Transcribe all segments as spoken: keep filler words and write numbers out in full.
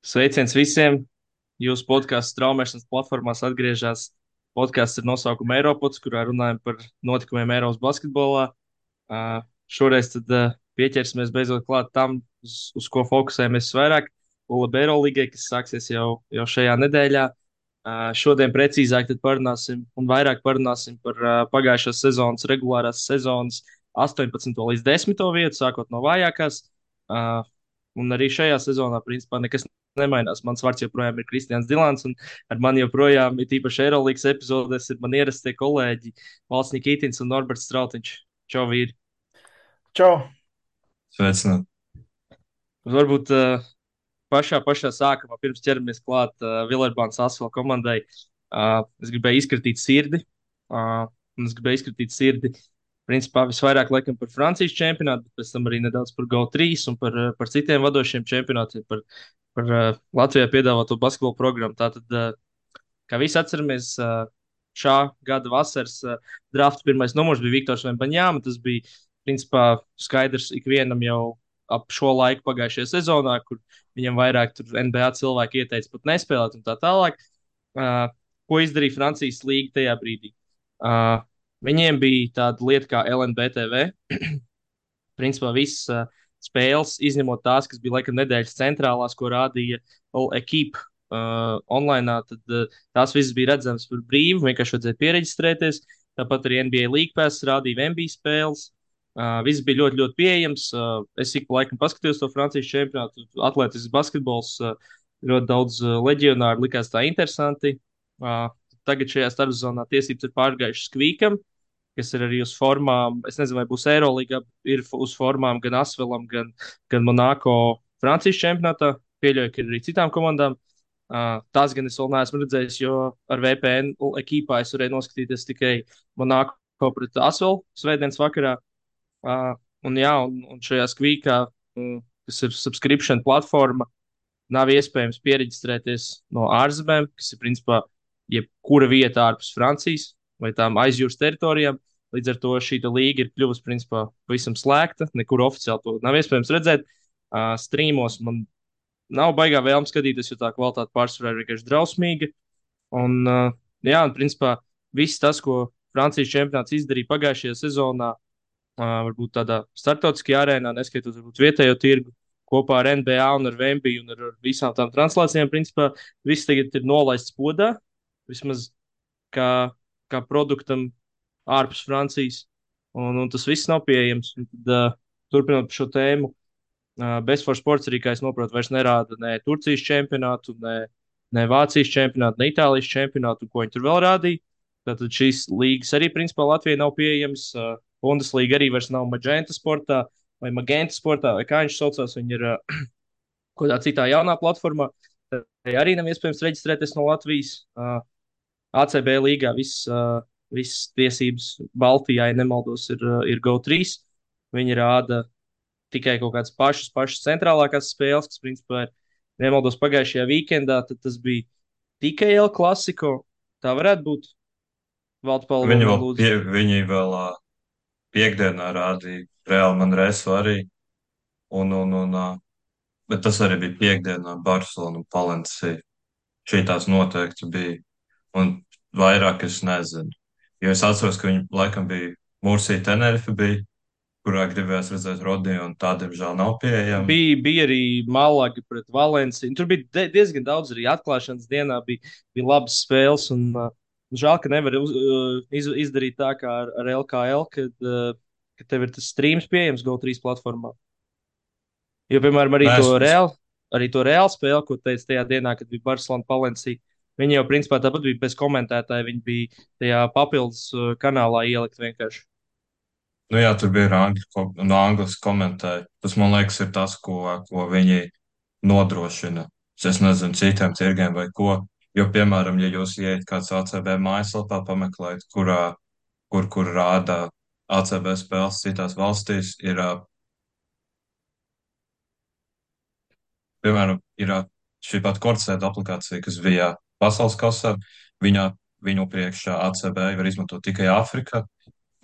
Sveiciens visiem! Jūsu podkāstu straumēšanas platformās atgriežas podkāsts ar nosaukumu Eiropods, kurā runājam par notikumiem Eiropas basketbolā. Uh, šoreiz tad uh, pieķersimies beidzot klāt tam, uz, uz ko fokusējamies vairāk. ULB Eirolīgai, kas sāksies jau, jau šajā nedēļā. Uh, šodien precīzāk tad parunāsim un vairāk parunāsim par uh, pagājušās sezonas, regulārās sezonas astoņpadsmito līdz desmito vietu, sākot no vājākās. Uh, un arī šajā sezonā, principā, nekas nemainās. Mans vārds joprojām ir Kristians Dilants, un ar mani joprojām, ir īpaši Eirolandes epizodēs, ir man ierastie kolēģi Valsts Nikitins un Norberts Strautiņš. Čau, vīri! Čau! Sveicināt. Varbūt uh, pašā, pašā sākumā, pirms ķeramies klāt uh, Vilerbānas Asfala komandai, uh, es gribēju izkritīt sirdi. Uh, un es gribēju izkritīt sirdi. Principā visvairāk laikam par Francijas čempionātu, bet pēc tam arī nedaudz par Go trīs un par, uh, par citiem vadošiem čempionātiem, par, par uh, Latvijā piedāvāto basketbalu programmu. Tātad, uh, kā visi atceramies, uh, šā gada vasaras uh, drafta pirmais numurs bija Viktors Vembaņāma. Tas bija principā skaidrs ikvienam jau ap šo laiku pagājušajā sezonā, kur viņam vairāk tur N B A cilvēki ieteica pat nespēlēt un tā tālāk. Uh, ko izdarīja Francijas līga tajā brīdī? Uh, viņiem bija tāda lieta kā L N B T V. Principā visas uh, spēles, izņemot tās, kas bija laikam nedēļas centrālās, ko rādīja Equipe uh, online, tad uh, tās visas bija redzamas par brīvu, vienkārši vajadzēja pieregistrēties. Tāpat arī N B A League Pass rādīja N B A spēles. Uh, viss bija ļoti, ļoti pieejams. Uh, es ik pa laikam paskatījos to Francijas čempionātu, atletisks basketbols, uh, ļoti daudz uh, leģionāru, likās tā interesanti. Uh, tagad šajā starpzonā tiesības ir pārgājušas Kvīkam, kas ir arī uz formām. Es nezinu, vai būs Eirolandā, ir uz formām gan Asvelam, gan, gan Monako Francijas čempionātā. Pieļauju, ka ir arī citām komandām. Uh, tās gan es vēl neesmu redzējis, jo ar V P N ekipā es varēju noskatīties tikai Monako pret Asvelu svētdienas vakarā. Uh, un, jā, un, un šajā skvīkā, um, kas ir subscription platforma, nav iespējams pieregistrēties no ārzemēm, kas ir principā jebkura vieta ārpus Francijas vai tām aizjūras teritorijām. Līdz ar to šī līga ir kļuvusi principā pavisam slēgta, nekur oficiāli to nav iespējams redzēt. Uh, Streamos man nav baigā vēlme skatīties, jo tā kvalitāte pārsvarā ir vienkārši drausmīga. Un, uh, jā, un principā viss tas, ko Francijas čempionāts izdarīja pagājušajā sezonā, Uh, varbūt tādā starptautiskajā arēnā, neskaitot varbūt vietējo tirgu, kopā ar N B A un ar Vembi un ar, ar visām tām translācijām, principā viss tagad ir nolaists podā, vismaz kā, kā produktam ārpus Francijas, un, un tas viss nav pieejams. Un tad, uh, turpinot par šo tēmu, uh, Best for Sports arī, kā es saprotu, vairs nerāda ne Turcijas čempionātu, ne, ne Vācijas čempionātu, ne Itālijas čempionātu, ko viņi tur vēl rādīja. Tātad šīs līgas arī principā Latvijai nav pieejamas. Uh, Bundeslīga arī vairs nav Magenta sportā vai Magenta sportā, vai kā viņš saucās. Viņi ir uh, kaut kādā citā jaunā platformā. Tai arī nav iespējams reģistrēties no Latvijas. Uh, A C B līgā viss, uh, viss tiesības Baltijā, ja nemaldos, ir, uh, ir Go trīs. Viņi rāda tikai kaut kādas pašas, pašas centrālākās spēles, kas, principā, ir, nemaldos, pagājušajā weekendā, tad tas bija tikai El Clasico. Tā varētu būt. Valds Palvo Viņi man vēl, lūdzu. pie, viņi vēl ā, piekdienā rādīja Real Manresu arī. Un, un, un, ā, bet tas arī bija piekdienā Barcelona un Palencija. Šī tās noteikti bija. Un vairāk es nezinu. Jo es atceros, ka viņi laikam bija Mursija Tenerife bija, kurā gribējās redzēt Rodiju, un tā, diemžēl, nav pieejama. Bija, bija arī Malaga pret Valenciju. Tur bija de- diezgan daudz arī atklāšanas dienā, bija, bija labas spēles. Un, uh, žēl, ka nevar uz, uh, iz, izdarīt tā kā ar, ar L K L, kad, uh, kad tev ir tas streams pieejams Go trīs platformā. Jo, piemēram, arī Nē, to es, es, reāli, arī to reāli spēli, ko teicu tajā dienā, kad bija Barcelona Palencija. Viņi jau principā tāpat bija bez komentētāja. Viņi bija tajā papildus uh, kanālā ielikt vienkārši. nu jā, tur bija angļu, ko- no angļu komentēji. Tas, man liekas, ir tas, ko, ko viņi nodrošina. Es nezinu, citiem tirgiem vai ko. Jo, piemēram, ja jūs ieiet kāds A C B mājaslapā, pameklēt, kurā, kur, kur rāda A C B spēles citās valstīs, ir, ā, piemēram, ir ā, šī pat kortsēta aplikācija, kas bija pasaules kasā. Viņā, viņu priekšā A C B var izmantot tikai Āfrikā.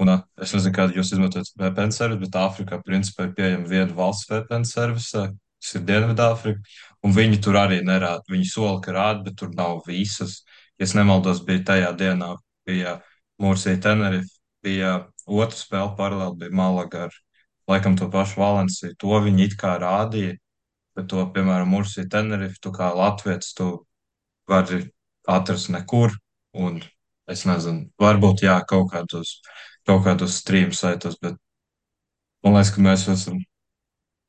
Un, ā, es nezinu, kādu jūs izmantojat V P N servisu, bet Āfrikā, principā, ir pieejama viena valsts V P N servisa. tas ir Dienvidāfrika, un viņi tur arī nerāda. Viņi sola, ka rāda, bet tur nav visas. Ja es nemaldos, bija tajā dienā, bija Mursija Tenerife, bija otra spēle paralēli, bija Malaga ar laikam to pašu Valenciju. To viņi it kā rādīja, bet to, piemēram, Mursija Tenerife, tu kā latviets, tu vari atrast nekur, un es nezinu, varbūt jā, kaut kādos, kaut kādos stream saitos, bet man liekas, ka mēs esam,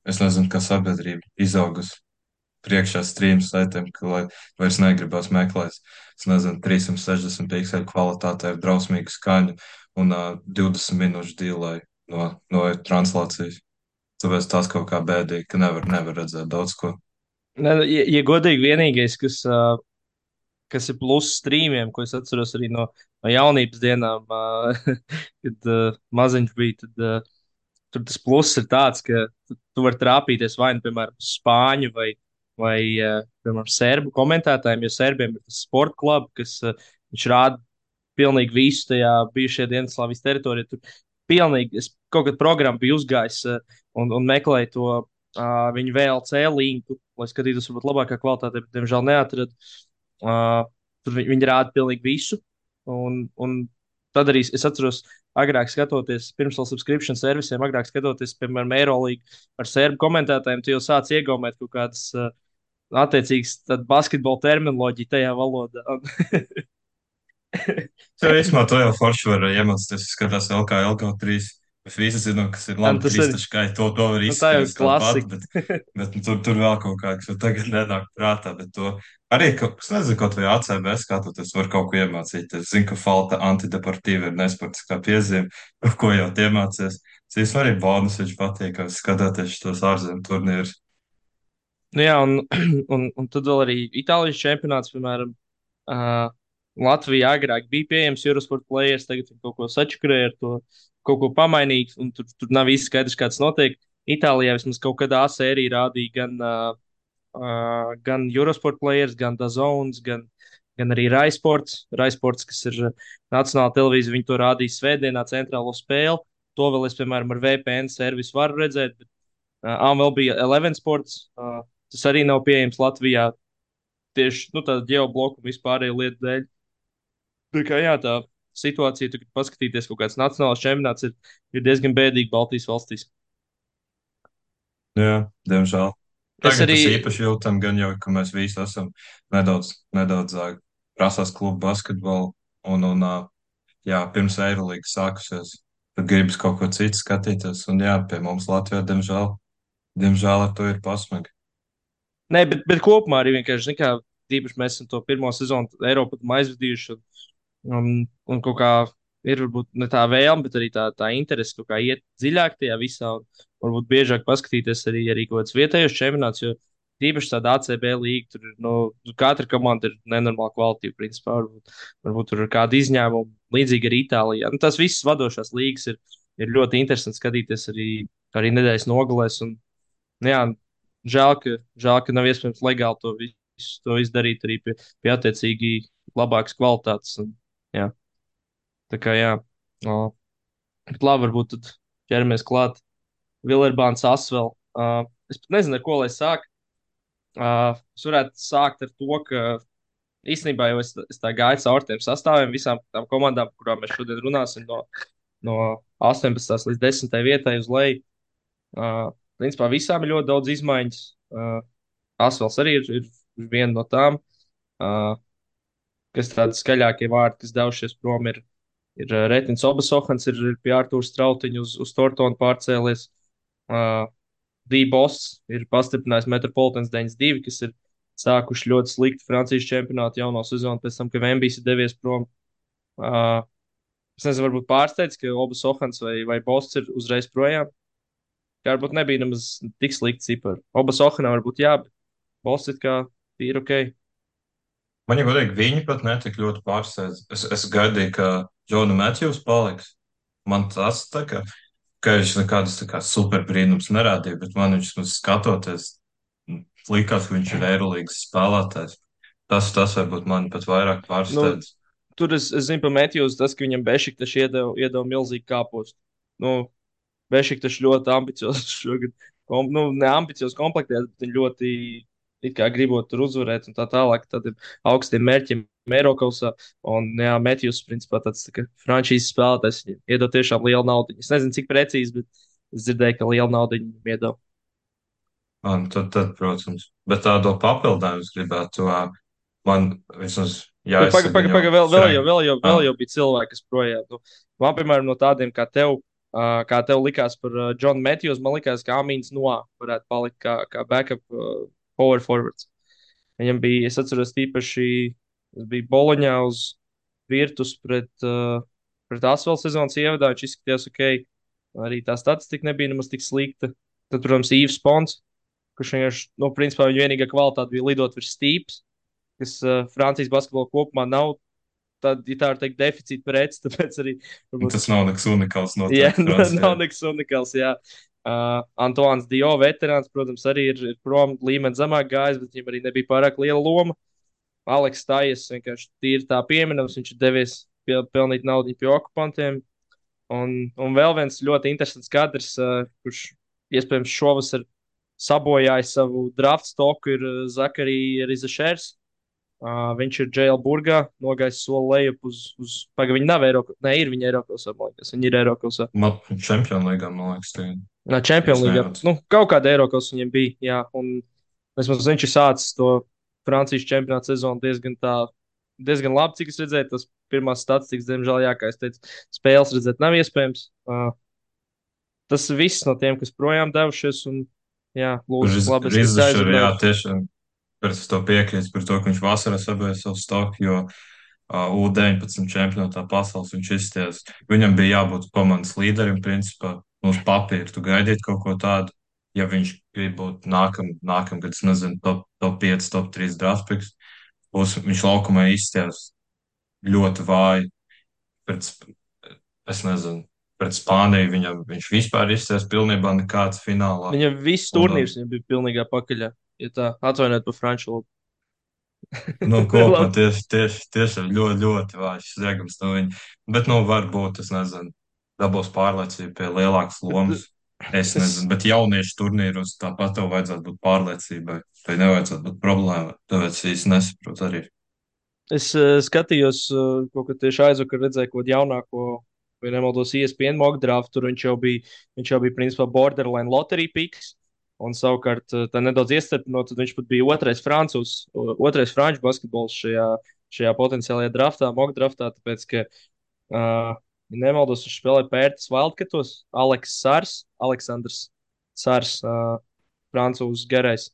es nezinu, kā sabiedrība izaugusi priekšā stream saitiem, ka lai vairs negribas meklēt, es nezinu, trīssimts sešdesmit pikseli kvalitātē ar drausmīgu skaņu un uh, divdesmit minūšu dīlai no, no translācijas. Tāpēc tas kaut kā bēdīgi, ka nevar, nevar redzēt daudz ko. Ne, ja, ja godīgi, vienīgais, kas, uh, kas ir pluss streamiem, ko es atceros arī no, no jaunības dienām, uh, kad uh, maziņš bija, tad uh, tur tas pluss ir tāds, ka tu, tu vari trāpīties vai nu, piemēram, uz spāņu vai, vai uh, piemēram, serbu komentētājiem, jo serbiem ir tas sporta klubs, kas uh, viņš rāda pilnīgi visu tajā bijušajā Dienvidslāvijas teritorijā. Tur pilnīgi, es kaut kādā programmā biju uzgājis uh, un, un meklēju to uh, viņu V L C linku, lai skatītos, varbūt labākā kvalitātē, bet, diemžēl, neatradu. Uh, tur viņi, viņi rāda pilnīgi visu. Un, un tad arī es atceros, agrāk skatoties, pirms vēl subscription servisiem, agrāk skatoties, piemēram, Eirolandu ar serbu komentētājiem, tu jau sāc iegaumēt kaut kādas uh, attiecīgas basketbola terminoloģiju tajā valodā. Jo īsumā to jau forši var iemācīties, ja skatās L K L kaut trīs. Mēs visi zinām, kas ir Un labi tas ir, kristaškai, to, to var nu, tā jau ir izspriest tāpat, klasika. bet, bet nu, tur, tur vēl kaut kā, kas man tagad nenāk prātā, bet to arī, ka, es nezinu, kaut vai A C B skatoties, var kaut ko iemācīties. Es zinu, ka falta antideportīva ir nesportiskā piezīme, ko jau tie mācīs. Es īstenībā arī bonus viņš patīk, ka skatoties šos ārzemju turnīrus. Nu, jā, un, un, un tad vēl arī Itālijas čempionāts, piemēram, uh, Latvijā agrāk bija pieejams Eurosport players, tagad viņi kaut ko sačakarēja ar to, kaut ko pamainīt, un tur, tur nav īsti skaidrs, kāds notiek. Itālijā vismaz kaut kādā sērijā rādīja gan, uh, uh, gan Eurosport players, gan Dazones, gan, gan arī Raisports. Raisports, kas ir uh, nacionāla televīzija, viņi to rādīja svētdienā centrālo spēli. To vēl es, piemēram, ar V P N servisu varu redzēt, bet uh, vēl bija Eleven Sports. Uh, Tas arī nav pieejams Latvijā tieši nu, tāda ģeobloku un vispārēju lietu dēļ. Tā kā jā, tā situācija, tu, kad paskatīties kaut kāds nacionāls čempionāts, ir, ir diezgan bēdīga Baltijas valstīs. Jā, diemžēl. Es Tagad arī, tas īpaši jūtam, gan jau, ka mēs visi esam nedaudz, nedaudz ā, prasās klubu basketbolu un, un ā, jā, pirms Eirolīgas sākusies, tad gribas kaut ko citu skatīties. Un jā, pie mums Latvijā, diemžēl, diemžēl ar to ir pasmagi. nē, bet, bet kopumā arī vienkārši, zin kā, tīpaši mēs esam to pirmo sezonu Eiropā aizvadījuši. Un, un, un kaut kā ir varbūt ne tā vēlme, bet arī tā, tā interese kaut kā iet dziļāk tajā visā. Un varbūt biežāk paskatīties arī, arī kaut kāds vietējos čempionāts, jo tīpaši tāda A C B līga, tur ir, nu, katra komanda ir nenormāla kvalitāte, principā. Varbūt, varbūt tur ir kāda izņēmuma, līdzīgi arī Itālijā. Nu, tās visas vadošās līgas ir, ir ļoti interesanti skatīties arī, arī nedēļas nogalēs. Un, nu, jā, žēl, ka, žēl, ka nav iespējams legāli to visu to izdarīt arī pie, pie attiecīgi labākas kvalitātes. Un, jā, tā kā jā, o, bet labi, varbūt tad ķeramies klāt. Vilerbāns Asvel. Uh, es pat nezinu, ar ko lai sāk. Uh, es varētu sākt ar to, ka īstenībā jau es, es tā gāju cauri tiem sastāviem, visām tām komandām, par kurām mēs šodien runāsim, no, no astoņpadsmitās līdz desmitajai vietai uz leju. Uh, principā visām ir ļoti daudz izmaiņas. Uh, Asvels arī ir, ir viena no tām, uh, kas tādi skaļākie vārdi, kas devušies prom, ir, ir uh, Retins Obasohans, ir, ir pie Artūra Strautiņa uz, uz Tortonu pārcēlies. Uh, D-Boss ir pastiprinājis Metropolitans deviņdesmit divi, kas ir sākuši ļoti slikti Francijas čempionātu jauno sezonu, pēc tam, ka Vembijs ir devies prom. Uh, es nezinu, varbūt pārsteidz, ka Obas Ohans vai, vai Boss ir uzreiz projām. Kā varbūt nebija nemaz tik slikti cipari. Obas Ohanam varbūt jā, bet Boss it kā ir ok. Man jau godīgi, viņi pat netik ļoti pārsteidz. Es, es gaidīju, ka Džona Matjūs paliks. Man tas tā kā, ka viņš nekādas tā kā super brīnums nerādīja, bet man viņš mums skatoties, m, likās, ka viņš ir Eirolīgas spēlētājs. Tas, tas varbūt mani pat vairāk Nu, pārsteidz. tur es, es zinu par Matthews, tas, ka viņam Bešiktaši iedeva, iedeva milzīgu kāpostu. Nu, Bešiktaši ļoti ambiciozi šogad. kom, nu, neambiciozi komplektēts, bet viņi ļoti it kā gribot tur uzvarēt un tā tālāk. Tad ir augstiem mērķiem Eiropausā. Un, jā, Matthews, principā, tāds tā kā frančīzes spēlētājs, viņam iedod tiešām lielu naudu. Es nezinu, cik precīzi, bet es dzirdēju, ka lielu naudu viņam iedod. Man, tad, tad, protams, bet tādu papildinājumu es gribētu, ā, man vismaz Bet pagaidi, jāizsaka pagaidi, viņu paga, vēl, vēl, jau, Frank. vēl, jau, vēl Ah, jau bija cilvēki, kas projām. Nu, man, piemēram, no tādiem kā tev, uh, kā tev likās par uh, Johnu Matthews, man likās, ka Amīns Noā varētu palikt kā, kā backup uh, power forwards. Viņam bija, es atceros, tīpaši, tas bija Boloņā uz Virtus pret, uh, pret Asvēlu sezonas ievadā. Viņš izskatījās ok. Arī tā statistika nebija nemaz tik slikta. Tad, protams, Īvs Pons, kurš vienkārši, nu, principā viņa vienīgā kvalitāte bija lidot virs stīpas, kas uh, Francijas basketbolā kopumā nav tāda, ja tā var teikt, deficīta preci. Tāpēc arī, un varbūt tas viņš, nav nekas unikāls jā, noteikti Francijā. nav nekas unikāls. Jā. Uh, Antoine Dio, veterāns, protams, arī ir, ir prom līmeni zemāk gājis, bet viņam arī nebija pārāk liela loma. Aleks Tājas vienkārši tīri tā pieminams, viņš ir devies pie, pelnīt naudu pie okupantiem. Un, un vēl viens ļoti interesants kadrs, uh, kurš iespējams šovasar sabojājis savu draft stoku, ir uh, Zakarija Rizašers. Uh, viņš ir Džēlburgā, nogājis soli lejup uz, uz pagaidi. Viņi nav Eiropas, ne, ir viņi Eiropas, man liekas, viņi ir Eiropas. Man Čempionu līgā, man liekas, tie, Nā, ja Champions es League, nejaucu. nu, kaut kāda Eiropas viņiem bija, jā, un vismaz viņš ir sācis to Francijas čempionāta sezonu diezgan tā, diezgan labi, cik es redzēju, tas pirmās statistikas, diemžēl, jā, kā es teicu, spēles redzēt nav iespējams. Uh, tas viss no tiem, kas projām devušies, un, jā, lūdzu, labi, es, es Rizašur, jā, aizrunāju. tiešām par to piekrītu, par to, ka viņš vasarā sabēja savu stoku, jo uh, U deviņpadsmit čempionātā pasaules viņš izties. Viņam bija jābūt komandas līderim, principā, uz papīra. Tu gaidītu kaut ko tādu, ja viņš grib būt nākam, nākamgad, es nezinu, top, top pieci, top trīs draftpiks. Būs, viņš laukumā izties ļoti vāji. Pret, Sp- es nezinu, pret Spāniju viņam, viņš vispār izties pilnībā nekāds finālā. Viņam viss Un, uh, turnīrs viņam bija pilnīgā pakaļā, ja tā atvainojiet par franču valodu. Nu, kopumā Labi, tieši, tieši, tieši ļoti, ļoti vājš sniegums no viņa. Bet, nu, varbūt, es nezinu, dabūs pārliecību pie lielākas bet, lomas. Es es, nezinu, bet jauniešu turnīros tāpat tev vajadzētu būt pārliecībai. Tai nevajadzētu būt problēmai. Tāpēc īsti nesaprotu arī. es uh, skatījos, uh, kaut kā tieši aizvakar redzēju kaut kādu jaunāko, vai nemaldos, E S P N mock draft, tur viņš jau bija, viņš jau bija principā borderline lottery picks. Un savukārt, uh, tā nedaudz iestarpinot, tad viņš pat bija otrais francūzs, uh, otrais franču basketbols šajā, šajā potenciālajā draftā, mock draftā, tāpēc, ka, uh, ja nemaldos, viņš spēlēja Pērtas Wildcatos, Aleks Sārs, Aleksandrs Sārs, uh, francūzs garais,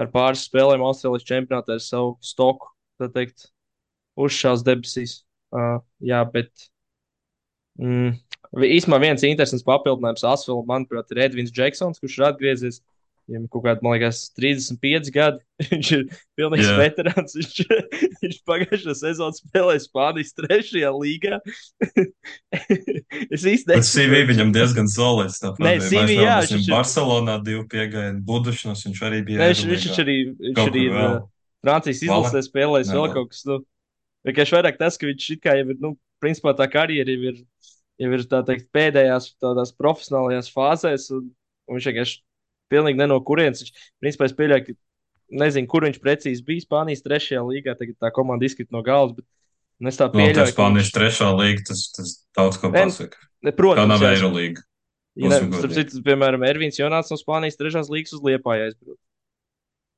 ar pāris spēlēm Austrālijas čempionātā ar savu stoku, tā teikt, uzšāvis debesīs. Uh, jā, bet mm, īstenībā viens interesants papildinājums Asvēlam, manuprāt, ir Edvins Džeksons, kurš ir atgriezies. Viņam ir kaut kādi, man liekas, trīsdesmit pieci gadi. Viņš ir pilnīgs Jā, veterāns. Viņš, viņš pagājušā sezonā spēlēja Spānijas trešajā līgā. Es īsti bet C V nesaprotu. viņam diezgan solids. Nē, Tāpat bija C V, mēs jā, nevaram, viņš viņam ir. Barcelonā divu piegājienu, Budušnos viņš arī bija Nē, viņš, viņš, viņš Eirolīgā. arī, viņš Kaut arī kur ir vēl. uh, Francijas izlasē Valen? spēlējis Nē, vēl vēl. kaut kas. Nu, vienkārši vairāk tas, ka viņš it kā jau ir, nu, principā tā karjera jau ir, jau ir tā teikt, pēdējās tādās profesionālajās fāzēs, un, un viņš vienkārši pilnīgi ne no kurienes. Viņš, principā, es pieļauju, ka nezinu, kur viņš precīzi bija Spānijas trešajā līgā, tagad tā komanda izkrita no galvas, bet un es tā Noteikti pieļauju, ka viņš, Spānijas trešā līga, tas, tas daudz ko ne, pasaka. ne, Tā protams, nav jā, es, Eirolīga. ja ne, Būsim starp godīgi. citu, piemēram, Ervīns Jonāts no Spānijas trešās līgas uz Liepāju aizbrauc.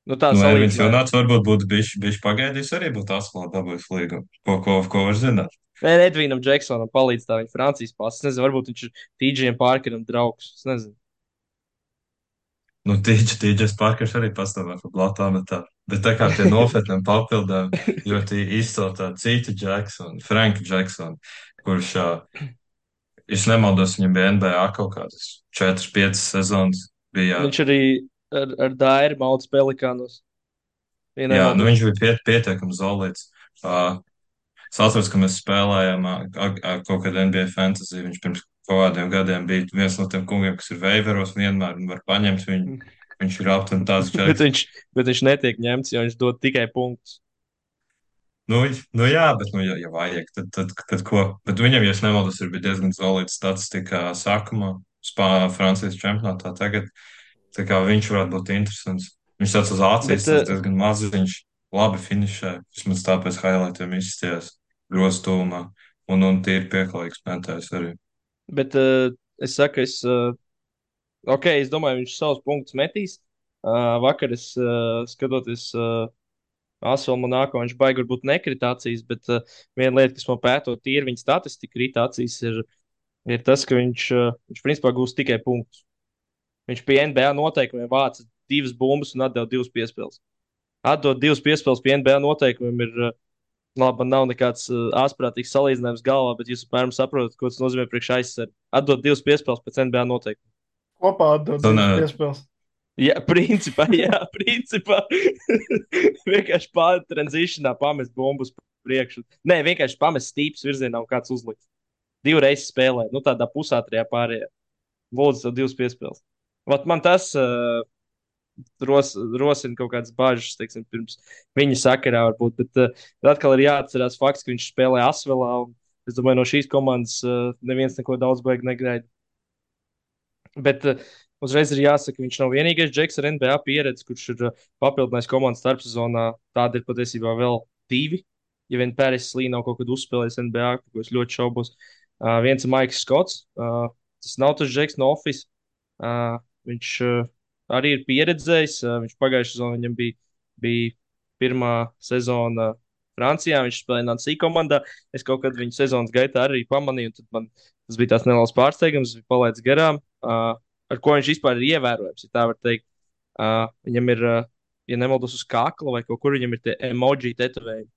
Nu, tā Nu, Ervins salīdzinājumā. Jonāts varbūt būtu bijis, bijis pagaidījis, arī būtu atklāt dabūjis līgu. Ko, ko, ko var zināt? Nē, Edvīnam Džeksonam palīdz tā viņa Francijas pasis. Es nezinu, varbūt viņš ir Tīdžiem Pārkeram draugs. Es nezinu. Nu, tīģis, tīģis Parkers arī pastāvē par Blatānu, bet tā. Bet tā kā pie nopietniem papildām ļoti izceltā cita Jacksona, Franka Jacksona, kurš, ā, es nemaldos, viņam bija N B A kaut kādas četras piecas sezonas. Bija, Viņš arī ar, ar Dairu Mauts Pelikānos. Ja jā, nu nemaldos. viņš bija piet, pietiekami zolīts. Uh, es atceros, ka mēs spēlējām ā, ā, ā, kaut kādu N B A fantasy. Viņš pirms kaut kādiem gadiem bija viens no tiem kungiem, kas ir veiveros vienmēr un var paņemt viņu. Viņš ir aptuveni tāds bet, čeks. viņš, bet viņš netiek ņemts, jo viņš dod tikai punktus. Nu, nu jā, bet, nu, ja, ja vajag, tad, tad, tad ko? Bet viņam, ja es nemaldos, ir bija diezgan solīta statistika sākumā, Spā, Francijas čempionātā tagad. Tā kā viņš varētu būt interesants. Viņš tāds uz Bet, acīs, tas uh, diezgan maziņš, labi finišē. Vismaz tāpēc highlightiem izstījās groztūmā. Un, un tīri pieklājīgs metējs arī. bet uh, es saku, es, uh, ok, es domāju, viņš savus punktus metīs. Uh, vakar es uh, skatoties uh, Asvēl Monako, viņš baigi varbūt nekritācijas, bet uh, viena lieta, kas man pētot tīri viņa statistika kritācijas, ir, ir tas, ka viņš, uh, viņš principā gūs tikai punktus. Viņš pie N B A noteikumiem vāca divas bumbas un atdeva divas piespēles. Atdot divas piespēles pie N B A noteikumiem ir, uh, labi, man nav nekāds uh, ārprātīgs salīdzinājums galvā, bet jūs apmēram saprotat, ko tas nozīmē priekš aizsardzību. Atdot divas piespēles pēc N B A noteikumiem. Kopā atdod Un, divas uh, piespēles. Jā, principā, jā, principā. Vienkārši pārtranzīšanā pamest bumbas priekšu. Nē, vienkārši pamest stīpes virzienā un kāds uzlikt. Divreiz spēlē, nu tādā pusātrajā pārējā. Lūdzu, tev divas piespēles. Vat man tas uh, ros, rosina kaut kādas bažas, teiksim, pirms viņa sakarā varbūt. Bet uh, atkal ir jāatcerās fakts, ka viņš spēlē Asvelā. Un es domāju, no šīs komandas uh, neviens neko daudz baigi negaida. Bet uh, uzreiz ir jāsaka, ka viņš nav vienīgais džeks ar N B A pieredzi, kurš ir uh, papildinājis komandas starpsezonā. Tāda ir patiesībā vēl divi. Ja vien Pēris Lī nav kaut kad uzspēlējis N B A, par ko es ļoti šaubos. Uh, viens ir Maiks Skots. Uh, tas nav tas džeks no Office. Uh, viņš uh, arī ir pieredzējis. Uh, viņš pagājušajā sezonā viņam bija, bija pirmā sezona Francijā. Viņš spēlēja Nancy komandā. Es kaut kad viņa sezonas gaitā arī pamanīju. Tad man tas bija tās neliels pārsteigums. Viņš palaidis garām. Uh, ar ko viņš vispār ir ievērojams, ja tā var teikt. Uh, viņam ir, uh, ja nemaldos, uz kakla vai kaut kur viņam ir tie emoji tetovējumi.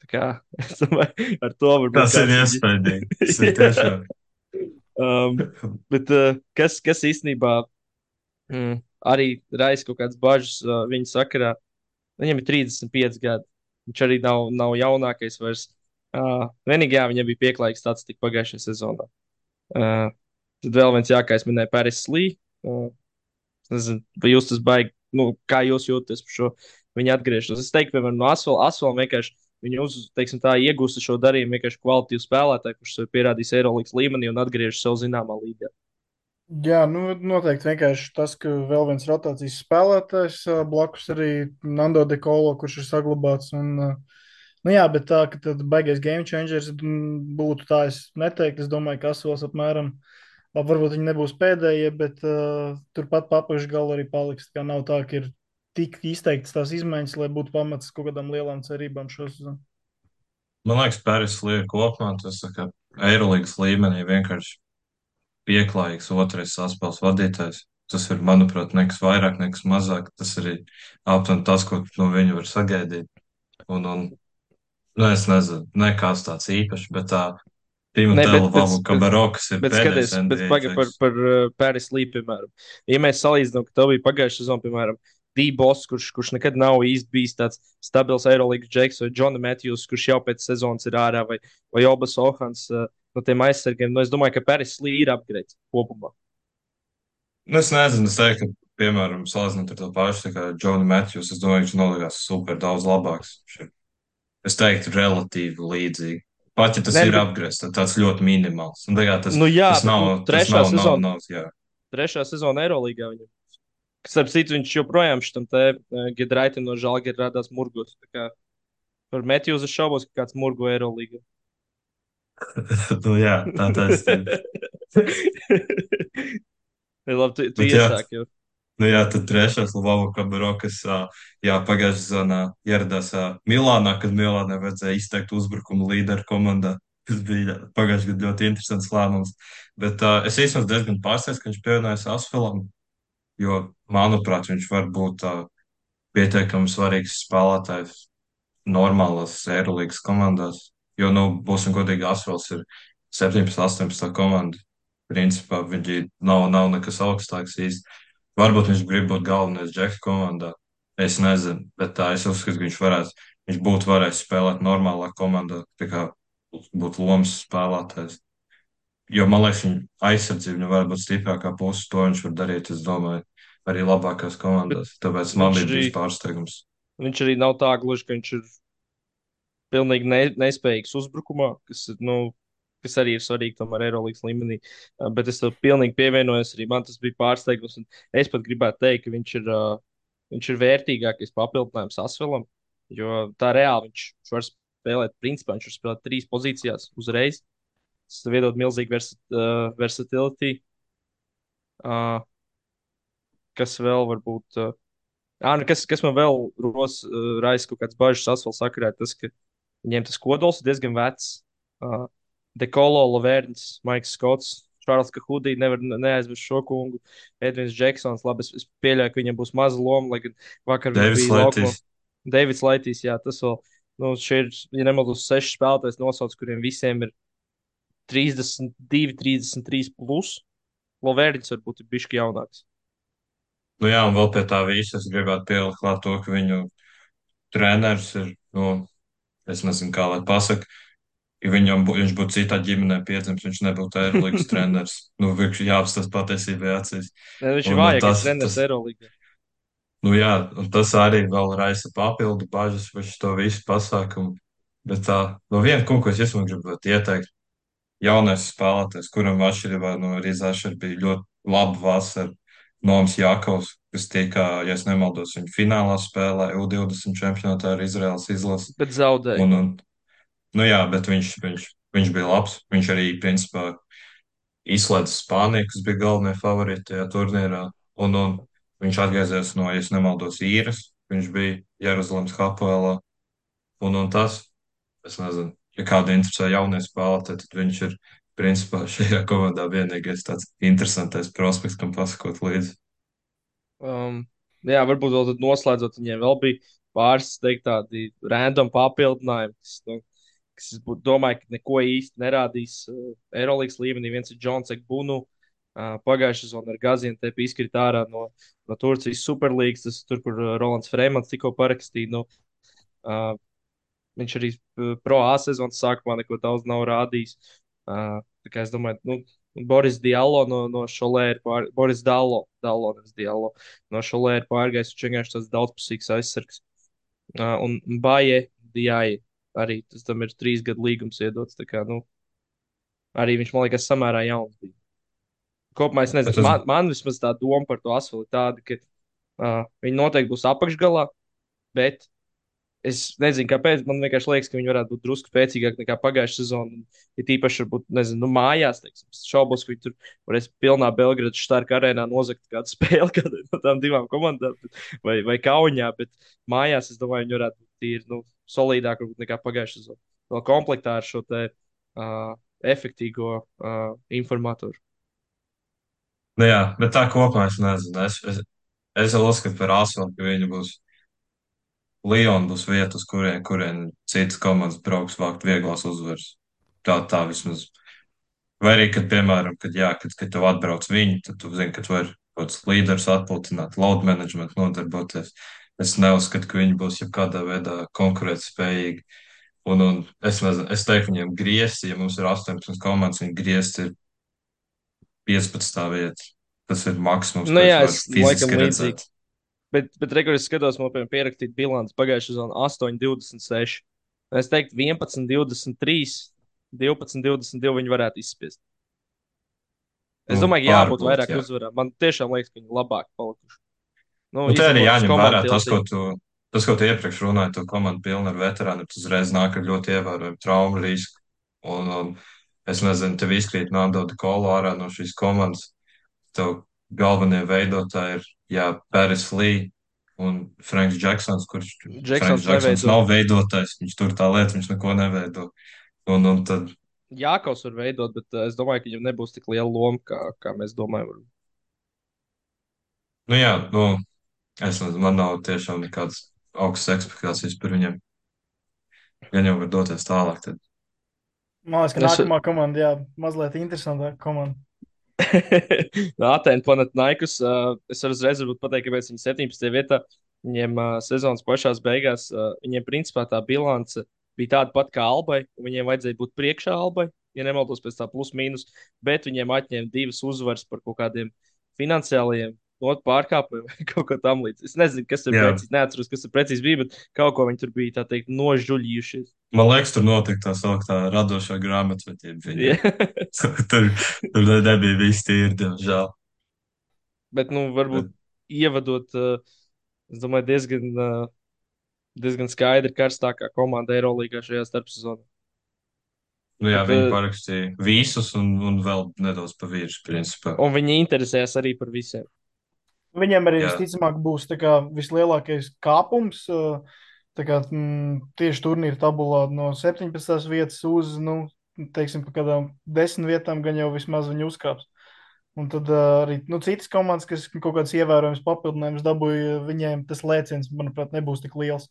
Tā kā es domāju, ar to varbūt Tas ir kāds viņu. iespaidīgi. Tas ir Jā. tiešām. um, bet uh, kas, kas īstenībā mm, arī raisa kaut kādas bažas uh, viņa sakarā, viņam ir trīsdesmit pieci gadi. Viņš arī nav, nav jaunākais vairs. Uh, vienīgi, jā, viņam bija pieklājīgs tāds tik pagājušajā sezonā. Uh, tad vēl viens, jā, kā es minēju, Pēris Lī. Uh, es nezinu, vai jūs tas baigi, nu, kā jūs jūtaties par šo viņa atgriešanos. Es teiktu, piemēram, no Asfala, Asfala vienkārši viņu uz, teiksim tā, iegūst šo darījumu vienkārši kvalitīvu spēlētāju, kurš sev pierādījis Eirolandes līmenī un atgriežas sev zināmā līgā. Jā, nu, noteikti vienkārši tas, ka vēl viens rotācijas spēlētājs ā, blakus arī Nando De Colo, kurš ir saglabāts. Un, ā, nu jā, bet tā, ka tad baigais game changers m, būtu tā, es neteiktu. Es domāju, ka Asvels apmēram, labi, varbūt viņi nebūs pēdējie, bet uh, turpat papaušu galu arī paliks. Tā kā nav tā, ka ir tik izteiktas tās izmaiņas, lai būtu pamats kaut kādām lielām cerībām šo sezonu. Man liekas, Pēris Lī kopumā tas tā kā Eirolandes līmenī vienkārši pieklājīgs otrais saspēles vadītājs. Tas ir, manuprāt, nekas vairāk, nekas mazāk. Tas arī aptuveni tas, ko no viņa var sagaidīt. Un, un nu, es nezinu, nekas tāds īpašs, bet tā Nē, bet, Timotēla bet, Valu bet, Kabarokas ir bet pēdējais skaties, bet N B A pagaidi par, džeks. par uh, Pēris Lī, piemēram. Ja mēs salīdzinām, ka tev bija pagājušā sezona, piemēram, D-Boss, kurš, kurš nekad nav īsti bijis tāds stabils Eirolandes džeks, vai Džona Matthews, kurš jau pēc sezonas ir ārā, vai, vai Obas Ohans uh, no tiem aizsargiem. Nu, es domāju, ka Pēris Lī ir upgrade kopumā. Nu, es nezinu, es teiktu, ka, piemēram, salīdzinot ar to pašu, tā kā Džonu Matthews, es domāju, viņš nolikās super daudz labāks. Viņš ir, es teiktu, relatīvi līdzīgi. Pat ja tas Nē, nu, ir bet, apgriezts, tad tāds ļoti minimāls. Un, tā kā tas, nu jā, tas bet nu, nav, tas trešā nav, nav, sezona, nav, jā. trešā sezona Eirolandā viņam. Kas, ap citu, viņš joprojām šitam te uh, Gedraitam no Žalgiris rādās murgos. Tā kā par Matthews es šaubos, ka kāds murgo Eirolandā. Nu, jā, tā taisnība. Labi, tu, tu Bet jā, iesāki jau. nu jā, tad trešais Lvova Kabarokas, jā, pagājušajā sezonā ieradās ā, Milānā, kad Milānai vajadzēja izteikt uzbrukumu līderu komandā. Tas bija pagājušajā gadā ļoti interesants lēmums. Bet uh, es īstenībā diezgan pārsteigts, ka viņš pievienojas Asfelam, jo, manuprāt, viņš var būt uh, pietiekami svarīgs spēlētājs normālās Eirolandes komandās. Jo, nu, būsim godīgi, Asfels ir septiņpadsmit, astoņpadsmit komanda. Principā viņi nav, nav nekas augstāks īsti. Varbūt viņš grib būt galvenais džeks komandā. Es nezinu, bet tā es uzskatu, ka viņš varētu, viņš būtu varējis spēlēt normālā komandā, tā kā būt lomas spēlētājs. Jo, man liekas, viņa aizsardzība viņam var būt stiprākā puse, to viņš var darīt, es domāju, arī labākās Bet komandās. Tāpēc man viņš bija arī, bijis pārsteigums. viņš arī nav tā gluži, ka viņš ir pilnīgi ne, nespējīgs uzbrukumā, kas ir, nu, kas arī ir svarīgi tomēr Eirolandes līmenī. Uh, bet es tam pilnīgi pievienojos. Arī man tas bija pārsteigums. Es pat gribētu teikt, ka viņš ir, uh, viņš ir vērtīgākais papildinājums Asvelam. Jo tā reāli viņš, viņš var spēlēt, principā viņš var spēlēt trīs pozīcijās uzreiz. Tas tev iedod milzīgu versa, uh, versatility. Uh, kas vēl var būt? Uh, ah, nu kas, kas man vēl ros, uh, raisa kaut kādas bažas Asfala sakarā, ir tas, ka viņiem tas kodols ir diezgan vecs. Uh, Dekolo, Lavērns, Maiks Skots, Čārls Kahudī, nevar ne- neaizmirst šo kungu. Edvins Džeksons, labi, es, es pieļauju, ka viņam būs maza loma, lai gan vakar viņš Deivids bija laukumā. Laitīs. Deivids Laitīs, jā, tas vēl, nu, šie ir, ja nemaldos, seši spēlētājs nosauc, kuriem visiem ir trīsdesmit divi, trīsdesmit trīs plus. Lavērns varbūt ir bišķi jaunāks. Nu jā, un vēl pie tā visa es gribētu pielikt klāt to, ka viņu treneris ir, nu, es nezinu, kā lai pasaka, ja viņam bū, viņš būtu citā ģimenē piedzimis, viņš nebūtu Eirolandes treneris. Nu, viņš jāapstāsta patiesībai acīs. Ne, viņš ir Un, un vājākais tas, treneris tas, Eirolandā. nu jā, un tas arī vēl raisa papildu bažas par šo visu pasākumu. Bet tā, no viena kunga, ko es esmu gribētu ieteikt, jaunais spēlētājs, kuram atšķirībā no Rīzāša bija ļoti laba vasara, Noms Jākovs, kas tika, ja es nemaldos, viņa finālā spēlē U divdesmit čempionātā ar Izraels izlasi. Bet zaudēja. Un, un, nu jā, bet viņš, viņš, viņš bija labs. Viņš arī, principā, izslēdz Spāniju, kas bija galvenie favorīti tajā turnīrā. Un, un viņš atgriezies no, ja es nemaldos, īres. Viņš bija Jeruzalemes Hapoelā. Un, un tas, es nezinu, ja kādu interesē jaunie spēlētāji, tad viņš ir, principā, šajā komandā vienīgais tāds interesantais prospekts, kam pasakot līdzi. Um, jā, varbūt vēl tad noslēdzot, viņiem vēl bija pāris, teikt, tādi random papildinājumi, kas, nu, kas es būtu domāju, ka neko īsti nerādīs uh, Eirolandes līmenī. Viens ir Džons Ekbunu. Uh, Pagājušā sezonā ar Gaziantepu izkrita ārā no, no Turcijas Superlīgas, tas tur, kur uh, Rolands Freimans tikko parakstīja. Nu, uh, viņš arī uh, pro A sezonas sākumā neko daudz nav rādījis. Uh, tā kā es domāju, nu, Boris Diallo no, no Šolēra, pār, Boris Dallo, Dallo, nevis Diallo, no Šolēra pārgājis, viņš vienkārši tāds daudzpusīgs aizsargs. Uh, un Baje Dijai arī tas tam ir trīs gadu līgums iedots. Tā kā, nu, arī viņš man liekas samērā jauns bija. Kopumā es Bet nezinu, tas, man, man vismaz tā doma par to asfali tāda, ka uh, viņi noteikti būs apakšgalā, bet es nezinu, kāpēc. Man vienkārši liekas, ka viņi varētu būt drusku spēcīgāki nekā pagājušā sezona. Ir tīpaši, varbūt, nezinu, nu, mājās. Teiksim. Es šaubos, ka viņi tur varēs pilnā Belgradas Štārka arēnā nozagt kādu spēli kādai no tām divām komandām vai, vai Kaunijā. Bet mājās, es domāju, viņi varētu būt tīri nu, solidāki nekā pagājušā sezona. Vēl komplektā ar šo te uh, efektīvo uh, informatoru. nu jā, bet tā kopumā es nezinu. Es, es, es vēl uzskatu par Asfaltu, ka viņi būs. Liona būs vieta, uz kurien, kurien citas komandas brauks vākt vieglās uzvaras. Tā, tā vismaz. Vai arī, kad, piemēram, kad, jā, kad, kad tev atbrauc viņi, tad tu zini, ka tu vari kaut kāds līderis atpūtināt, load management nodarboties. Es neuzskatu, ka viņi būs jebkādā veidā konkurētspējīgi. Un, un es nezinu, es teiktu, viņiem griezti, ja mums ir astoņpadsmit komandas, viņi griezti ir piecpadsmitā vieta. Tas ir maksimums, Nu ko es jā, varu es laikam fiziski līdzīgi. redzēt. Bet, bet regulāri skatos, man piemēram pierakstīt bilanci pagājušā sezonā astoņi, divdesmit seši. Es teiktu, vienpadsmit, divdesmit trīs, divpadsmit, divdesmit divi viņi varētu izspiest. Es Nu, domāju, ka jābūt varbūt, vairāk jā. uzvarām. Man tiešām liekas, ka viņi labāk palikuši. Nu, Nu, te arī izņemot uz jāņem vērā komandu tas, ko tiltību. tu, tas, ko tu iepriekš runāji, tu komandu pilna ar veterāniem, tas uzreiz nāk ar ļoti ievērojumu traumu risku. Un, un es nezinu, tev izkrīt Nando de Colo ārā no šīs komandas. Tev galvenie veidotāji ir, jā, Paris Lee un Franks Džeksons, kurš Franks Džeksons Džeksons neveido. nav veidotājs, viņš tur tā lieta, viņš neko neveido. Un, un tad, Jākaus var veidot, bet uh, es domāju, ka viņam nebūs tik liela loma, kā, kā mēs domājam. nu jā, nu, es nezinu, man nav tiešām nekādas augstas expectācijas par viņiem. Ja jau var doties tālāk, tad Man liekas, ka Es, nākamā komanda, jā, mazliet interesantāka komanda. Atēnu Panathinaikos. Uh, es varu uzreiz varbūt pateikt, kāpēc viņi septiņpadsmitajā vietā. Viņiem uh, sezonas pašās beigās, uh, viņiem principā tā bilance bija tāda pati kā Albai. Viņiem vajadzēja būt priekšā Albai, ja nemaldos pēc tā plus mīnus, bet viņiem atņēma divas uzvaras par kaut kādiem finansiāliem notu pārkāpumi vai kaut ko tamlīdzīgu. Es nezinu, kas tur Jā, precīzi, neatceros, kas tur precīzi bija, bet kaut ko viņi tur bija, tā teikt, nožuļījušies. man liekas, tur notika tā sauktā radošā grāmatvedība Jā. viņiem. Tur, tur nebija viss tīri, diemžēl. Bet, nu, Bet, varbūt ievadot, uh, es domāju, diezgan, uh, diezgan skaidri karstākā komanda Eirolandā šajā starpsezonā. nu jā, Bet, viņi uh, parakstīja visus un, un vēl nedaudz pa virsmu, principā. un viņi interesējas arī par visiem. Viņiem arī Jā, visticamāk būs tā kā, vislielākais kāpums. uh, Tā kā, mm, tieši turnīra tabulā no septiņpadsmitās vietas uz, nu, teiksim, pa kādām desmit vietām gan jau vismaz viņi uzkāps. Un tad uh, arī nu, citas komandas, kas kaut kādas ievērojamas papildinājumus dabūja, viņiem tas lēciens, manuprāt, nebūs tik liels.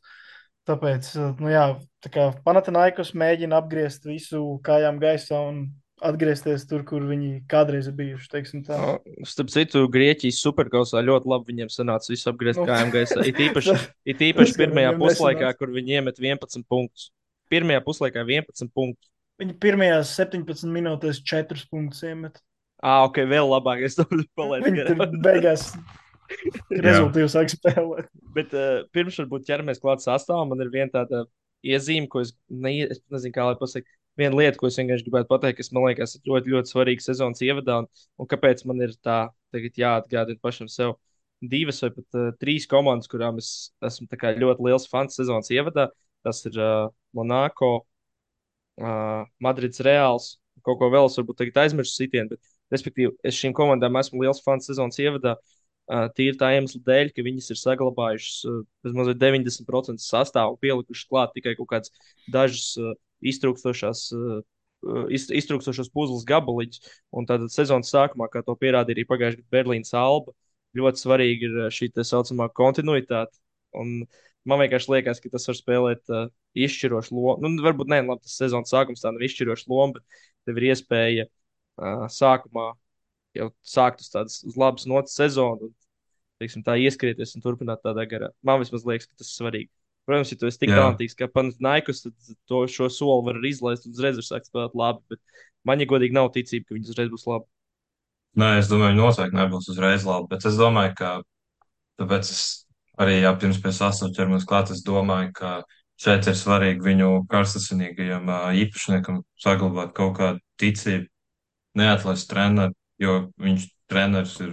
Tāpēc, uh, nu jā, tā kā Panathinaikos mēģina apgriezt visu kājām gaisā un atgriezties tur, kur viņi kādreiz ir bijuši, teiksim tā. O, starp citu, Grieķijas superkausā ļoti labi viņiem sanāca visu apgriezt Nu, kājām gaisā. It īpaši, tas, it tas īpaši gan pirmajā viņiem puslaikā, nesanāca. kur viņi iemet vienpadsmit punktus. Pirmajā puslaikā vienpadsmit punktus. Viņi pirmajās septiņpadsmit minūtēs četrus punktus iemet. Ah, ok, vēl labāk. Es domāju, palaidu Viņi tur garām. beigās jā, rezultātu sāk spēlēt. Bet uh, pirms varbūt ķeramies klāt sastāvam, man ir viena tāda iezīme, ko es, ne, es nezinu, kā lai pasaktu. Viena lieta, ko es vienkārši gribētu pateikt, kas man liekas ir ļoti, ļoti svarīga sezonas ievadā, un, un kāpēc man ir tā tagad jāatgādina pašam sev divas vai pat uh, trīs komandas, kurām es esmu tā kā ļoti liels fans sezonas ievadā. Tas ir uh, Monako, uh, Madrids Reāls, kaut ko vēl es varbūt tagad aizmirsu sitienu, bet, respektīvi, es šīm komandām esmu liels fans sezonas ievadā. Uh, tīri tā iemesla dēļ, ka viņas ir saglabājušas uh, bezmazliet deviņdesmit procentu sastāvu, pielikušas klāt tikai kaut kādas dažas uh, iztrūkstošās, uh, uh, iz, iztrūkstošos puzles gabaliņus. Un tad sezonas sākumā, kā to pierādīja arī pagājušajā gadā Berlīnas Alba, ļoti svarīgi ir uh, šī tā saucamā kontinuitāte. Un man vienkārši liekas, ka tas var spēlēt uh, izšķirošu lomu. Nu, varbūt ne, labi, tas sezonas sākums tā nav izšķiroša loma, bet tev ir iespēja uh, sākumā jau sākt uz tādas uz labas notas sezonu, un teiksim, tā ieskrieties un turpināt tādā garā. Man vismaz liekas, ka tas ir svarīgi. Protams, ja tu esi tik jā. talantīgs kā Panathinaikos, tad to, šo soli var arī izlaist un uzreiz var sākt spēlēt labi. Bet man, ja godīgi, nav ticība, ka viņi uzreiz būs labi. Nē, es domāju, noteikti nebūs uzreiz labi, bet es domāju, ka tāpēc es arī, jā, pirms pie sastāvdaļas ķeramies klāt, es domāju, ka šeit ir svarīgi viņu karstasinīgajam ā, īpašniekam saglabāt kaut kādu ticību, neatlaist treneri, jo viņš treneris ir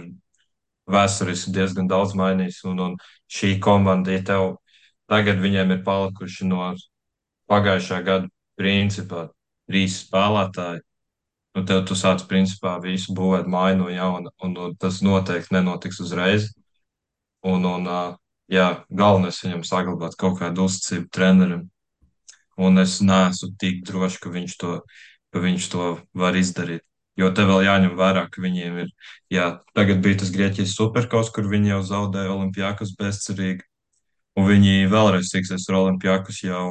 vēsturiski diezgan daudz mainījis, un, un šī komanda, ja tev tagad viņiem ir palikuši no pagājušā gada principā trīs spēlētāji, nu tev tu sāc principā visu būvēt māju no jauna, un, un tas noteikti nenotiks uzreiz, un, un ā, jā, galvenais viņam saglabāt kaut kādu uzticību trenerim, un es neesmu tik drošs, ka viņš to, ka viņš to var izdarīt. Jo te vēl jāņem vērā, ka viņiem ir, jā, tagad bija tas Grieķijas superkaus, kur viņi jau zaudēja Olimpijakus bezcerīgi, un viņi vēlreiz tiksies ar Olimpijakus jau,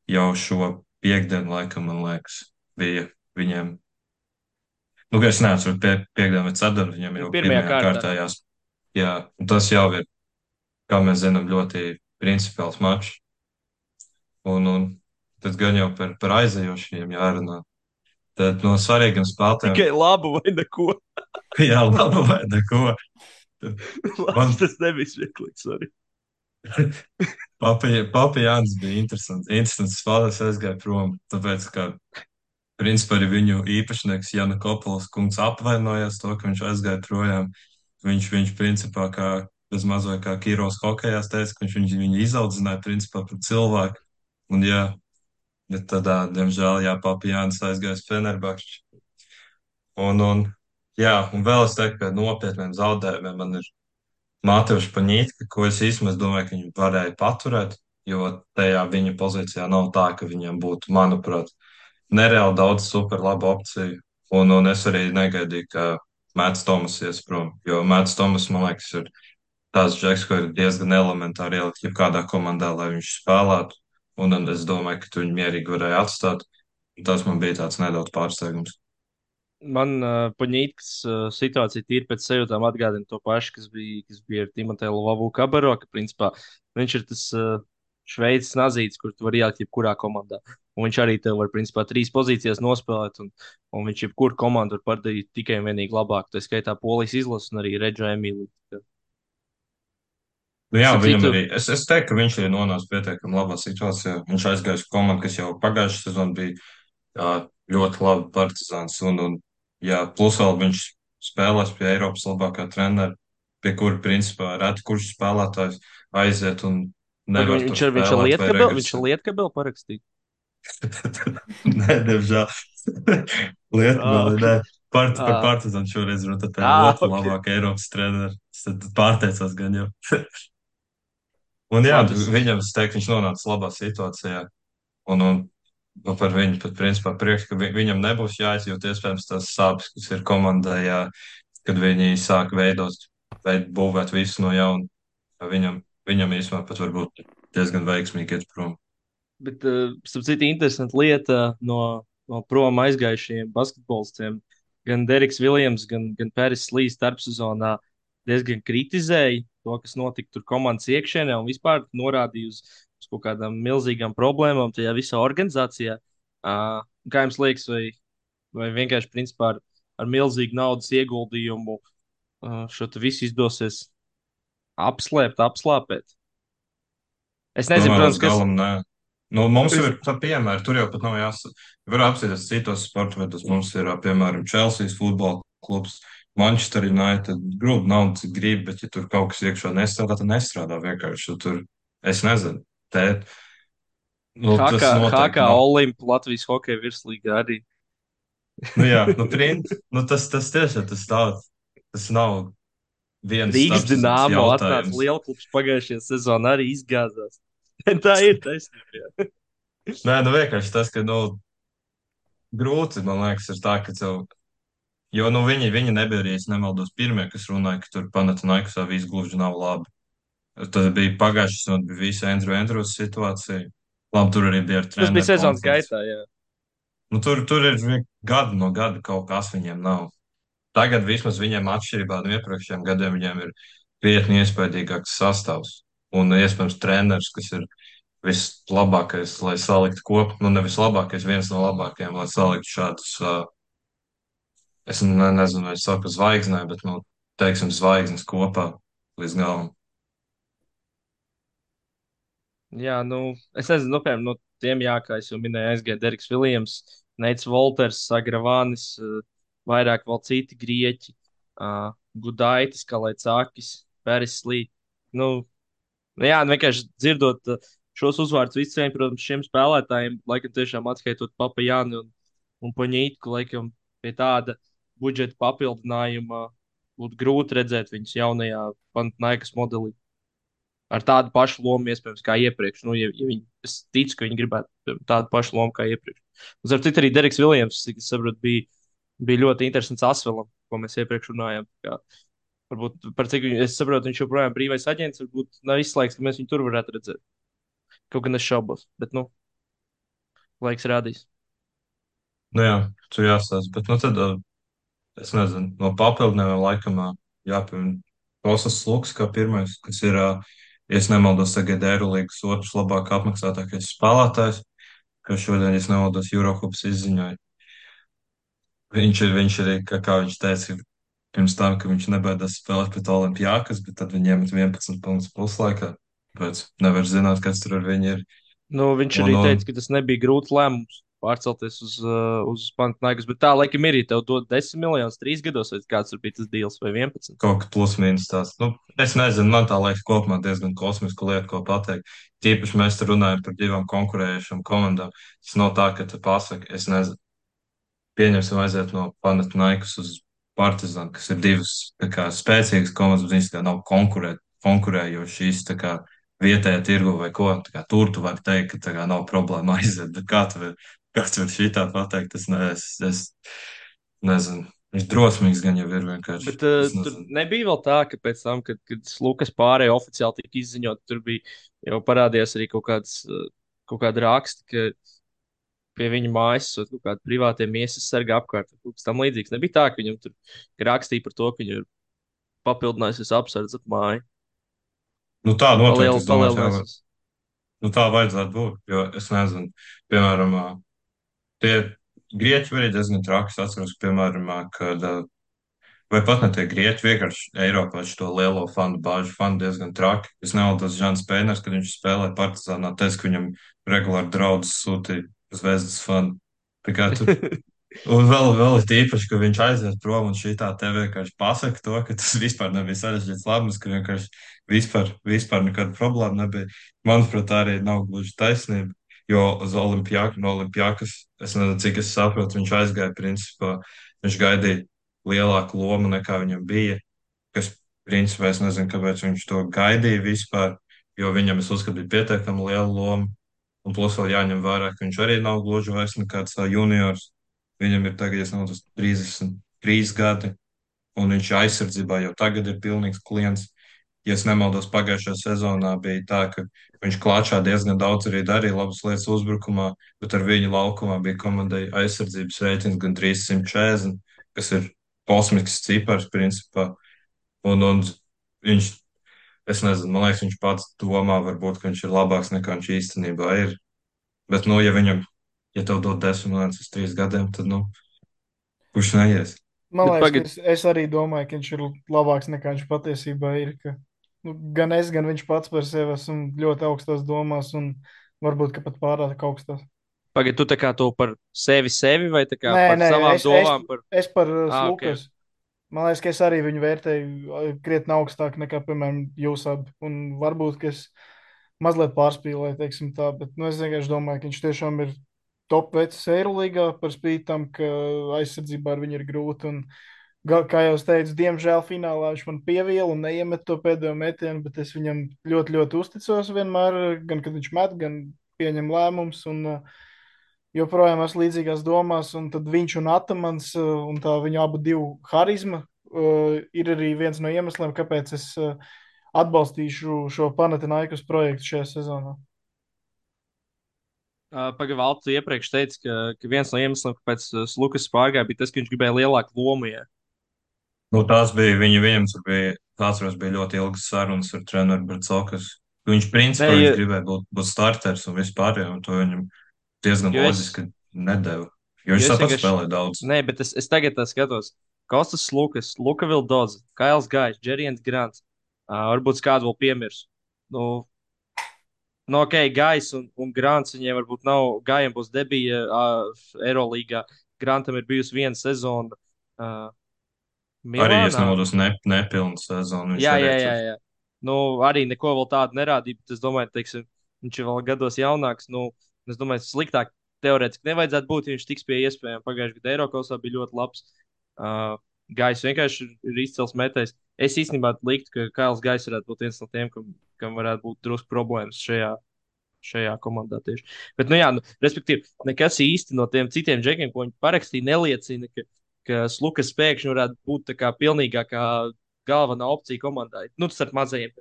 jau šo piekdienu, laikam, man liekas, bija viņiem. Nu, ka es neatceru, pie, piekdienu vai ceturtdienu, viņiem jau Pirmajā pirmajā kārtā. kārtējās. Jā, un tas jau ir, kā mēs zinām, ļoti principiāls mačs. Un, un tad gan jau par, par aizejošiem jārunā. Tad no svarīgiem spēlētājiem, Tikai labu vai neko. jā, labi vai neko. Man Labs tas nebija smieklīgs. Sorry. Papa Jānis bija interesants. Interesants spēlētājs aizgāja prom, tāpēc, ka principā arī viņu īpašnieks Jana Kopols kungs apvainojās to, ka viņš aizgāja projām. Viņš, viņš principā kā bez mazliet kā Kīros hokejās teica, ka viņš viņu, viņu izaudzināja principā par cilvēku. Un jā, bet tad, ā, diemžēl, jā, Papa Jānis aizgāja uz Fenerbahču. Un, un, jā, un vēl es teiktu, ka nopietniem zaudējumiem man ir Mātevs Paņītka, ko es īstenībā domāju, ka viņi varēja paturēt, jo tajā viņa pozīcijā nav tā, ka viņam būtu, manuprāt, nereāli daudz super labu opciju. Un, un es arī negaidīju, ka Mēts Tomas ies prom, jo Mēts Tomas, man liekas, ir tāds džeks, ko ir diezgan elementāri ielikt jebkādā komandā, lai viņš spēlētu. Un, un es domāju, ka tu viņu mierīgi varēja atstāt. Tas man bija tāds nedaudz pārsteigums. Man uh, Paņītas uh, situācija tīri pēc sajūtām atgādina to pašu, kas bija, kas bija ar Timoteju Lavu Kabaro, ka principā viņš ir tas uh, šveicis nazīts, kur tu vari ielikt jebkurā komandā. Un viņš arī tev var principā trīs pozīcijas nospēlēt, un, un viņš jebkuru komandu var padarīt tikai un vienīgi labāk. Tā skaitā Polijas izlases un arī Redža Emīliju. Nu, jā, Starp viņam citu, arī. Es, es teiktu, ka viņš ir nonācis pietiekami labā situācijā. Viņš aizgāja uz komandu, kas jau pagājušajā sezonā bija jā, ļoti labi partizāns. Un, un, jā, plus vēl viņš spēlēs pie Eiropas labākā trenera, pie kura principā reti kurš spēlētājs aiziet un paga, nevar tur viņš ir, viņš ir spēlēt vai lietkabeli, viņš ir regresēt. lietkabeli parakstīts. Nē, diemžēl. Ah, Lietkabeli, ok. nē. Part, par Ah, partizānu šoreiz runāt par ah, otru ok. labāko Eiropas treneru. Es tad pārteicos gan jau. Un jā, Labi. Es- viņam, es teiktu, viņš nonāca labā situācijā. Un, un nu, par viņu pat principā prieks, ka vi, viņam nebūs jāizjūt iespējams tās sāpes, kas ir komandai, jā, kad viņi sāk veidot, veid, būvēt visu no jauna. Viņam, viņam īstenībā pat varbūt diezgan veiksmīgi iet prom. Bet, uh, starp citu, interesanta lieta no, no prom aizgājušiem basketbolistiem. Gan Deriks Viljams, gan, gan Pēris Līs starpsezonā diezgan kritizēja to, kas notika tur komandas iekšienē un vispār norādīja uz, uz kaut kādām milzīgām problēmām tajā visā organizācijā. Uh, kā jums liekas, vai, vai vienkārši principā ar, ar milzīgu naudas ieguldījumu uh, šo te visu izdosies apslēpt, apslāpēt? Es nezinu, Tomēr līdz protams, kas. galam nē. Nu, mums jau Es, ir tā piemēra, tur jau pat nav jāsaka. Var apsieties citos sporta veidos. Mums ir, ā, piemēram, Chelsea futbola klubs, Manchester United. Grūti nav, cik grib, bet ja tur kaut kas iekšā nestrādā, tad nestrādā vienkārši. Jo tur, es nezinu, tēt. Nu, tas Hakā, noteikti Hakā nav. Olimpa Latvijas hokeja virslīgā arī. Nu, jā, nu, prin, nu, tas, tas tiešām tas nav. Tas nav viens Rīgas starpsezonas Dināmo atnāca jautājums. lielklubs pagājušajā sezonā arī izgāzās. Tā ir taisnība. Jā. Nē, nu vienkārši tas, ka, nu, grūti, man liekas, ir tā, ka tev. Jo nu, viņi, viņi nebija arī, es nemaldos, pirmie, kas runāja, ka tur Panathinaikosā viss gluži nav labi. Tas bija pagājušas, un bija visa Andrew Andrews situācija. Labi, tur arī bija ar Tas bija treneru sezonas konflikts. gaitā. Jā. Nu, tur, tur ir vi- gadu no gada kaut kas viņiem nav. Tagad vismaz viņiem atšķirībā no iepriekšējiem gadiem viņiem ir krietni iespaidīgāks sastāvs. Un iespējams treneris, kas ir vislabākais, lai saliktu kopā, nu nevis labākais, viens no labākajiem, lai saliktu šādus uh, es ne, nezinu, vai es saku zvaigznē, bet, nu, teiksim, zvaigznes kopā līdz galam. Jā, nu, es nezinu, nu, piemēram, no tiem, jā, kā es jau minēju, aizgāja Deriks Viljams, Neits Volters, Sagravānis, uh, vairāk vēl citi grieķi, uh, Gudaitis, Kalēcākis, Pēris Lī. Nu, nu, jā, nu, vienkārši dzirdot uh, šos uzvārdus visiem, protams, šiem spēlētājiem, laikam tiešām atskaitot Papa Jāni un, un Paņītku, laikam pie tāda budžeta papildinājuma būtu grūti redzēt viņus jaunajā Panathinaikos modelī. Ar tādu pašu lomu, iespējams, kā iepriekš. Nu, ja, ja viņi, es ticu, ka viņi gribētu tādu pašu lomu kā iepriekš. Un, ar citu, arī Deriks Viljams, cik es saprotu, bija, bija ļoti interesants Asvelam, ko mēs iepriekš runājām. Kā, varbūt par cik viņu, es saprotu, viņš joprojām ir brīvais aģents, varbūt nav izslēgts, ka mēs viņu tur varētu redzēt. Kaut gan es šaubos, bet, nu, laiks rādīs. Nu jā, tur jāstāsta, bet, nu, tad, uh, es nezinu, no papildinājumiem laikam uh, jāpiemina Kostas Luks kā pirmais, kas ir, uh, ja es nemaldos, tagad Eirolīgas otrs labāk apmaksātākais spēlētājs, kas šodien, ja es nemaldos, Eurohops izziņoja. Viņš ir, viņš arī, kā, kā viņš teica, pirms tam, ka viņš nebaidās spēlēt pret Olimpijākas, bet tad viņiem ir vienpadsmit punktus puslaikā. Tāpēc nevar zināt, kas tur ar viņu ir. Nu, viņš Un, arī un teica, ka tas nebija grūts lēmums pārcelties uz, uh, uz Panathinaikos, bet tā, laikam, ir, ja tev dod desmit miljonus trīs gados, vai kāds tur bija tas deals, vai vienpadsmit. kaut kā plus mīnus tās. Nu, es nezinu, man tā liekas kopumā diezgan kosmiska lieta, ko pateikt. Tīpaši mēs te runājam par divām konkurējušām komandām. Tas nav tā, ka tu pasaki, es nezinu, pieņemsim aiziet no Panathinaikos uz Partizan, kas ir divas tā kā spēcīgas komandas, bet viņas tā kā nav konkurē, konkurējošas tā kā vietējā tirgu vai ko. Tā kā tur tu vari teikt, ka tā kā nav problēma aiziet, bet kā tu vari, kā tu vari šitā pateikt, es, ne, es, es nezinu. Viņš drosmīgs gan jau ir vienkārši. Bet uh, Es tur nezinu. nebija vēl tā, ka pēc tam, kad, kad Lukas pārējai oficiāli tika izziņot, tur bija jau parādījās arī kaut kāds, uh, kaut kāda raksta, ka pie viņa mājas esot kaut kāda privātie miesas sarga apkārt. Kaut kas tam līdzīgs. Nebija tā, ka viņam tur rakstīja par to, ka viņu ir papildinājusies apsardz ap māju. Nu tā noteikti, Paliel, es domāju, tā, palielinājusies. nu tā vajadzētu būt, jo es nezinu, piemēram, ā, tie grieķi arī diezgan traki. Es atceros, piemēram, ā, kad ā, vai pat ne tie grieķi, vienkārši Eiropā šo lielo fanu bāžu fanu diezgan traki. Es nevaldos Žants Pēners, kad viņš spēlē Partizānā, teica, ka viņam regulāri draudz sūtīja Zvezdas fanu. Tā kā tur un vēl, vēl ir tīpaši, ka viņš aiziet prom un šī tā te vienkārši pasaka to, ka tas vispār nebija sarežģīts lēmums, ka vienkārši vispār, vispār nekāda problēma nebija. Manuprāt, tā arī nav gluži taisnība, jo uz Olimpijāku, no Olimpijākas, es nezinu, cik es saprotu, viņš aizgāja principā, viņš gaidīja lielāku lomu nekā viņam bija, kas principā es nezinu, kāpēc viņš to gaidīja vispār, jo viņam es uzskatu bija pietiekami liela loma. Un plus vēl jāņem vērā, ka viņš arī nav gluži vairs nekāds ā, juniors. Viņam ir tagad, ja nav tas trīsdesmit trīs gadi, un viņš aizsardzībā jau tagad ir pilnīgs klients. Ja es nemaldos, pagājušajā sezonā bija tā, ka viņš klāčā diezgan daudz arī darīja labas lietas uzbrukumā, bet ar viņu laukumā bija komandai aizsardzības reitings gan trīssimt četrdesmit, kas ir kosmisks cipars principā. Un, un viņš, es nezinu, man liekas, viņš pats domā, varbūt, ka viņš ir labāks nekā viņš īstenībā ir. Bet, nu, ja viņam, ja tev dod desmit miljonus uz trīs gadiem, tad, nu, kurš neies? Man Bet liekas, ka pagad, es, es arī domāju, ka viņš ir labāks nekā viņš patiesībā ir. Ka, nu, gan es, gan viņš pats par sevi esmu ļoti augstās domās un varbūt ka pat pārāk augstās. pagad, tu tā kā to par sevi sevi vai tā kā Nē, par nē, savām es, es, domām par, es par uh, ah, ok. Lukas. Man liekas, ka es arī viņu vērtēju uh, krietni augstāk nekā, piemēram, jūs abi. Un varbūt, ka es mazliet pārspīlēju, teiksim tā, bet nu, es vienkārši domāju, ka viņš tiešām ir top vecs Eirolīgā par spīti tam, ka aizsardzībā ar viņu ir grūti. Un, ga- kā jau es teicu, diemžēl finālā viņš man pieviela un neiemet to pēdējo metienu, bet es viņam ļoti, ļoti uzticos vienmēr, gan kad viņš met, gan pieņem lēmumus. Un, uh, joprojām esmu līdzīgās domās, un tad viņš un Atamans uh, un tā viņa abu divu harizma uh, ir arī viens no iemesliem, kāpēc es uh, atbalstīšu šo Panathinaikos projektu šajā sezonā. Uh, Pagaidām, tu iepriekš teici, ka, ka viens no iemesliem, kāpēc uh, Lukas pārgāja, bija tas, ka viņš gribēja lielāku lomu. Ja? Nu, tās bija viņa, viņam tur bija, atceros, bija ļoti ilgas sarunas ar treneru Bracokas. Viņš, Nē, principā, viņš ja, gribēja būt, būt starters un vispār, un to viņam diezgan jo es, loģiski nedēva. Jo jo viņš es tāpat vienkārši, spēlē daudz. nē, bet es, es tagad tā skatos. Kostas Lukas, Luka Vildoza, Kails Gājs, Džeriens Grants. Uh, varbūt kādu vēl piemirst. Nu, nu, ok, Gājs un, un Grants viņiem varbūt nav. Gājiem būs debija uh, Eirolīgā. Grantam ir bijusi viena sezona uh, Arī, ja es Milānā. nemaldos, ne, nepilnu sezonu viņš Jā, arī jā, jā, tur. jā. Nu, arī neko vēl tādu nerādīja, bet es domāju, teiksim, viņš ir vēl gados jaunāks. Nu, es domāju, sliktāk teorētiski nevajadzētu būt, ja viņš tiks pie iespējām. Pagājušajā gadā Eiropas bija ļoti labs. Uh, Gājs vienkārši ir, ir izcils metējs. Es īstenībā liktu, ka Kails Gājs varētu būt viens no tiem, kam, kam varētu būt drusku problēmas šajā, šajā komandā tieši. Bet, nu jā, nu, respektīvi, nekas īsti no tiem citiem džekiem, ko viņi parakstīja, neliecina, ka, ka Lukas pēkšņi varētu būt tā kā pilnīgākā galvenā opcija komandai. Nu, tas ar mazajiem.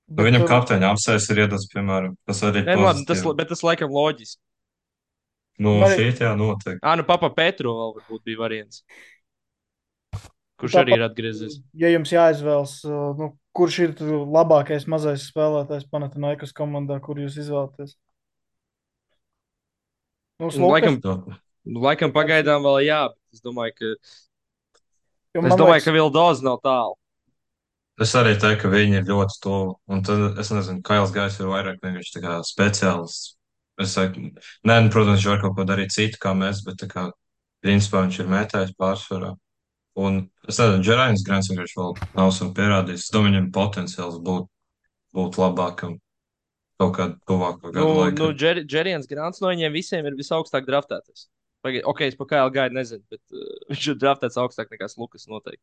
Nu, Bet viņam uh, kapteiņa apsēs ir iedots, piemēram, tas arī Nē, nu, labi, tas, pozitīvi. bet tas laikam loģiski. Nu, man šī arī tā noteikti. Ah, nu, Papa Petro vēl varbūt bija variants, kurš arī tāpat, ir atgriezies. ja jums jāizvēlas, uh, nu, kurš ir labākais mazais spēlētājs Panathinaikos komandā, kur jūs izvēlaties? Nu, Nu, Lukas, Laikam, Nu, nu, laikam kāds ir? pagaidām vēl jā, bet es domāju, ka, Jo es man domāju, liekas, ka Vildoza nav tālu. es arī teiktu, ka viņi ir ļoti tuvu. Un tad, es nezinu, Kails Gājs ir vairāk vienkārši tā kā speciālists. Es saku, nē, nu, protams, viņš var kaut ko darīt citu kā mēs, bet tā kā principā viņš ir mētājs pārsvarā. Un es nezinu, Džerājs Grants vienkārši vēl nav sev pierādījis. Es domāju, viņam potenciāls būt, būt labākam kaut kādu tuvāko Nu, gadu nu laikā. Džer, Džeriens Grants no viņiem visiem ir visaugstāk draftētais. Pagaid, ok, es par Kailu gaidu nezinu, bet uh, viņš ir draftēts augstāk nekā Lukas noteikti.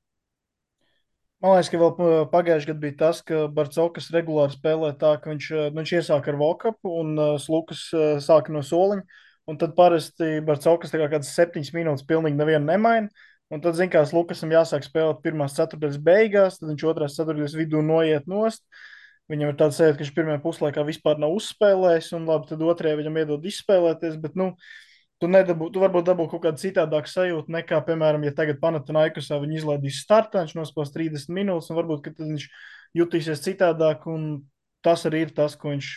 man liekas, ka vēl pa- pagājušajā gadā bija tas, ka Barcelona regulāri spēlē tā, ka viņš, uh, nu, viņš iesāka ar vokapu un uh, Lukas uh, sāka no soliņa. Un tad parasti Barcelona kā kādas septiņas minūtes pilnīgi nevienu nemaina. Un tad, zināmā mērā, Lukasam jāsāk spēlēt pirmās ceturtdaļas beigās, tad viņš otrās ceturtdaļas vidū noiet nost. Viņam ir tāds sajūta, ka viņš pirmajā puslaikā vispār nav uzspēlējis, un labi, tad otrajā viņam iedod izspēlēties. Bet, nu, tu, nedabū, tu varbūt dabū kaut kādu citādāku sajūtu nekā, piemēram, ja tagad Panathinaikosā viņi izlaidīs startā, viņš nospēlēs trīsdesmit minūtes, un varbūt tad viņš jutīsies citādāk, un tas arī ir tas, ko viņš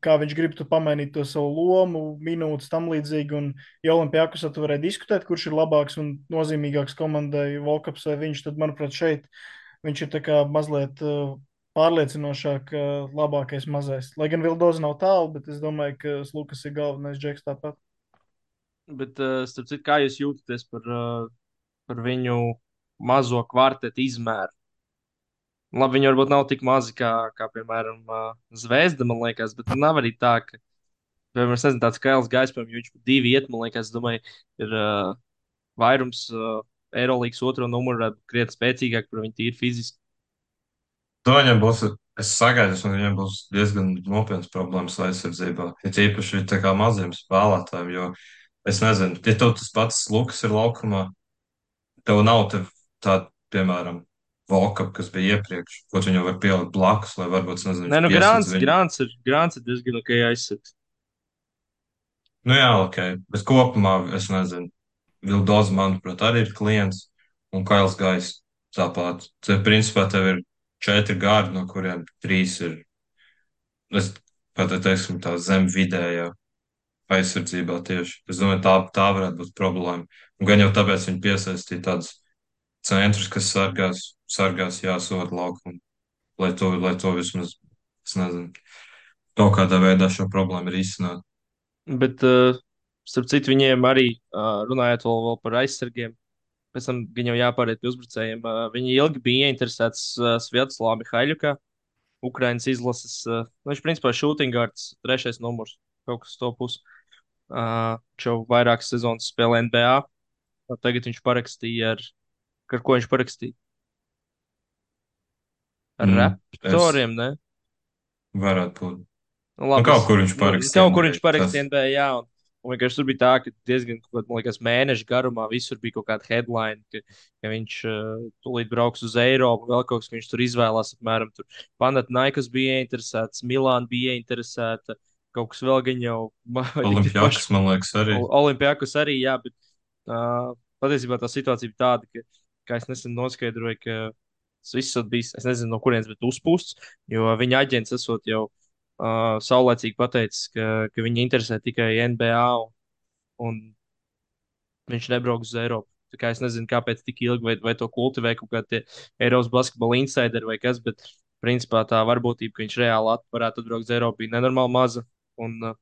kā viņš grib tu pamainīt to savu lomu, minūtes tam līdzīgi. Un, ja Olimpijākusā tu varēji diskutēt, kurš ir labāks un nozīmīgāks komandai, Volkaps vai viņš, tad, manuprāt, šeit viņš ir tā kā mazliet uh, pārliecinošāk, uh, labākais mazais. Lai gan Vildoza nav tālu, bet es domāju, ka Lukas ir galvenais džeks tāpat. Bet, uh, starp citu, kā jūs jūtaties par, uh, par viņu mazo kvartetu izmēru? Labi, viņi varbūt nav tik mazi kā, kā piemēram, uh, Zvezda, man liekas, bet nu, nav arī tā, ka, piemēram, es nezinu, tāds Kails Gais, piemēram, ja viņš pat divi iet, man liekas, es domāju, ir uh, vairums uh, Eirolandes otro numuru, varētu būt krietni spēcīgāk par viņu tīri fiziski. To viņam būs, es sagaidu, ka viņam būs diezgan nopietnas problēmas aizsardzībā. Ir īpaši tā kā maziem spēlētājiem, jo es nezinu, ja tev tas pats Lukas ir laukumā, tev nav tev tāda, piemēram, Volkapa, kas bija iepriekš, ko viņu var pielikt blakus, lai varbūt, es nezinu, Nē, viņš nu, piesaista Grāns, viņu. Grāns ir, Grāns ir diezgan ok aizsargs. Nu jā, ok, bet kopumā es nezinu. Vildoza, manuprāt, arī ir klients, un Kails Gais tāpat. Te, principā, tev ir četri gārdi, no kuriem trīs ir, es pat teiksim, tā zem vidējā aizsardzībā tieši. Es domāju, tā, tā varētu būt problēma. Un gan jau tāpēc viņi piesaistīja tādus centrus, kas sargās, sargās jāsot laukumu, lai to, lai to vismaz, es nezinu, kaut kādā veidā šo problēmu ir izsnāt. Bet, uh, starp citu, viņiem arī uh, runājot vēl, vēl par aizsargiem, pēc tam gan jau jāpāriet pie uzbrucējiem. Uh, viņi ilgi bija interesēti uh, Sviatoslava Mihaiļukā, Ukrainas izlases. Uh, nu, viņš principā šūtingārds, trešais numurs, kaut kas to pusi. Uh, viņš jau vairākas sezonas spēlē N B A. Tagad viņš parakstīja ar, ar ko viņš parakstīja? Ar Mm, es Raptoriem, ne? varētu būt. Nu, Nu, labi, kaut es, kur viņš nu, parakstīja kaut kur N B A. viņš Tas, parakstīja N B A, jā, un, un vienkārši tur bija tā, ka diezgan, kaut kād, man liekas, mēnešu garumā visur bija kaut kāda headline, ka, ka viņš uh, tūlīt brauks uz Eiropu, vēl kaut kas, ka viņš tur izvēlās, apmēram, tur Panathinaikos bija interesēts, Milāna bija interesēta, kaut kas vēl gan jau, vai tik tie paši Olimpijakus, man liekas, arī. Ol- Olimpijakos arī, jā, bet uh, patiesībā tā situācija bija tāda, ka, kā es nesen noskaidroju, ka tas viss ir bijis, es nezinu, no kurienes, bet uzpūsts, jo viņa aģents esot jau uh, saulēcīgi pateicis, ka, ka viņa interesē tikai N B A un, un viņš nebrauks uz Eiropu. Tā kā es nezinu, kāpēc tik ilgi, vai, vai to kultivē kaut kādi Eiropas basketbola insideri vai kas, bet principā tā varbūtība, ka viņš reāli at- varētu atbraukt uz Eiropu, bija nenormāli maza. Un uh,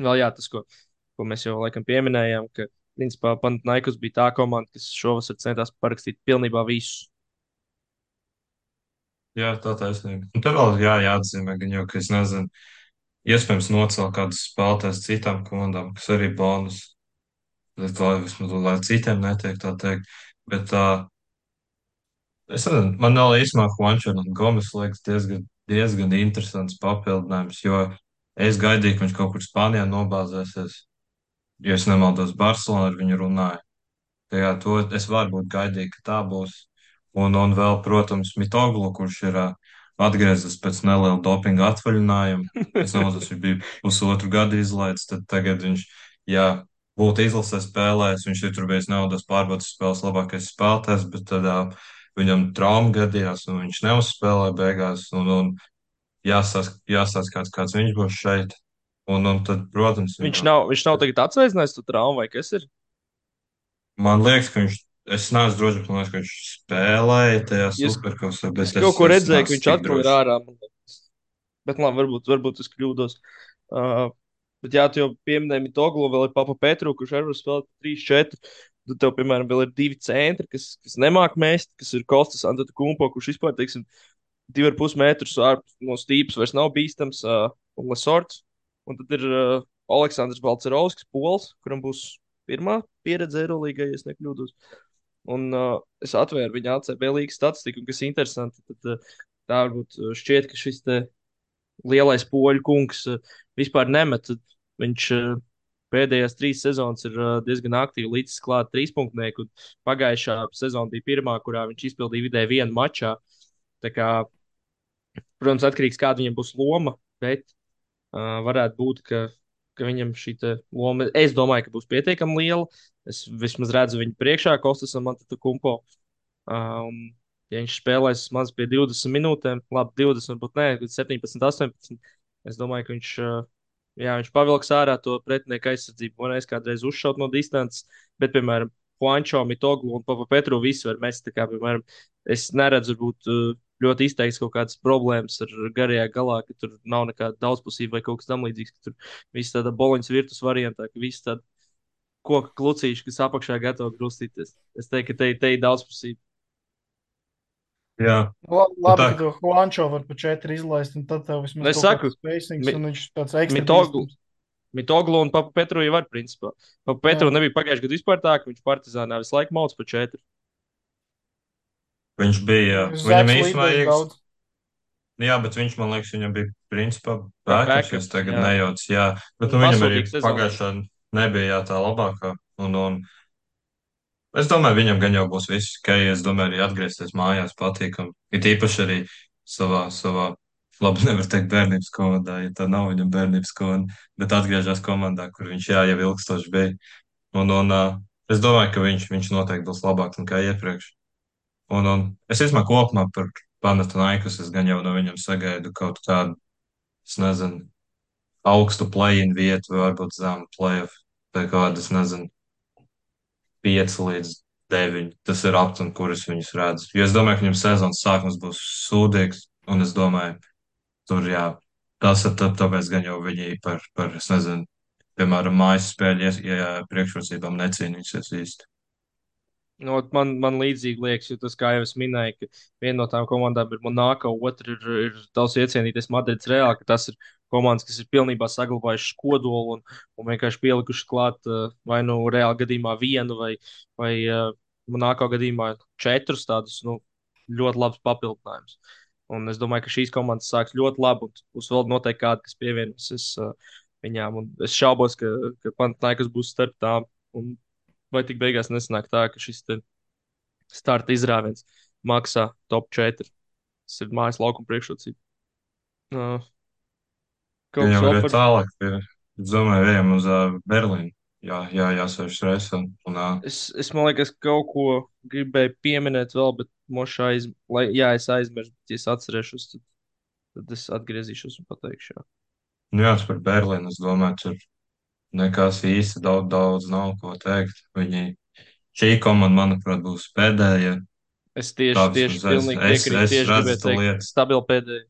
vēl jā, tas, ko, ko mēs jau laikam pieminējām, ka principā Panathinaikos bija tā komanda, kas šovasar centās parakstīt pilnībā visu. Jā, tā taisnība. Un te vēl jā, jāatzīmē, gan jau, ka es nezinu, iespējams nocelt kādus spēlētājus citām komandām, kas arī bonus, lai, lai, vismaz, lai citiem netiek tā teikt. Bet tā, es nezinu, man vēl īstenībā Juančer un Gomes liekas diezgan, diezgan interesants papildinājums, jo es gaidīju, ka viņš kaut kur Spānijā nobāzēsies, jo es nemaldos Barcelonā ar viņu runāju. Tā Jā, to es varbūt gaidīju, ka tā būs. Un, un vēl, protams, Mitoglu, kurš ir ā, atgriezies pēc neliela dopinga atvaļinājuma. Es nemaldos, viņš bija pusotru gadu izlaists, tad tagad viņš, jā, būtu izlasē spēlējis, viņš ir tur bijis naudas pārbaudas spēles labākais spēlētājs, bet tad ā, viņam trauma gadījās un viņš neuzspēlēja beigās. Un, un jāsās, jāsās kāds, kāds viņš būs šeit. Un, un tad, protams, Viņš viņam. nav, viņš nav tagad atsveicinājis to traumu vai kas ir? Man liekas, ka viņš, es neesmu drošs, bet man liekas, ka viņš spēlēja tajā Es, superkausā, es bet es, kaut ko es redzēju, ka neesmu viņš tik atkal ir drošs. ārā. Man liekas. Bet labi, varbūt, varbūt es kļūdos. Uh, bet jā, tu jau pieminēji Mitoglu, vēl ir Papa Petru, kurš arī var spēlēt trīs četri. Tad tev, piemēram, vēl ir divi centri, kas, kas nemāk mēst, kas ir Kostas Antetokumpo, kurš vispār, teiksim, divi ar pus metrus ārpus no stīpas vairs nav bīstams, uh, un Lesorts. Un tad ir uh, Aleksandrs Balcerovskis, Pols, kuram būs pirmā pieredze Eirolandā, ja es nekļūdos. Un uh, es atvēru viņa A C B līnijas statistiku, un kas ir interesanti, tad uh, tā varbūt uh, šķiet, ka šis te lielais poļu kungs uh, vispār nemet. Tad Viņš uh, pēdējās trīs sezonas ir uh, diezgan aktīvi līdz klāt trīspunktnieku, un pagājušā sezona bija pirmā, kurā viņš izpildīja vidēji vienu mačā. Tā kā, protams, atkarīgs kāda viņam būs loma, bet uh, varētu būt, ka, ka viņam šī te loma, es domāju, ka būs pietiekami liela. Es vismaz redzu viņu priekšā, Kostasam, Antetokumpo. Uh, un, ja viņš spēlēs maz pie divdesmit minūtēm, labi, divdesmit, varbūt ne, septiņpadsmit, astoņpadsmit. Es domāju, ka viņš, uh, jā, viņš pavilks ārā to pretinieku aizsardzību. Man liekas, kādreiz uzšaut no distances, bet, piemēram, Juancho, Mitoglu un Papa Petru visi var mest. Tā kā, piemēram, es neredzu, varbūt, uh, ļoti izteikts kaut kādas problēmas ar garajā galā, ka tur nav nekāda daudzpusība vai kaut kas tamlīdzīgs, ka tur viss tāda boliņas virtus variantā, ka viss tāda koka klucīša, kas apakšā gatava grūstīties. Es teiktu, ka te, te ir daudzpusība. Jā, La- nu Labi, tā, ka to Juancho var pa četri izlaist, un tad tev Nu, vismaz es kaut saku, kāds spacings, mi, un viņš tāds ekstra Mitoglu, bīstams. Mitoglu un Papa Petru jau var, principā. Papa Petru Jā, nebija pagājušajā gadā vispār tā, ka viņš partizānā visu laiku mauc pa četri. viņš bija, viņam Zeks īstenībā līdēs ieks, daudz. jā, bet viņš, man liekas, viņam bija principā Kā backups, ja es backups, tagad jā. nejaucu, jā, bet Un nu viņam arī pasūtīga sezona. pagājušā nebija jā, tā labākā, un, un es domāju, viņam gan jau būs viss, ka es domāju, arī atgriezties mājās patīkam, it īpaši arī savā, savā, labi, nevar teikt bērnības komandā, ja tā nav viņam bērnības komanda, bet atgriežas komandā, kur viņš jā, jau ilgstoši bija, un, un uh, es domāju, ka viņš, viņš noteikti būs labāks nekā iepriekš. Un, un es izmēru kopumā par Panathinaikos, es gan jau no viņam sagaidu kaut kādu, es nezinu, augstu play-in vietu, vai varbūt zemu play-off, vai kādu, es nezinu, pieci līdz deviņi. Tas ir aptuveni, kur es viņus redzu. Jo es domāju, ka viņam sezonas sākums būs sūdīgs, un es domāju, tur jā, tas ir tā, tāpēc gan jau viņi par, par, es nezinu, piemēram, mājas spēļu, ja, ja priekšrocībām necīnīsies īsti. Nu, ot man, man līdzīgi liekas, jo tas, kā jau es minēju, ka viena no tām komandām ir Monako, otra ir, ir tavs iecienītais Madrids Reāli, ka tas ir komandas, kas ir pilnībā saglabājušas kodolu un, un vienkārši pielikušas klāt uh, vai nu Reāli gadījumā vienu vai, vai uh, Monako gadījumā četrus tādus nu, ļoti labus papildinājumus. Un es domāju, ka šīs komandas sāks ļoti labi, un būs vēl noteikti kādi, kas pievienosies uh, viņām. Un es šaubos, ka, ka Panathinaikos būs starp tām. Un vai tik beigās nesanāk tā, ka šis te starta izrāviens maksā top četri. Tas ir mājas laukuma priekšrocība. Uh, Gan kaut jau kas vēl arī par. tālāk, pie, es domāju, ejam uz uh, Berlīnu. Jā, jā, jāsēž reizē. Un, uh, Es, es man liekas, kaut ko gribēju pieminēt vēl, bet mošā aiz... lai, jā, es aizmirsu, bet ja es atcerēšos, tad, tad es atgriezīšos un pateikšu. Jā. nu, jā, par Berlīnu, es domāju, tur nekas īsti daudz, daudz nav ko teikt. Viņi, šī komanda, manuprāt, būs pēdējā. Es Tā tieši, tieši vismaz es, pilnīgi es, piekrītu. es Tieši redzu gribēju to teikt, lietu. stabili pēdējie.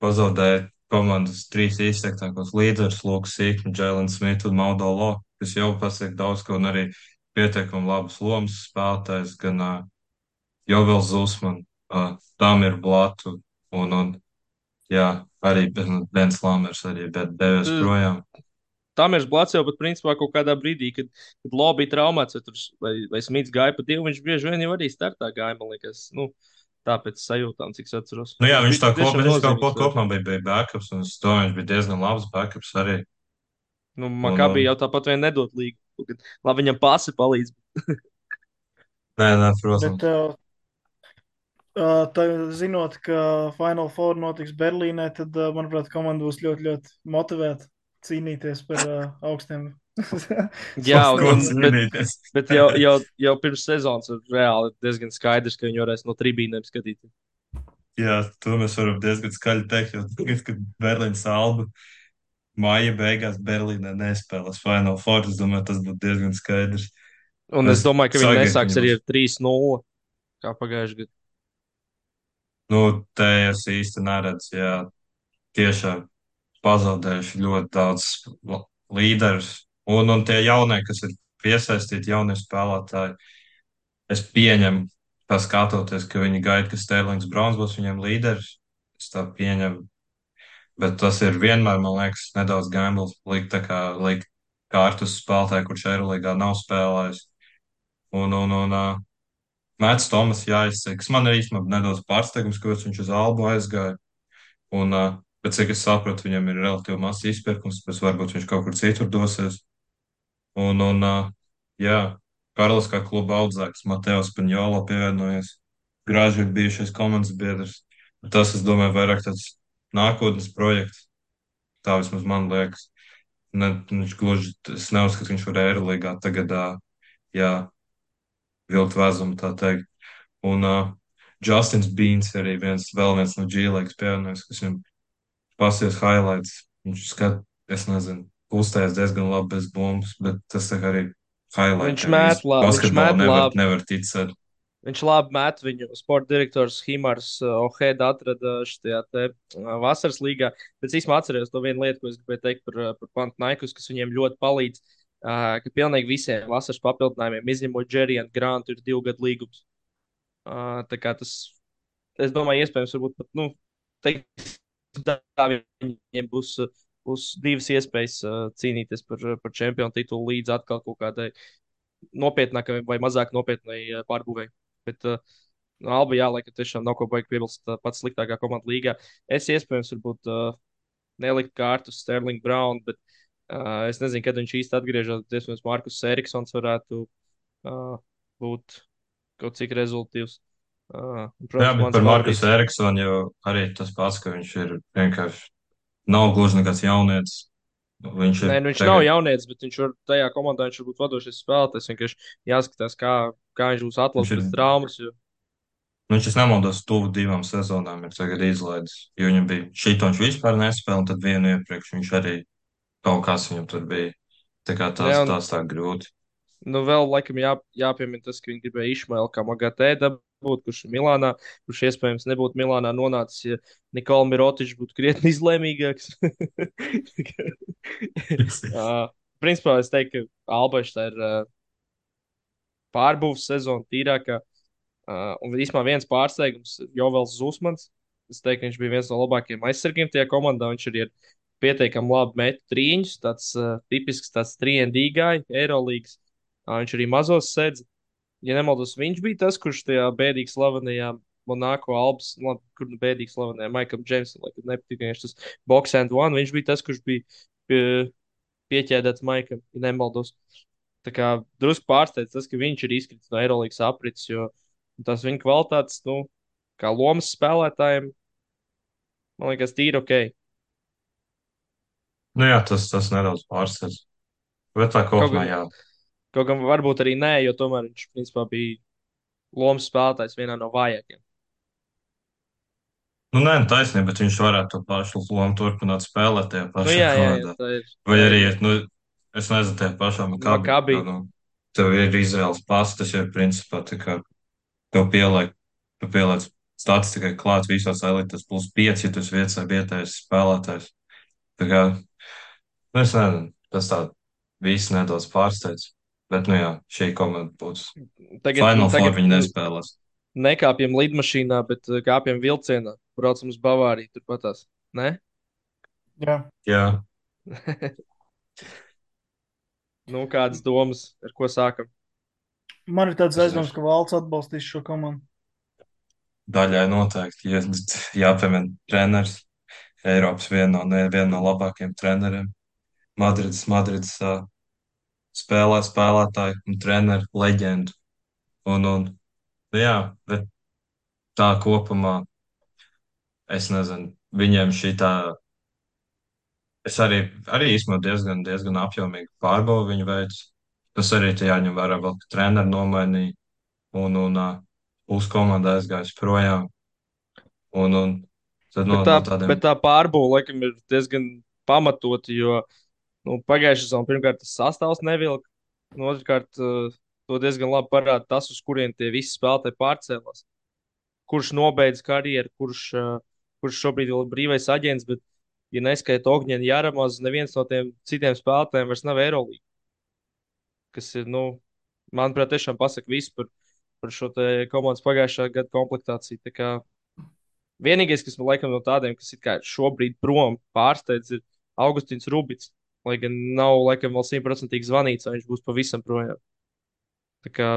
Pazaudēja komandas trīs izteiktākos līderus, Lūks Sīkni, Džēlins Smits un Maudo Lo, kas jau pasaka daudz ko un arī pietiekami labas lomas spēlētājs, gan uh, Jovels Zusman, uh, Tamir Blatu un, un jā, arī Bens Lamers arī, bet devies Tu- projām. Tam ir blāts jau pat principā kaut kādā brīdī, kad, kad Lobby traumāts, vai, tur, vai, vai Smits gāja pa divu, viņš bieži vien jau arī startā gāja, man liekas. Nu, tāpēc sajūtām, cik es atceros. Nu jā, Viņš viņš bija tā tik kopā, tiešām bet viņš kaut ko nozīmīgs. vēl. kopumā bija, bija backups, un es domāju, viņš bija diezgan labs backups arī. Nu, Un, Makabī un, jau tāpat vien nedod līgu. Kad, labi, viņam pasi palīdz. nē, nē, Bet, protams. uh, uh, tā, zinot, ka Final Four notiks Berlīnē, tad, uh, manuprāt, komanda būs ļoti, ļoti motivēta cīnīties par uh, augstiem. Jā, un, Ko un, bet, cīnīties? bet jau, jau, jau pirms sezonas ir reāli diezgan skaidrs, ka viņi varēs no tribīnēm skatīties. Jā, to mēs varam diezgan skaļi teikt, jo tagad, kad Berlīnas alba māja beigās Berlīnē nespēlēs Final Four, es domāju, tas būtu diezgan skaidrs. Un es Es domāju, ka viņi sagaidu, ka nesāks viņi arī būs. ar trīs nulle kā pagājušajā gadā. Nu, te es īsti neredzu, jā, tiešām pazaudējuši ļoti daudz l- līderus. Un, un tie jaunie, kas ir piesaistīti, jaunie spēlētāji, es pieņemu, tā skatoties, ka viņi gaida, ka Sterlings Browns būs viņiem līderis. Es tā pieņemu. Bet tas ir vienmēr, man liekas, nedaudz gambles likt tā kā likt kārtas spēlētāju, kurš Eirolandā nav spēlējis. Un, un, un uh, Mēts Tomas jāizsaka, kas man ir īstenībā nedaudz pārsteigums, kāpēc viņš uz Albu aizgāja. Un, uh, bet cik es sapratu, viņam ir relatīvi mazs izpirkums, bet varbūt viņš kaut kur citur dosies. Un, un uh, jā, Karlis kā kluba audzēks, Mateos Paņolo pievienojies. Grāži ir bijušais komandas biedrs. Tas, es domāju, vairāk tāds nākotnes projekts. Tā vismaz man liekas. Ne, viņš gluži, es neuzskatu, ka viņš var Eirolandā tagad, uh, jā, vilkt vezumu, tā teikt. Un uh, Justins Bīns arī viens, vēl viens no G-Leagues pievienojas, kas viņam Pasies highlights. Viņš skat, es nezinu, kustēs diezgan labi bez bumbas, bet tas tā kā arī Viņš highlightiem met, īsti la, viņš basketbolu met nevar, labi. nevar ticēt. Viņš labi met viņu. Sporta direktors Himars uh, Ohēda atrada šajā te uh, vasaras līgā. Bet es īstenībā atceros to vienu lietu, ko es gribēju teikt par, uh, par Pantnaikus, kas viņiem ļoti palīdz. Uh, ka pilnīgi visiem vasaras papildinājumiem, izņemot Džeriju un Grantu, ir divu gadu līgums. Uh, tā kā tas, es domāju, iespējams, varbūt pat, nu, teikt, tā viņiem būs, uh, būs divas iespējas uh, cīnīties par, par čempionu titulu līdz atkal kaut kādai nopietnākai vai mazāk nopietnai uh, pārbūvēi. Bet uh, no Alba, jā, laikam tiešām nav ko baigt piebilst. Uh, pats sliktākā komanda līgā. Es iespējams varbūt uh, nelikt kārtu uz Sterling Brown, bet uh, es nezinu, kad viņš īsti atgriežas. Iespējams, Markus Eriksons varētu uh, būt kaut cik rezultīvs. Uh, un, Jā, protams, bet mans par Markusu favorīts. Eriksonu jau arī tas pats, ka viņš ir vienkārši nav gluži nekāds jaunietis. Viņš ir Nē, nu viņš nav tagad, jaunietis, bet viņš var tajā komandā viņš var būt vadošais spēlētājs. Vienkārši jāskatās, kā, kā viņš būs viņš atlases ir, pēc traumas. Jo... nu, viņš, es nemaldos, tuvu divām sezonām ir tagad izlaidis. Jo viņam bija šito viņš vispār nespēlēja, un tad vienu iepriekš viņš arī kaut kas viņam tur bija. Tā kā Ne, tās, un tās tā grūti. Nu, vēl laikam jā, jāpiemina tas, ka viņi gribēja Išmailu kā Magatē dabūt, kurš ir Milānā, kurš iespējams nebūtu Milānā nonācis, ja Nikola Mirotičs būtu krietni izlēmīgāks. uh, principā es teiktu, ka Albašs tā ir uh, pārbūves sezona tīrākā. Uh, un īstenībā viens pārsteigums - Jovels Zusmans. Es teiktu, ka viņš bija viens no labākajiem aizsargiem tajā komandā. Viņš arī ir pietiekami labi met trīņus, tāds uh, tipisks tāds trīs D gāja, Eirolīgas. Uh, viņš arī mazos sedz. Ja nemaldos, viņš bija tas, kurš tajā bēdīgi slavenajā Monako Albas, labi, kur nu bēdīgi slavenajā Maikam Džeimsam, laikam nepatīk, ka viņš tas box and one, viņš bija tas, kurš bija pie, pieķēdēts Maikam, ja nemaldos. Tā kā drusku pārsteidz tas, ka viņš ir izkritis no Eirolandes aprits, jo tas viņa kvalitātes, nu, kā lomas spēlētājiem, man liekas, tīri ok. Nu jā, tas, tas nedaudz pārsteidz. Bet tā Kaut kopumā gan, jā. kaut gan varbūt arī nē, jo tomēr viņš, principā, bija lomas spēlētājs vienā no vājākajiem. Nu, nē, nu, taisnība, bet viņš varētu to pašu lomu turpināt spēlēt tajā Nu, pašā jā, jā, jā, komandā. tā ir. Vai Tā arī, ir nu, es nezinu, tajā pašā Makabi, Makabi. jo, nu, tev ir Izraels pasta, tas jau ir principā tā kā tev pieliek, tu pieliec statistikai klāt visās elites plus pieci, ja tu esi vietējais vietējais spēlētājs. Tā kā, nu, es nezinu, tas tā viss nedaudz pārsteidz. Bet, nu jā, šī komanda būs. Tagad, Final Four tagad viņi nespēlēs. nekāpjam lidmašīnā, bet uh, kāpjam vilcienā. Braucam uz Bavāriju, turpatās. Ne? Jā. Jā, Nu, kādas domas, ar ko sākam? Man ir tāds es aizdoms, zinu. ka valsts atbalstīs šo komandu. Daļai noteikti, ja jāpiemina treneris. Eiropas viena no, ne, viena no labākajiem treneriem. Madrids, Madrids uh, spēlē spēlētāju un treneru leģendu. Un, un, nu jā, bet tā kopumā, es nezinu, viņiem šī tā, es arī, arī īstenībā diezgan, diezgan apjomīgi pārbaudu viņu veids. Tas arī te jāņem vērā vēl, ka treneri nomainīja un, un uh, pusi komanda aizgājis projām. Un, un tad no, Bet tā, no tādiem bet tā pārbūve, laikam, ir diezgan pamatota, jo nu, pagājušā sezonā pirmkārt tas sastāvs nevilka, un otrkārt uh, to diezgan labi parāda tas, uz kurien tie visi spēlētāji pārcēlās. Kurš nobeidz karjeru, kurš, uh, kurš šobrīd vēl ir brīvais aģents, bet, ja neskaita Ogņēna Jāramaz, neviens no tiem citiem spēlētājiem vairs nav Eirolandā. Kas ir, nu, manuprāt, tiešām pasaka visu par, par šo te komandas pagājušā gada komplektāciju. Tā kā vienīgais, kas man laikam no tādiem, kas ir šobrīd prom pārsteidz, ir Augustīns Rubits. Lai gan nav laikam vēl simtprocentīgi zvanīts, vai viņš būs pavisam projām. Tā kā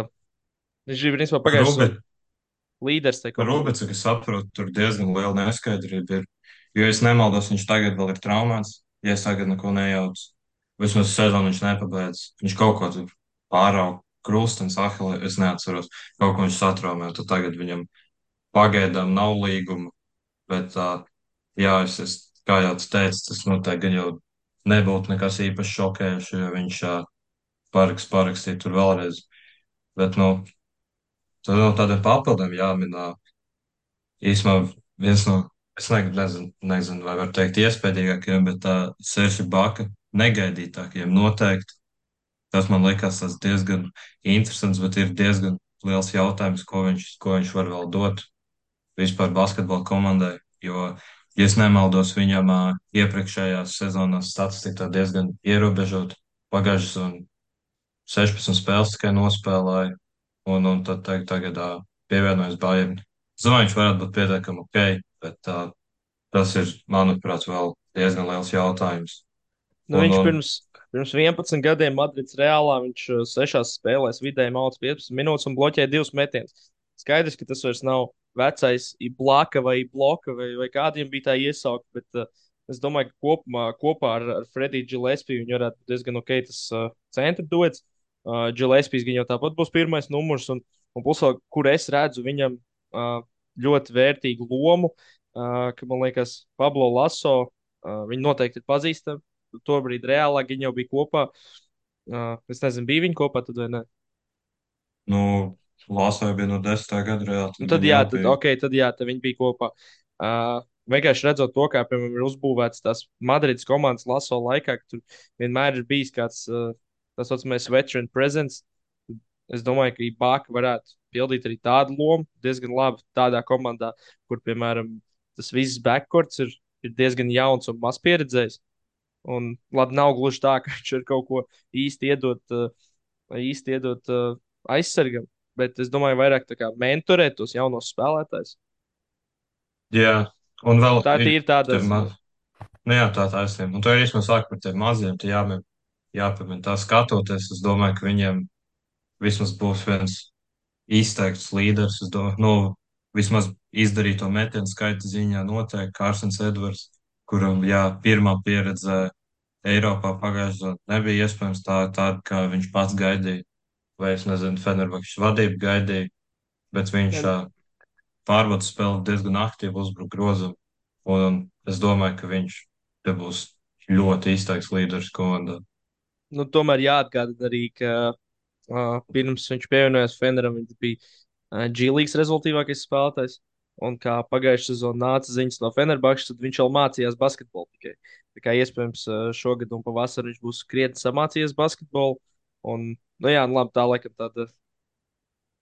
viņš ir principā pagājušā Rubi, sezonā līderis tajā komandā. Rubi, cik es saprotu, tur diezgan liela neskaidrība ir. Jo es nemaldos, viņš tagad vēl ir traumēts, ja es tagad neko nejaucu. Vismaz sezonu viņš nepabeidz. Viņš kaut ko tur pārauga, krustens, ahilē, es neatceros. Kaut ko viņš satraumē, tad tagad viņam pagaidām nav līguma. Bet, uh, jā, es, es, kā jau tu teici, tas noteikti gan jau nebūtu nekas īpaši šokējošs, jo viņš uh, paraks, parakstīja tur vēlreiz. Bet, nu, tad no tādiem papildiem jāminā īsumā viens no es ne, nezinu, nezinu, vai var teikt iespējīgākajiem, bet tā Serša Baka negaidītākajiem noteikti. Tas man liekas tas diezgan interesants, bet ir diezgan liels jautājums, ko viņš, ko viņš var vēl dot vispār basketbola komandai. Jo, ja es nemaldos, viņam ā, iepriekšējās sezonās statistika diezgan ierobežota. Pagājušas un sešpadsmit spēles tikai nospēlēja, un, un tad tagad, tagad ā, pievienojas Bayern. Es domāju, viņš varētu būt pietiekami ok, bet ā, tas ir, manuprāt, vēl diezgan liels jautājums. Nu, Un, viņš un pirms, pirms vienpadsmit gadiem Madrids Reālā viņš uh, sešās spēlēs vidēji mauc piecpadsmit minūtes un bloķēja divus metienus. Skaidrs, ka tas vairs nav vecais Iblaka vai Bloka vai, vai kādiem bija tā iesaukt, bet uh, es domāju, ka kopumā, kopā ar, ar Frediju Gillespiju viņi varētu būt diezgan ok tas uh, centra duets. Uh, Gillespijs gan jau tāpat būs pirmais numurs, un, un plus vēl, kur es redzu viņam uh, ļoti vērtīgu lomu, uh, ka man liekas Pablo Laso, uh, viņi noteikti ir pazīstami. Tobrīd reālā viņi jau bija kopā. Uh, es nezinu, bija viņi kopā tad vai ne. nu, Lāsai bija no desmitā gada reāli, Nu, tad tad viņi jā, jau tad, bija. ok, tad jā, tad viņi bija kopā. Uh, vienkārši redzot to, kā, piemēram, ir uzbūvēts tās Madrides komandas laso laikā, ka tur vienmēr ir bijis kāds uh, tā saucamais veteran presence. Es domāju, ka Ibaka varētu pildīt arī tādu lomu diezgan labi tādā komandā, kur, piemēram, tas viss backcourts ir, ir diezgan jauns un maz pieredzējis. Un, labi, nav gluži tā, ka viņš ir kaut ko īsti iedot, uh, īsti iedot uh, aizsargam, bet es domāju, vairāk tā kā mentorēt tos jaunos spēlētājus. Jā, un vēl Tā ir ir tāda. tie ma... Nu jā, tā taisnība. Un to ir īstenībā sāk par tiem maziem, tie jāmēm, jāpamēģina tā skatoties. Es domāju, ka viņiem vismaz būs viens izteikts līderis. Es domāju, nu, vismaz izdarīto metienu skaita ziņā noteikti Kārsens Edvards, kuram, jā, pirmā pieredze Eiropā pagājušajā gadā nebija iespējams tā, tāda, kā viņš pats gaidīja. Vai es nezinu, Fenerbahčes vadība gaidīja, bet viņš ā, pārbaudas spēli diezgan aktīvi uzbruk grozam. Un es domāju, ka viņš te būs ļoti izteikts līderis komandā. Nu, tomēr jāatgādina arī, ka uh, pirms viņš pievienojās Feneram, viņš bija uh, G-Leagues rezultātīvākais spēlētājs. Un kā pagājušā sezonā nāca ziņas no Fenerbahčes, tad viņš jau mācījās basketbolu tikai. Tā kā iespējams uh, šogad un pavasarī viņš būs krietni samācījies basketbolu. Un, nu jā, nu labi, tā laikam tāda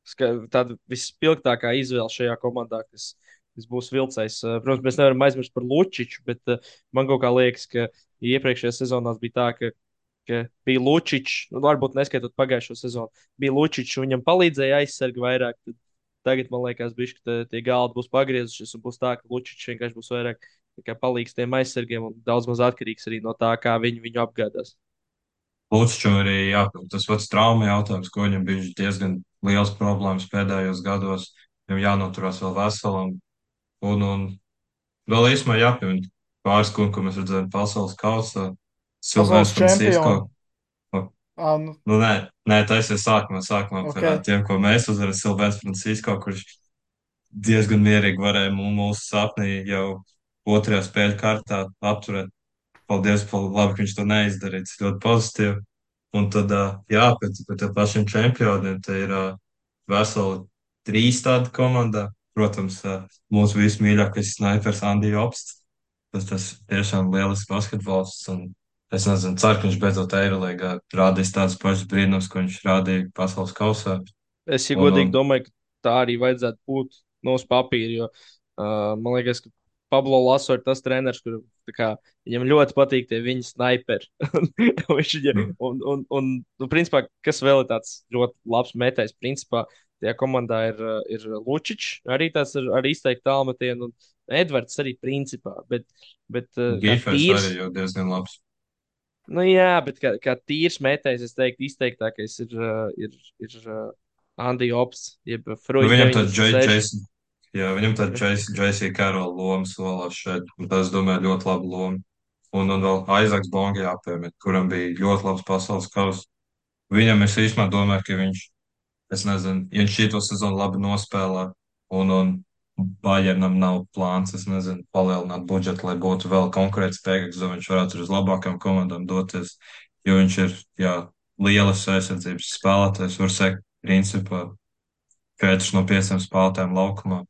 ska- tāda vispilgtākā izvēle šajā komandā, kas, kas būs vilcējs. Eh, Protams, mēs nevaram aizmirst par Lučiču, bet eh, man kaut kā liekas, ka iepriekšējā sezonā bija tā, ka, ka bija Lučičs, nu, varbūt neskaitot pagājušo sezonu, bija Lučičs, un viņam palīdzēja aizsargi vairāk. Tad tagad man liekas, bišķi, ka tie galdi būs pagriezušies, un būs tā, ka Lučičs vienkārši būs vairāk tā kā palīgs tiem aizsargiem un daudz maz atkarīgs arī no tā, kā viņi viņu apgādās. Lūdzu, arī jāpild tas pats trauma jautājums, ko viņam bija diezgan liels problēmas pēdējos gados. Viņam jānoturās vēl veselam. Un, un vēl īsumā jāpiemina pāris, ko, ko mēs redzējām pasaules kausā. Pasaules Silvēns Francisko. čempioni. Ah, nu, Nu, nē, nē, tas ir sākumā, sākumā par ā, ok. tiem, ko mēs uzvarējām. Silvēns Francisko, kurš diezgan mierīgi varēja mū- mūsu sapnī jau otrajā spēļu kārtā apturēt. Paldies, pa labi, ka viņš to neizdarīja. Tas ļoti pozitīvi. Un tad, ā, jā, pēc, pēc tiem pašiem čempioniem, te ir ā, veseli trīs tādi komandā. Protams, ā, mūsu vismīļākais snaipers Andija Opsts. Tas, tas tiešām lielisks basketbols. Un es nezinu, ceru, ka viņš beidzot Eirolīgā rādīs tādus pašus brīnumus, ko viņš rādīja pasaules kausā. Es, ja Un, godīgi un domāju, ka tā arī vajadzētu būt no uz papīra. Jo uh, man liekas, ka Pablo Laso ir tas treneris, kur tā kā, viņam ļoti patīk tie viņa sniperi. Un viņš viņa, mm, un, un, un, un, principā, kas vēl ir tāds ļoti labs metējs, principā, tajā komandā ir, uh, ir Lučičs, arī tāds ar, ar izteiktu tālmetienu, un Edvards arī principā. Bet, bet uh, kā Gīfers tīrs, arī jau diezgan labs. nu jā, bet kā, kā tīrs metējs, es teiktu, izteiktākais ir, uh, ir, ir uh, Andy Ops, jeb Nu, Fruits viņam tāds J- deviņdesmit seši. Jason, jā, viņam tāds J C Carroll loma solās šeit. Un tas, domāju, ļoti laba loma. Un, un vēl Aizaks Bongi jāpiemina, kuram bija ļoti labs pasaules kausa. Viņam es īstenībā domāju, ka viņš, es nezinu, ja viņš šito sezonu labi nospēlē, un, un Bayernam nav plāns, es nezinu, palielināt budžetu, lai būtu vēl konkurētspējīgāks, lai viņš varētu uz labākām komandām doties, jo viņš ir, jā, lielas aizsardzības spēlētājs, var sekt, principā, četras no pieciem spēlētājiem laukumā,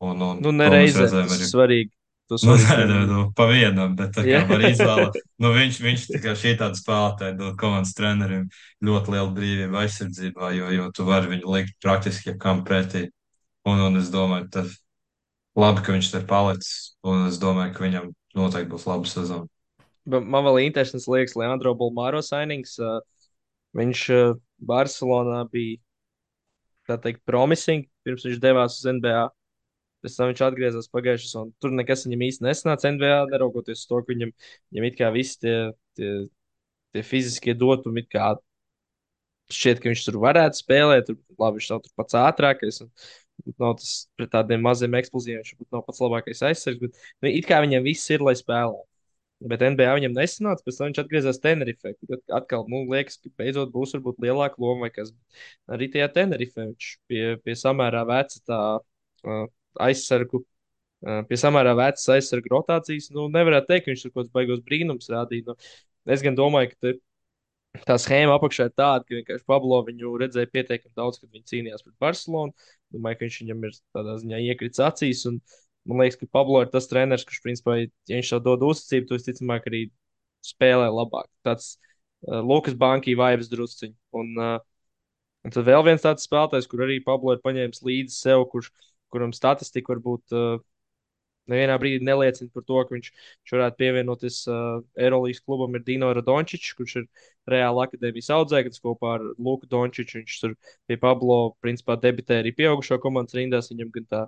un, un Nu, to mēs nereizēm redzējām tas ir arī. svarīgi. tos Nu, nē, vadīt nu, vienu. nu, pa vienam, bet tā kā Jā. var izvēlēt. Nu, viņš, viņš tā kā šī tāda spēlētāja dod komandas trenerim ļoti lielu brīvību aizsardzībā, jo, jo tu vari viņu likt praktiski jebkam pretī. Un, un es domāju, tas labi, ka viņš te palicis, un es domāju, ka viņam noteikti būs laba sezona. Bet man vēl interesants liekas Leandro Bolmāro signings. Uh, viņš uh, Barcelonā bija, tā teikt, promising, pirms viņš devās uz N B A. Pēc tam viņš atgriezās pagājušajā sezonā. Tur nekas viņam īsti nesanāca N B A, neraugoties uz to, ka viņam, viņam it kā visi tie, tie, tie fiziskie dotumi, it kā šķiet, ka viņš tur varētu spēlēt. Tur, labi, viņš nav tur pats ātrākais. Un, nav tas pret tādiem maziem eksplozījiem, viņš varbūt nav pats labākais aizsargs. Bet nu, it kā viņam viss ir, lai spēlē. Bet N B A viņam nesanāca, pēc tam viņš atgriezās Tenerifē. Tad atkal, nu, liekas, ka beidzot būs varbūt lielāka loma vai kas. Arī tajā Tenerifē viņš pie, pie samērā veca tā uh, aizsargu, uh, pie samērā vecas aizsargu rotācijas. Nu, nevarētu teikt, ka viņš tur kaut kāds baigos brīnums rādīja. Nu, es gan domāju, ka te, tā schēma apakšā ir tāda, ka vienkārši Pablo viņu redzēja pietiekami daudz, kad viņi cīnījās pret Barcelonu. Domāju, ka viņš viņam ir tādā ziņā iekrits acīs. Un, man liekas, ka Pablo ir tas treneris, kurš, principā, ja viņš tev dod uzticību, to visticamāk arī spēlē labāk. Tāds uh, Lukas Banki vibes drusciņš. Un, uh, un tad vēl viens tāds spēlētājs, kur arī Pablo ir paņēmis līdzi sev, kurš, kuram statistika varbūt uh, nevienā brīdī neliecina par to, ka viņš, viņš varētu pievienoties uh, Eirolandes klubam, ir Dino Radončičs, kurš ir Reāla akadēmijas audzēknis kopā ar Luku Dončiču. Viņš tur pie Pablo principā debitēja arī pieaugušo komandas rindās. Viņam gan tā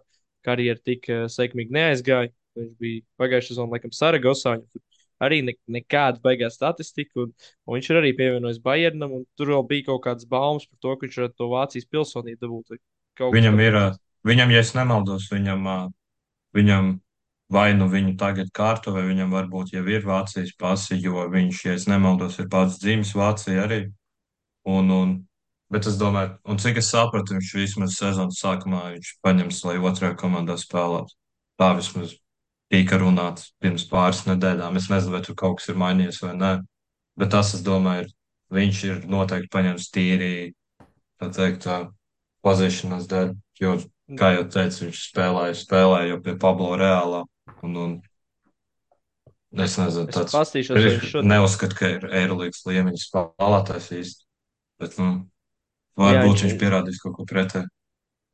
karjera tik uh, sekmīgi neaizgāja. Viņš bija pagājušā sezonā, laikam, Saragosā. Viņam tur arī ne, nekāda beigās statistika, un, un viņš ir arī pievienojis Bayernam. Tur vēl bija kaut kādas baumas par to, ka viņš varētu to Vācijas pilsonību dabūt. vai Kaut kas Viņam tam ir, ā, līdzīgs. viņam, ja es nemaldos, viņam, ā, viņam vai nu viņu tagad kārto, vai viņam varbūt jau ir Vācijas pasi, jo viņš, ja es nemaldos, ir pats dzimis Vācijā arī. Un, un, bet es domāju, un cik es sapratu, viņš vismaz sezonas sākumā viņš paņems, lai otrajā komandā spēlētu. Tā vismaz tika runāts pirms pāris nedēļām. Es nezinu, vai tur kaut kas ir mainījies vai nē, bet tas, es domāju, ir, viņš ir noteikti paņems tīri, tā teikt, tā pazīšanās dēļ, jo, kā jau teicu, viņš spēlēja, spēlēja jau pie Pablo Reālā, un, un es nezinu, Es tāds, pastīšos, vai viņš šodien. neuzskatu, ka ir Eirolandes līmeņa spēlētājs īsti, bet, nu, Jā, viņš, varbūt viņš pierādīs kaut ko pretēju.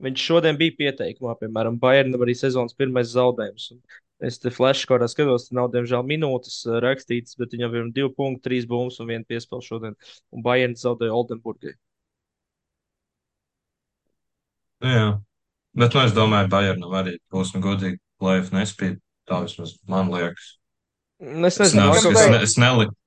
viņš šodien bija pieteikumā, piemēram, Bayernam arī sezonas pirmais zaudējums. Un es te flashkorā skatos, te nav, diemžēl, minūtes uh, rakstītas, bet viņam ir divi punkti, trīs bumbas un viena piespēle šodien. Un Bayern zaudēja Oldenburgai. Nu, jā, bet, nu, es domāju, Bayernam arī būs, nu, godīgi, play-off nespīd, tā vismaz man liekas. Es Es nezinu, man neuzskatu, kaut es, kā. ne, es neliku.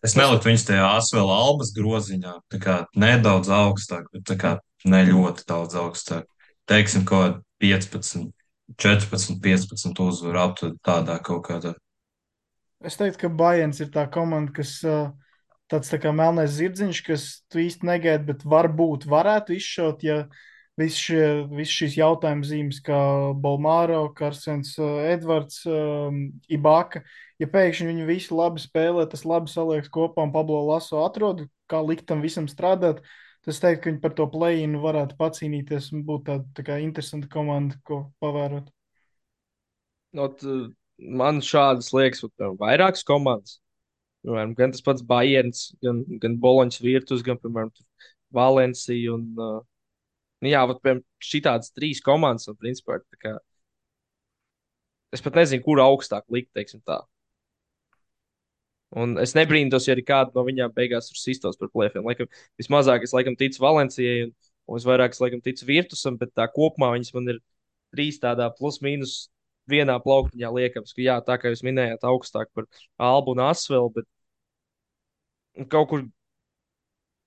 Es Es, neliku viņus tajā asvēl albas groziņā, tā kā nedaudz augstāk, bet tā kā ne ļoti daudz augstāk. Teiksim, kaut kāda piecpadsmit, četrpadsmit, piecpadsmit uzvaru aptuveni tādā kaut kādā. es teiktu, ka Bajens ir tā komanda, kas uh, tāds tā kā melnais zirdziņš, kas tu īsti negaidi, bet varbūt varētu izšaut, ja visi šie, visi šīs jautājuma zīmes, kā Balmāro, Karsens, uh, Edvards, um, Ibaka, ja pēkšņi viņi visi labi spēlē, tas labi saliekas kopā un Pablo Laso atrod, kā likt tam visam strādāt, tas teikt, ka viņi par to play-inu varētu pacīnīties un būt tāda tā kā interesanta komanda, ko pavērot. Not, uh, man šādas liekas, pat vairākas komandas. Piemēram, gan tas pats Bayerns, gan, gan Boloņas Virtus, gan, piemēram, Valencija. Un, uh, nu jā, vat, piemēram, šitādas trīs komandas, un, principā, ir tā kā, es pat nezinu, kur augstāk likt, teiksim tā. Un es nebrīnos, ja arī kāda no viņām beigās tur sistos par plēfiem. Laikam, vismazāk es laikam ticu Valencijai, un, un visvairāk es laikam ticu Virtusam, bet tā kopumā viņas man ir trīs tādā plus-mínus vienā plauktiņā liekams, ka jā, tā kā jūs minējāt, augstāk par Albu un Asvelu, bet kaut kur,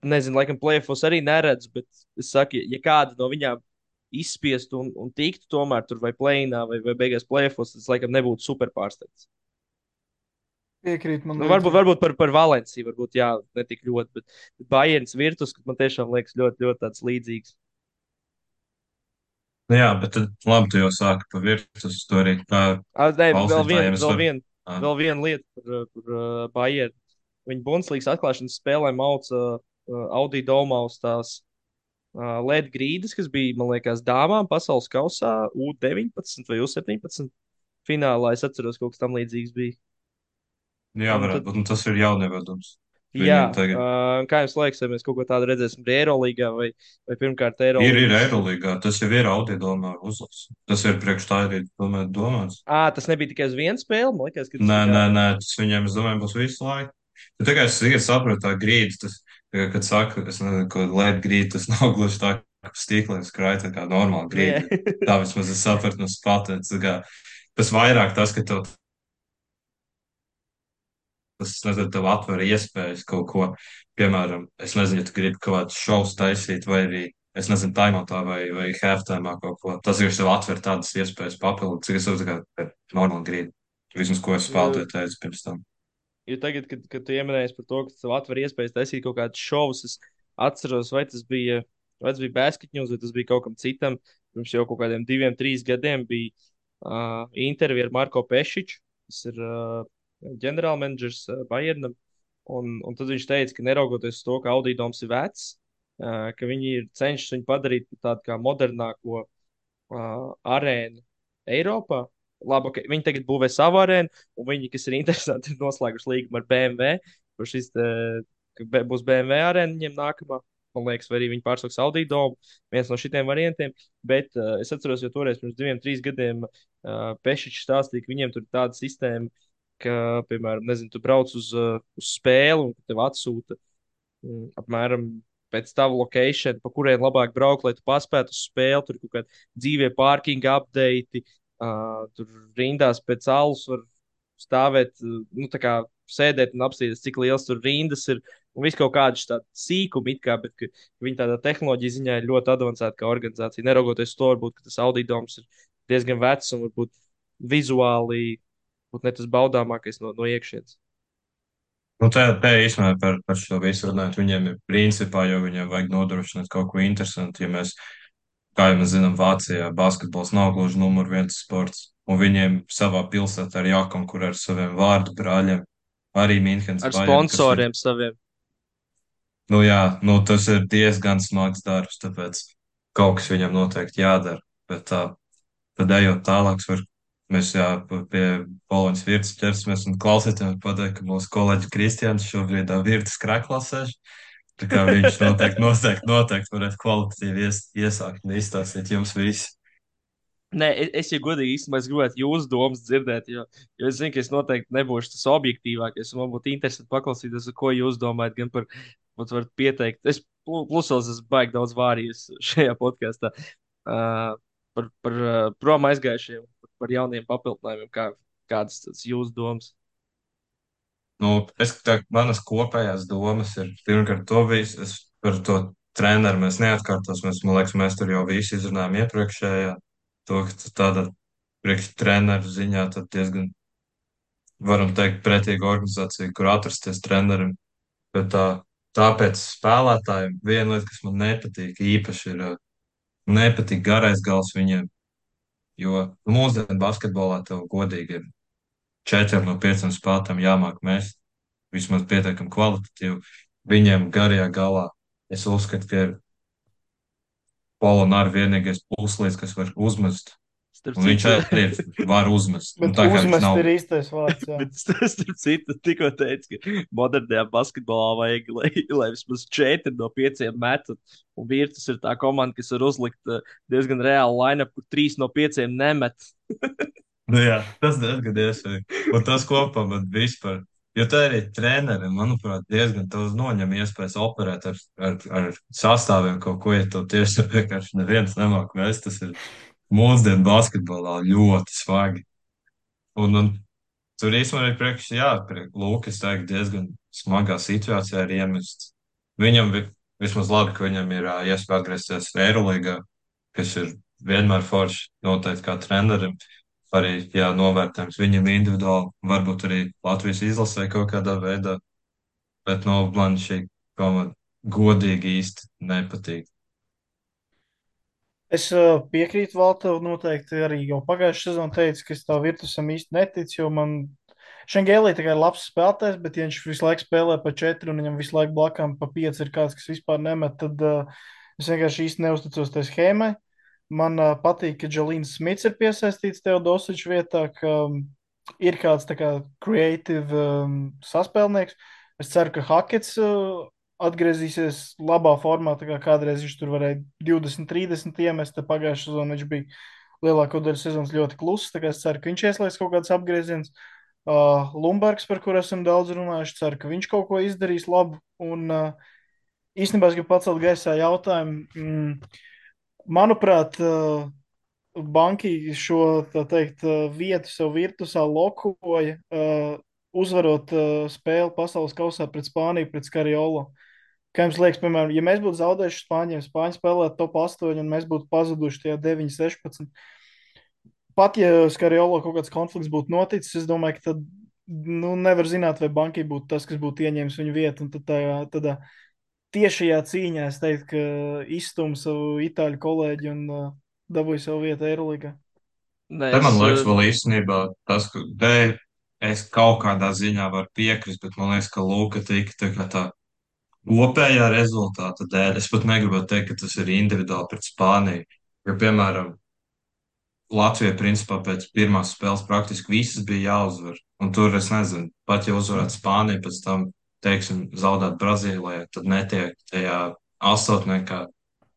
nezinu, laikam plēfos arī neredzu, bet es saku, ja kāda no viņām izspiestu un, un tiktu tomēr tur vai plēnā vai, vai beigās plēfos, tas laikam nebūtu super pārsteigts. Piekrīt man Nu, varbūt, līdzīgi. varbūt par, par Valenciju, varbūt jā, ne tik ļoti, bet, bet Bayerns Virtus, kas man tiešām liekas ļoti, ļoti tāds līdzīgs. Nu, jā, bet tad labi, tu jau sāki pa virtus, tu arī kā Ah, nē, vēl viena, klausītājiem es vēl varu. viena, ā, vēl viena lieta par, uh, par uh, Bayernu. Viņa Bundeslīgas atklāšanas spēlē mauca uh, Audi domā uz tās uh, L E D grīdas, kas bija, man liekas, dāmām pasaules kausā U deviņpadsmit vai U septiņpadsmit. finālā. Es atceros, kaut kas tam līdzīgs bija. Jā, Un varētu tad, būt. Un tas ir jaunievedums. jā, Viņiem tagad uh, kā jums liekas, vai mēs kaut ko tādu redzēsim arī Eirolīgā vai, vai pirmkārt ir, ir Eirolīgas? Eirolīgā. Tas jau ir Audi domā uzlase. Tas ir priekš tā arī domāju, domāts. Ā, tas nebija tikai uz vienu spēli. Man liekas, ka tas Nē, tā kā. nē, nē, tas viņiem, es domāju, būs visu laiku. Bet tikai es tikai saprotu tā grīdas, tas, kad saka, es nezinu, ko lēt grīda, tas nav gluži tā, ka stīkliem skrāja tā kā normāli Nu, jā. grīda. Tā vismaz es sapratu no spatētas. Tas vairāk tas, ka tev tas, nezinu, tev atver iespējas kaut ko, piemēram, es nezinu, ja tu gribi kaut kādus šovus taisīt, vai arī, es nezinu, taimotā vai, vai halftime kaut ko. Tas ir tev atver tādas iespējas papildus, cik es uzskatu, ka normāli grib. Vismaz, ko es Jo, spēlēju teicu pirms tam. jo tagad, kad, kad tu ieminējies par to, ka tev atver iespējas taisīt kaut kādus šovus, es atceros, vai tas bija, vai tas bija basketņūs, vai tas bija kaut kam citam. Pirms jau kaut kādiem diviem, trīs gadiem bija uh, intervija ar Marko Pešiču, kas ir uh, ģenerālmenedžers uh, Bayernam. Un, un tad viņš teica, ka neraugoties uz to, ka Audīdoms ir vecs, uh, ka viņi ir cenšas viņu padarīt par tādu kā modernāko uh, arēnu Eiropā. Labi, okay. Viņi tagad būvē savu arēnu, un viņi, kas ir interesanti, ir noslēguši līgumu ar B M W. Kur šis te, ka be- būs B M W arēna viņiem nākamā. Man liekas, vai arī viņi pārsauks Audi domu. Viens no šitiem variantiem. Bet uh, es atceros, jo toreiz pirms diviem, trīs gadiem uh, Pešičs stāstīja, ka viņiem tur ir tāda sistēma, ka, piemēram, nezinu, tu brauc uz, uh, uz spēli un tev atsūta mm, apmēram pēc tava location, pa kuriem labāk braukt, lai tu paspētu uz spēli. Tur ir kaut kādi dzīvie pārkinga update, uh, tur rindās pēc alus var stāvēt, uh, nu, tā kā sēdēt un apstīties, cik liels tur rindas ir. Un viss kaut kādi tādi sīkumi, it kā, bet ka, ka viņi tādā tehnoloģija ziņā ir ļoti avansēta kā organizācija. Neraugoties uz to, varbūt ka tas auditorums ir diezgan vecs un varbūt vizuāli būt ne tas baudāmākais no, no iekšienes. Nu, te, te īstenībā par, par šo visu runājot, viņiem ir principā, jo viņiem vajag nodrošināt kaut ko interesantu. Ja mēs, kā jau mēs zinām, Vācijā basketbols nav gluži numur viens sports, un viņiem savā pilsētā ir jākonkurē ar saviem vārdu brāļiem. Arī Mīnhens Ar Bayern, kas ir, sponsoriem saviem. nu jā, nu tas ir diezgan smags darbs, tāpēc kaut kas viņam noteikti jādara. Bet tā, tad ejot tālāk, var, mēs jā, pie Poloņas virtas ķersimies un klausītājiem pateikt, ka mūsu kolēģis Kristians šobrīd virtas krēklā sēž. Tā kā viņš noteikti, noteikti, noteikti varētu kvalitatīvi ies, iesākt un izstāstīt jums visi. Nē, es, es ja godīgi īstenībā es gribētu jūsu domas dzirdēt, jo, jo es zinu, ka es noteikti nebūšu tas objektīvākais. Man būtu interesanti paklausīties, ko jūs domājat, gan par, pat varat pieteikt. Es plu- plusos esmu baigi daudz vārījis šajā podkāstā uh, par, par uh, prom aizgājušiem, par, par jauniem papildinājumiem, kā, kādas tas jūsu domas. Nu, es, tā, manas kopējās domas ir, pirmkārt, to visu, es par to treneru mēs neatkārtos, mēs, man liekas, mēs tur jau visu izrunājām iepriekšējā, to, ka tu tāda priekš treneru ziņā tad diezgan, varam teikt, pretīga organizācija, kur atrasties trenerim, bet tā, tāpēc spēlētājiem viena lieta, kas man nepatīk īpaši ir, ā, nepatīk garais gals viņiem, jo mūsdienu basketbolā tev godīgi ir četriem no pieciem spēlētājiem jāmāk mest vismaz pietiekami kvalitatīvi. Viņiem garajā galā es uzskatu, ka ir Polonāra vienīgais puslīdz, kas var uzmest. Starp Un viņš citu, arī var uzmest. Un Bet tā kā viņš uzmest nav. ir īstais vārds. Jā. bet starp citu, tikko teicu, ka modernajā basketbolā vajag, lai, lai vismaz četri no pieciem metu. Un Virtus ir tā komanda, kas var uzlikt uh, diezgan reālu line-up, kur trīs no pieciem nemet. Nu, jā, tas diezgan iespējams. Un tas kopā man vispār. Jo tā arī trenerim, manuprāt, diezgan daudz noņem iespējas operēt ar, ar, ar sastāviem kaut ko, ja tev tieši vienkārši neviens nemāk mest. Tas ir mūsdienu basketbolā ļoti svagi. Un, un tur īstenībā ir priekš, jā, priekš Lūkas tagad diezgan smagā situācijā ir iemests. Viņam vi, vismaz labi, ka viņam ir ā, iespēja atgriezties Eirolīgā, kas ir vienmēr forši noteikti kā trenerim. Arī, jā, novērtējums viņam individuāli, varbūt arī Latvijas izlasē kaut kādā veidā, bet, nu, man šī komanda godīgi īsti nepatīk. Es uh, piekrītu Valtev noteikti arī jau pagājušajā sezonā teicu, ka es tā virtusam īsti neticu, jo man Šengēlī tikai ir labs spēlētājs, bet ja viņš visu laiku spēlē pa četri un viņam visu laiku blakām pa pieci ir kāds, kas vispār nemet, tad uh, es vienkārši īsti neusticos tai schēmai. Man uh, patīk, ka Džalīns Smits ir piesaistīts Teodosiča vietā, ka um, ir kāds tā kā creative um, saspēlnieks. Es ceru, ka Hakets uh, atgriezīsies labā formā, tā kā kādreiz viņš tur varēja divdesmit, trīsdesmit iemest, tad pagājušā sezonā viņš bija lielāko daļu sezonas ļoti kluss, tā kā es ceru, ka viņš ieslēgs kaut kāds apgrieziens. Uh, Lumbergs, par kuru esam daudz runājuši, ceru, ka viņš kaut ko izdarīs labu. Un uh, īstenībā es gribu pacelt gaisā jautājumu. Mm, manuprāt, uh, Banki šo, tā teikt, uh, vietu sev virtusā lokoja, uh, uzvarot uh, spēli pasaules kausā pret Spāniju, pret Skariolo. Kā jums liekas, piemēram, ja mēs būtu zaudējuši Spāņiem, Spāņi spēlētu top astoņi un mēs būtu pazuduši tajā deviņi sešpadsmit. Pat ja Skariolo kaut kāds konflikts būtu noticis, es domāju, ka tad nu, nevar zināt, vai Banki būtu tas, kas būtu ieņēmis viņu vietu. Un tad tādā, tādā tiešajā cīņā es teiktu, ka izstum savu itāļu kolēģi un uh, dabūja savu vietu Eirolandā. Nē, Te es, man liekas, uh, vēl īstenībā tas, ka te es kaut kādā ziņā varu piekrist, bet man liekas, ka Lūka tika tā kā tā kopējā rezultāta dēļ. Es pat negribētu teikt, ka tas ir individuāli pret Spāniju. Jo, piemēram, Latvija principā pēc pirmās spēles praktiski visas bija jāuzvar. Un tur es nezinu, pat ja uzvarētu Spāniju, pēc tam, teiksim, zaudēt Brazīlijai, tad netiek tajā astotniekā.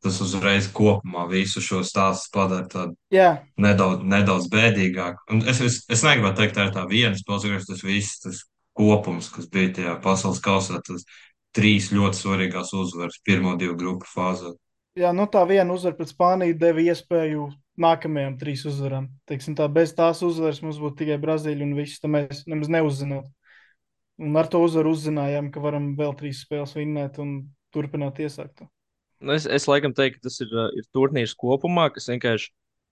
Tas uzreiz kopumā visu šo stāstu padara tādu Jā, nedaudz, nedaudz bēdīgāku. Un es, es, es negribētu teikt, tā ir tā viena spēle, tas viss tas kopums, kas bija tajā pasaules kausā, tas trīs ļoti svarīgās uzvaras pirmo divu grupu fāzē. jā, nu tā viena uzvara pret Spāniju deva iespēju nākamajām trīs uzvarām. Teiksim, tā, bez tās uzvaras mums būtu tikai Brazīlija un viss, tad mēs nemaz neuzzinātu. Un ar to uzvaru uzzinājām, ka varam vēl trīs spēles vinnēt un turpināt iesākt. nu, es, es laikam teiktu, ka tas ir, uh, ir turnīrs kopumā, kas vienkārši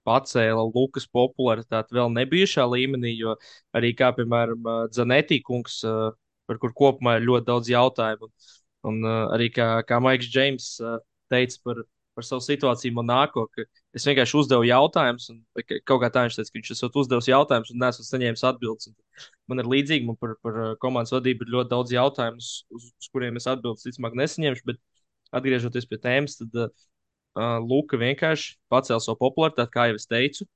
pacēla Lukas popularitāti vēl nebijušā līmenī, jo arī kā, piemēram, uh, Zanetī kungs, uh, par kur kopumā ir ļoti daudz jautājumu, un, un uh, arī kā, kā Maiks Džeims uh, teica par, par savu situāciju Monako, ka es vienkārši uzdevu jautājumus, un vai ka- kaut kā tā viņš teica, ka viņš esot uzdevis jautājumus un nesot saņēmis atbildes. Un man ir līdzīgi, man par, par uh, komandas vadību ir ļoti daudz jautājumu, uz, uz uz kuriem es atbildes, ticamāk, nesaņemšu, bet atgriežoties pie tēmas, tad uh, uh, Luka vienkārši pacēla savu popularitāti, kā jau es teicu.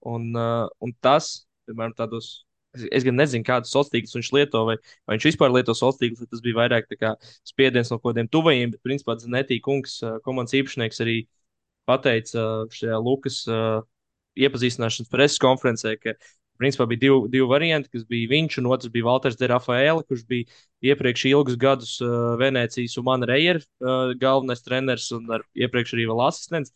Un, uh, un tas, piemēram, tādos, es, es gan nezinu, kādus sociālos tīklus viņš lieto, vai, vai viņš vispār lieto sociālos tīklus, vai tas bija vairāk tā kā spiediens no kaut kādiem tuvajiem, bet, principā, Zanetī kungs, uh, komandas īpašnieks, arī pateica uh, šajā Lukas uh, iepazīstināšanas preses konferencē, ka principā bija divi, divi varianti, kas bija viņš un otrs bija Valters de Rafaela, kurš bija iepriekš ilgus gadus uh, Venecijas Umana Rejer uh, galvenais treneris un ar iepriekš arī vēl asistents.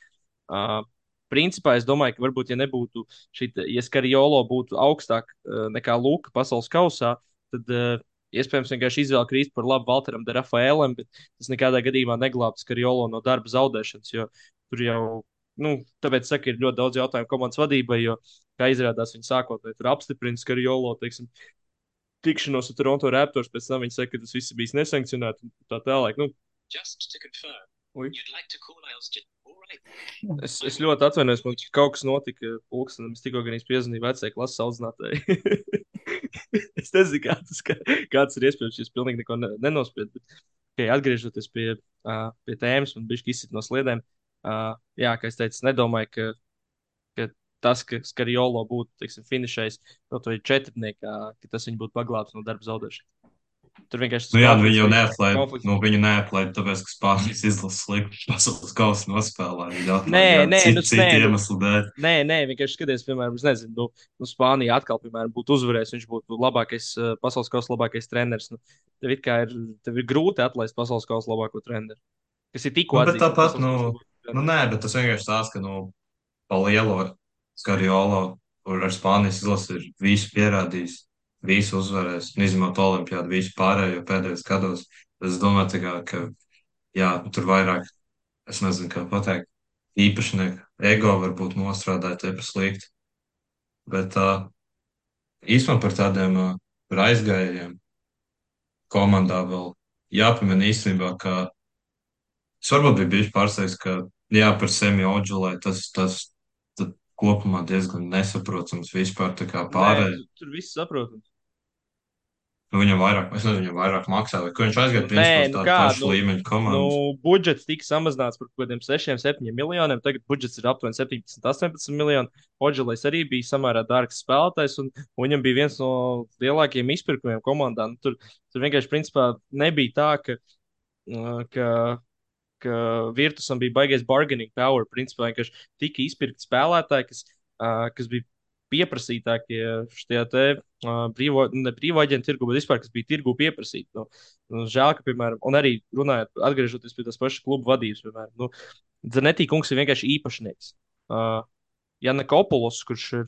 Uh, principā es domāju, ka varbūt, ja nebūtu šī, ja Skariolo būtu augstāk uh, nekā Luka pasaules kausā, tad uh, iespējams vienkārši izvēle krīt par labu Valteram de Rafaelam, bet tas nekādā gadījumā neglābtu Skariolo no darba zaudēšanas, jo tur jau, nu, tāpēc saka, ir ļoti daudz jautājumu komandas vadībai, jo, kā izrādās, viņi sākotnēji tur apstiprina Skariolo, teiksim, tikšanos ar Toronto Raptors, pēc tam viņi saka, ka tas viss ir bijis nesankcionēts un tā tālāk. Nu, ui. Es, es ļoti atvainojos, man kaut kas notika pulkstenam, es tikko gan piezvanīju vecajai klases audzinātājai. Es nezinu, kā tas, kā, kā tas ir iespējams, ja es pilnīgi neko ne, nenospiedu, bet, okay, atgriežoties pie, uh, pie tēmas un bišķi izsit no sliedēm, uh, jā, kā es teicu, es nedomāju, ka, ka tas, ka Skariolo būtu, teiksim, finišējis kaut vai četrniekā, ka tas viņu būtu paglābs no darba zaudēšanas. Tur vienkārši tas Nu jā, nu viņi konflikts jau bija. neatlaid, Konflikts. nu viņu neatlaid, tāpēc, ka Spānijas izlases slikti pasaules kausa nospēlēja. Viņi Nē, atlaid, jā, nē, nu, citu, nē, citu nu, iemeslu dēļ. nē, nē, vienkārši skaties, piemēram, es nezinu, nu, nu Spānija atkal, piemēram, būtu uzvarējis, viņš būtu labākais, uh, pasaules kausa labākais treneris. Nu, tev ir, kā ir, tev ir grūti atlaist pasaules kausa labāko treneru, kas ir tikko Nu, bet atzīts par tāpat, pasaules nu, kausa labāko nu treneru. nē, bet tas vienkārši tās, ka, nu, pa lielo Skariolo, kur ar Spānijas izlasi ir visu pierādījis, visu uzvarējis, un izņemot olimpiādu, visu pārējo pēdējos gados. Es domāju, tā kā, ka, jā, tur vairāk, es nezinu, kā pateikt, īpašnieku ego varbūt nostrādāja tie par sliktu. Bet uh, īstenībā par tādiem uh, par aizgājējiem komandā vēl jāpamina īstenībā, ka es varbūt biju bijis pārsteigts, ka jā, par Semi Odžulē tas, tas tad kopumā diezgan nesaprotams vispār tā kā Nē, pārējie. tu, tur viss saprotams. Nu, viņam vairāk, es nezinu, viņam vairāk maksā, vai ko viņš aizgāja, Nē, principā uz nu tādu kā, pašu nu, līmeņu nu komandu. budžets tika samazināts par kaut kādiem sešiem, septiņiem miljoniem. Tagad budžets ir aptuveni septiņpadsmit, astoņpadsmit miljoni. Odželais arī bija samērā dārgs spēlētājs, un, un viņam bija viens no lielākajiem izpirkumiem komandā. Nu, tur, tur vienkārši principā nebija tā, ka, uh, ka, ka Virtusam bija baigais bargaining power. Principā vienkārši tika izpirkti spēlētāji, kas, uh, kas bija pieprasītākie šajā te uh, brīvo, ne brīvo aģentu tirgu, bet vispār, kas bija tirgu pieprasīti. Nu, nu, žēl, ka, piemēram, un arī runājot, atgriežoties pie tās pašas klubu vadības, piemēram, nu, Zanetī kungs ir vienkārši īpašnieks. Uh, Jana Kopulos, kurš ir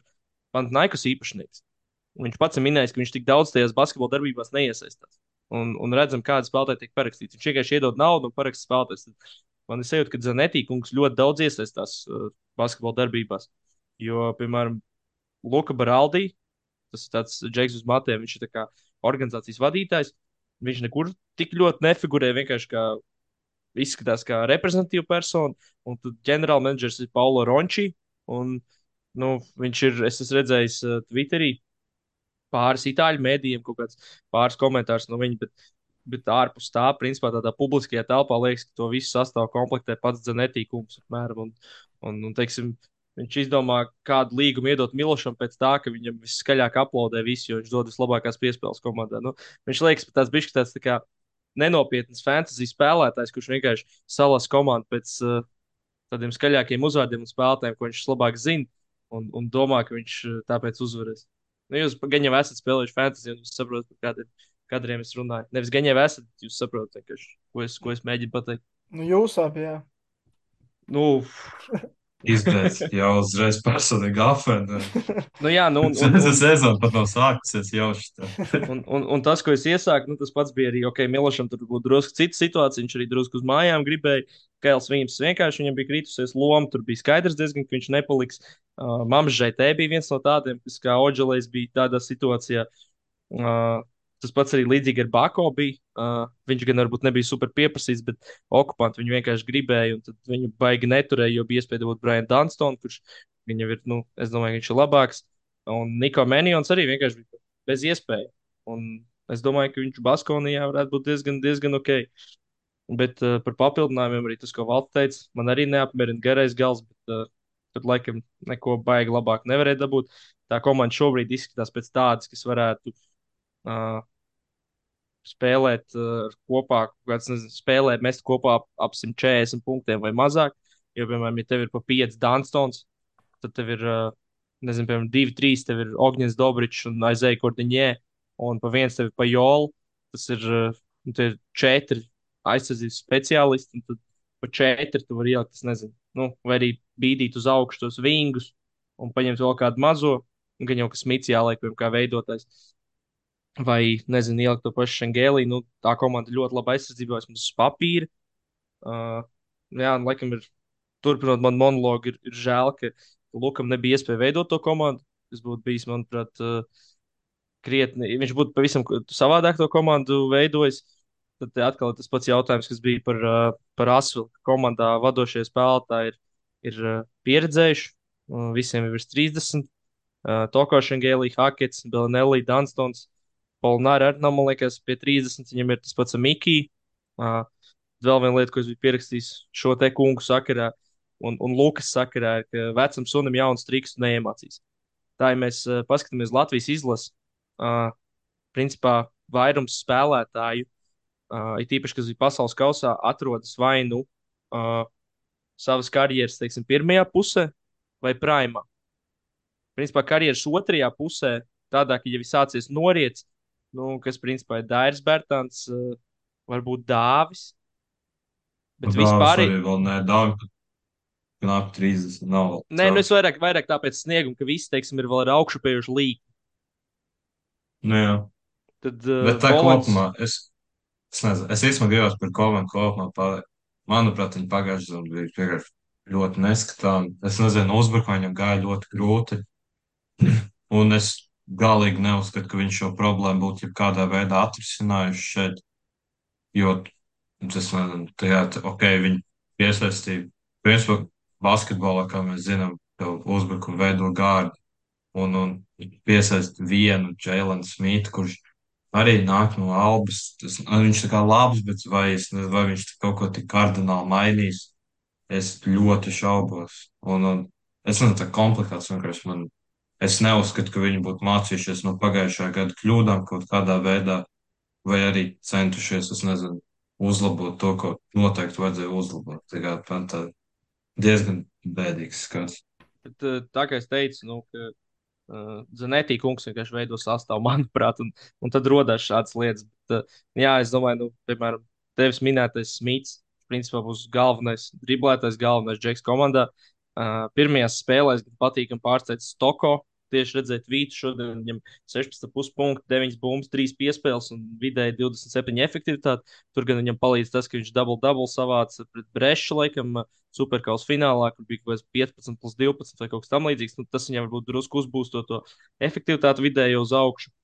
Panathinaikos īpašnieks, viņš pats ir minējis, ka viņš tik daudz tajās basketbola darbībās neiesaistās. Un, un redzam, kāda spēlētāja tiek parakstīta. Viņš vienkārši iedod naudu un paraksta spēlētājs. Man ir sajūta, ka Zanetī kungs ļoti daudz iesaistās uh, basketbola darbībās. Jo, piemēram, Luka Baraldi, tas ir tāds Džeks uz matiem, viņš ir tā kā organizācijas vadītājs. Viņš nekur tik ļoti nefigurē, vienkārši kā izskatās kā reprezentatīva persona. Un tad ģenerālmenedžers ir Paulo Ronči. Un, nu, viņš ir, es esmu redzējis uh, Twitterī pāris itāļu mēdījiem, kaut kāds pāris komentārus no viņa, bet, bet ārpus tā, principā tādā publiskajā telpā liekas, ka to visu sastāv komplektē pats Zanetīkums, apmēram. Un, un, un, teiksim, viņš izdomā, kādu līgumu iedot Milošam pēc tā, ka viņam viskaļāk aplaudē visi, jo viņš dod vislabākās piespēles komandā. Nu, viņš liekas, ka tāds bišķi tāds tā kā nenopietns fantasy spēlētājs, kurš vienkārši salas komandu pēc uh, tādiem skaļākiem uzvārdiem un spēlētājiem, ko viņš labāk zina, un, un domā, ka viņš uh, tāpēc uzvarēs. Nu, jūs gan jau esat spēlējuši fantasy, un jūs saprotat, par kādiem kadriem es runāju. Nevis gan jau esat, jūs saprotat, ko es, ko es mēģinu pateikt. Nu, jūs abi, jā. Nu, Izgrēs jau uzreiz personīgi afēnu. nu jā, nu, un, un, Tas un, sezona pat nav sākusies jau šitā. un, un, un tas, ko es iesāku, nu, tas pats bija arī, ok, Milošam tur būtu drusku cita situācija, viņš arī drusku uz mājām gribēja. Kails Vīms vienkārši viņam bija kritusies loma, tur bija skaidrs diezgan, ka viņš nepaliks. Uh, Mams Žaitē bija viens no tādiem, kas kā Oģelais bija tādā situācijā. Uh, tas pats arī līdzīgi ar Bako bija. Uh, viņš gan varbūt nebija super pieprasīts, bet okupanti viņu vienkārši gribēja, un tad viņu baigi neturēja, jo bija iespēja dabūt Brian Dunstone, kurš viņam ir, nu, es domāju, ka viņš ir labāks. Un Niko Menjons arī vienkārši bija bez iespēja. Un es domāju, ka viņš Baskonijā varētu būt diezgan, diezgan ok. Bet uh, par papildinājumiem arī tas, ko Valts teica, man arī neapmierina garais gals, bet uh, tur laikam neko baigi labāk nevarēja dabūt. Tā komanda šobrīd izskatās pēc tādas, kas varētu uh, spēlēt uh, kopā, kāds, nezinu, spēlēt, mest kopā ap, ap simt četrdesmit punktiem vai mazāk. Jo, piemēram, ja tev ir pa pieci Dunstons, tad tev ir, uh, nezinu, piemēram, divi, trīs, tev ir Ogņins Dobričs un Aizēja Kordiņē, un pa viens tev ir pa Jolu, tas ir, uh, ir četri aizsardzības speciālisti, un tad pa četri tu vari ielikt, es nezinu, nu, vai arī bīdīt uz augšu tos vingus un paņemt vēl kādu mazo, un gan jau kas Smits jāliek, piemēram, kā veidotājs. Vai, nezinu, ielikt to pašu Šengēlī. Nu, tā komanda ļoti labi aizsardzībā, vismaz uz papīra. Uh, jā, un, laikam, ir turpinot man monologu, ir, ir žēl, ka Lukam nebija iespēja veidot to komandu. Tas būtu bijis, manuprāt, uh, krietni. Ja viņš būtu pavisam savādāk to komandu veidojis. Tad te atkal ir tas pats jautājums, kas bija par, uh, par Asvilu. Komandā vadošie spēlētāji ir, ir uh, pieredzējuši. Uh, visiem ir virs trīsdesmit. Uh, Toko Šengēlī, Hakets, Belinelli, Dunstons. Polnāra arī nav, man liekas, pie trīsdesmit. Viņam ir tas pats Mikī. Uh, vēl viena lieta, ko es biju pierakstījis šo te kungu sakarā un, un Lukas sakarā, ir, ka vecam sunim jauns triks neiemācīs. Tā, ja mēs uh, paskatāmies Latvijas izlasi, uh, principā vairums spēlētāju, uh, it īpaši, kas bija pasaules kausā, atrodas vai nu uh, savas karjeras, teiksim, pirmajā pusē vai primā. Principā karjeras otrajā pusē, tādā, ka jau ir sācies noriets, nu, kas principā ir Dairis Bērtāns, uh, varbūt Dāvis. Bet Dāvis vispār, arī vēl nē, Dāvis knap trīsdesmit nav vēl nē, nu es celts. vairāk, vairāk tāpēc sniegumu, ka visi, teiksim, ir vēl ar augšupējuši līniju. Nu, jā. Tad uh, Bet tā Volans, kopumā, es, es nezinu, es īstenībā gribētu par komandu kopumā pateikt. Manuprāt, viņi pagājušajā sezonā bija vienkārši ļoti neskatām. Es nezinu, uzbrukumā viņam gāja ļoti grūti. Un es galīgi neuzskatu, ka viņš šo problēmu būtu jebkādā veidā atrisinājuši šeit. Jo, es nezinu, tajā, ok, viņi piesaistīja. Principā, basketbolā, kā mēs zinām, jau uzbrukumu veido gārdi. Un, un piesaist vienu Jēlenu Smitu, kurš arī nāk no Albas. Tas, nu, viņš tā kā labs, bet vai, es, nezinu, vai viņš kaut ko tik kardināli mainīs, es ļoti šaubos. Un, un es nezinu, tā komplikāts vienkārši man. Es neuzskatu, ka viņi būtu mācījušies no pagājušā gada kļūdām kaut kādā veidā, vai arī centušies, es nezinu, uzlabot to, ko noteikti vajadzēja uzlabot. Tā kā man tā diezgan bēdīgs skats. Bet, eh, tā kā es teicu, nu, ka Uh, Zanetī kungs vienkārši veido sastāvu, manuprāt, un, un tad rodas šādas lietas. Bet, uh, jā, es domāju, nu, piemēram, tevis minētais Smits, principā būs galvenais, driblētais, galvenais džeks komandā. Uh, pirmajās spēlēs gan patīkami pārsteidz Stoko. Tieši redzēt, Vītu šodien viņam sešpadsmit komats punkti, deviņas bumbas, trīs piespēles un vidēji divdesmit septiņi efektivitāte. Tur gan viņam palīdz tas, ka viņš dubult-dubult savāca pret Brešu, laikam, superkausa finālā, kur bija kaut kāds piecpadsmit plus divpadsmit vai kaut kas tamlīdzīgs. Nu, tas viņam varbūt drusku uzbūsto to efektivitāti vidēji uz augšu.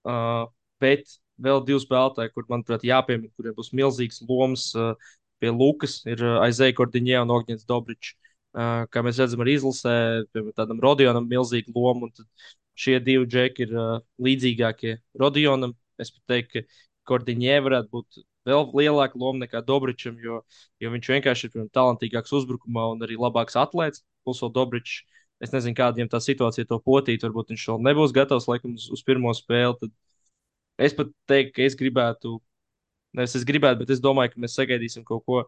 Uh, bet vēl divi spēlētāji, kur, manuprāt, jāpiemina, kuriem būs milzīgs lomas uh, pie Lukas, ir uh, Aizēja Kordiņē un Ogņets Dobričs. Uh, kā mēs redzam, arī izlasē, piemēram, tādam Rodionam milzīga loma. Un tad šie divi džeki ir uh, līdzīgākie Rodionam. Es pat teiktu, ka Kordiņē varētu būt vēl lielāka loma nekā Dobričam, jo, jo viņš vienkārši ir piemēram, talantīgāks uzbrukumā un arī labāks atlētājs. Plus vēl Dobričs. Es nezinu, kāda viņam tā situācija to potīt. Varbūt viņš vēl nebūs gatavs laikam uz, uz pirmo spēli. Tad es pat teiktu, ka es gribētu, nevis es gribētu, bet es domāju, ka mēs sagaidīsim kaut ko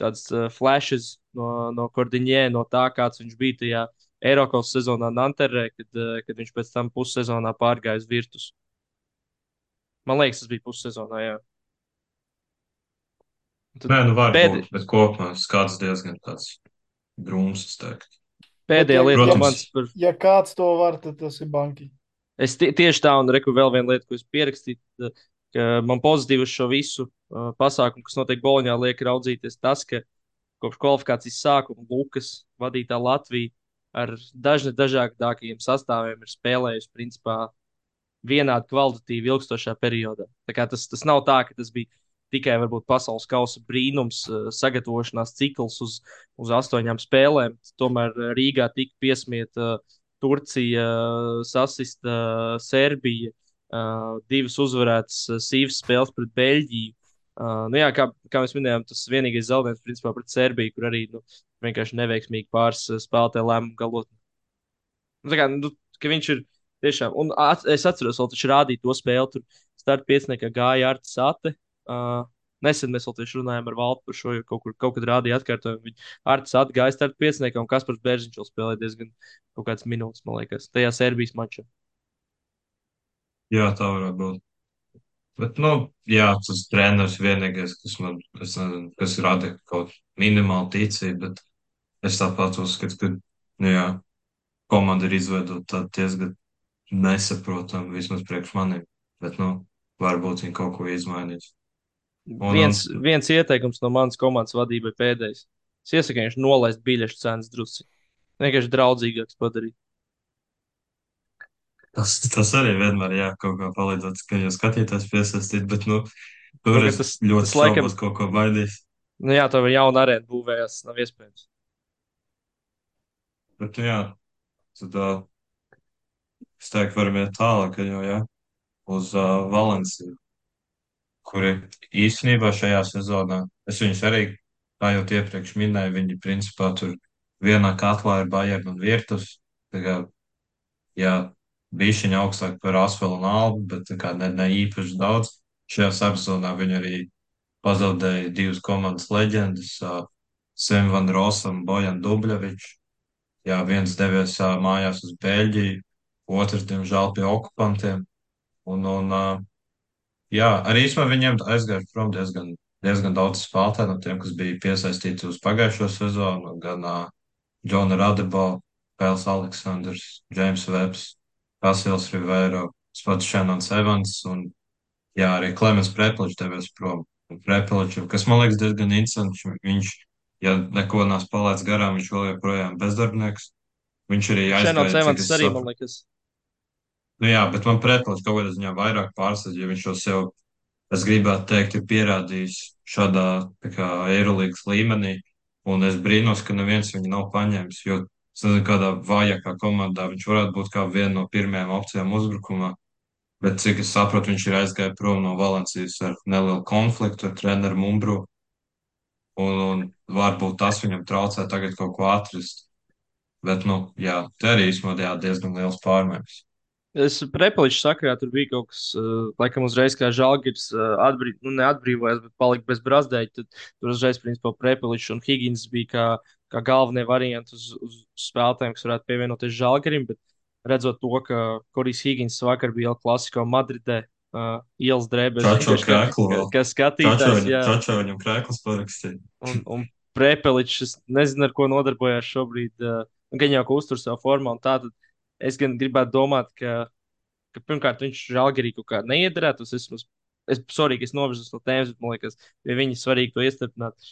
tāds uh, flashes no, no Kordiņē, no tā, kāds viņš bija tajā Eiropas sezonā Nanterē, kad, uh, kad viņš pēc tam pussezonā pārgāja uz Virtus. Man liekas, tas bija pussezonā, jā. Un tad Nē, nu var pēd, būt, bet kopumā skats diezgan tāds drūms, es teiktu. Bet, pēdējā ja, lieta ja, no Protams, manis par. ja kāds to var, tad tas ir banki. Es tie, tieši tā, un reku vēl viena lieta, ko es pierakstīju, tad, ka man pozitīvi uz šo visu uh, pasākumu, kas notiek Boloņā, liek raudzīties tas, ka kopš kvalifikācijas sākuma Lukas vadītā Latvija ar dažne dažādākajiem sastāviem ir spēlējusi principā vienādi kvalitatīvi ilgstošā periodā. Tā kā tas, tas nav tā, ka tas bija tikai varbūt pasaules kausa brīnums, uh, sagatavošanās cikls uz, uz astoņām spēlēm. Tomēr uh, Rīgā tika piesmieta uh, Turcija, uh, sasista uh, Serbija, uh, divas uzvarētas uh, sīvas spēles pret Beļģiju. Uh, nu jā, kā, kā mēs minējām, tas vienīgais zaudējums principā pret Serbiju, kur arī nu, vienkārši neveiksmīgi pāris uh, spēlētāju lēmumu galot. Nu, tā kā, nu, ka viņš ir tiešām, un at, es atceros, vēl viņš rādīja to spēli, tur starta pieciniekā gāja Arts Sate. Uh, nesen mēs vēl tieši runājām ar Valtu par šo, jo kaut, kur, kaut kad rādīja atkārtojumu. Viņa Arts Sate gāja starta pieciniekā, un Kaspars Bērziņš vēl spēlēja diezgan kaut kāds minūtes, man liekas, tajā Serbijas mačā. jā, tā varētu būt. Bet, nu, jā, tas treneris vienīgais, kas man, es nezinu, kas rada kaut minimālu ticību, bet es tāpat uzskatu, ka, nu, jā, komanda ir izveidota diezgan nesaprotama vismaz priekš maniem. Bet, nu, varbūt viņi kaut ko izmainīs. Un, un, Viens, viens ieteikums no manas komandas vadībai pēdējais. Es iesaku viņš nolaist biļešu cenas drusci. Vienkārši draudzīgāks padarīt. tas, tas arī vienmēr, jā, kaut kā palīdzot, ka jau skatītājs piesaistīt, bet, nu, tur Kaut kā es tas, tas ļoti laikam, šaubos kaut ko baidīs. nu jā, tā jau jauna arēna būvējās, nav iespējams. Bet, nu, jā, tad, uh, es teiktu, varam iet tālāk, jo, jā, uz uh, Valenciju, kuri īstenībā šajā sezonā, es viņus arī, kā jau iepriekš minēju, viņi principā tur vienā katlā ir Bayern un Virtus. Tā kā, jā, bišķiņa augstāk par Asfelu un Albu, bet tā kā ne, ne īpaši daudz. Šajā sezonā viņi arī pazaudēja divas komandas leģendas, uh, Sem Van Rosam, Bojan Dubļevičs. Jā, viens devies uh, mājās uz Beļģiju, otrs, diemžēl, pie okupantiem. Un, un uh, jā, arī īstenībā viņiem aizgāja prom diezgan, diezgan daudz spēlētāju no tiem, kas bija piesaistīti uz pagājušo sezonu. Gan uh, Džona Radebo, Pēls Aleksandrs, Džeims Vebs, Kasils Rivero, pats Šenons Evans un jā, arī Klemens Prepeličs devies prom. Un Prepeličam, kas man liekas diezgan interesants, viņš, ja neko nav palaidis garām, viņš vēl joprojām bezdarbnieks. Viņš arī Šenons aizgāja, cik Evans es arī, man saprotu. liekas. Nu jā, bet man Prepeličs kaut kādā ziņā vairāk pārsteidz, jo viņš jau sev, es gribētu teikt, ir pierādījis šādā tā kā Eirolīgas līmenī, un es brīnos, ka neviens viņu nav paņēmis, jo es nezinu, kādā vājākā komandā viņš varētu būt kā viena no pirmajām opcijām uzbrukumā. Bet, cik es saprotu, viņš ir aizgājis prom no Valencijas ar nelielu konfliktu ar treneru Mumbru. Un, un varbūt tas viņam traucē tagad kaut ko atrast. Bet, nu, jā, te arī īstenībā diezgan liels pārmaiņas. Es Prepeliču sakarā tur bija kaut kas, uh, laikam, uzreiz kā Žalgiris uh, atbrīv, nu, neatbrīvojās, bet palika bez brazdēļa. Tad tur uzreiz, principā, Prepeličs un Higgins bija kā, kā galvenie varianti uz, uz spēlētājiem, kas varētu pievienoties Žalgirim. Bet redzot to, ka Korijs Higgins vakar bija El Clasico Madridē, uh, ielas drēbēs, Čačo vienkārši kā, krēklu kā, vēl. kā Čačo skatītājs, viņam, jā. čačo viņam krēklus parakstīja. Un, un Prepeličs, es nezinu, ar ko nodarbojās šobrīd. Uh, gan jau, ka uztur savu formu, un tā tad es gan gribētu domāt, ka ka pirmkārt viņš žēlgarī kaut kā neiederētos. Es, es, es sorry, ka es novirzos no tēmas, bet man liekas, pie viņa svarīgi to iestiprināt.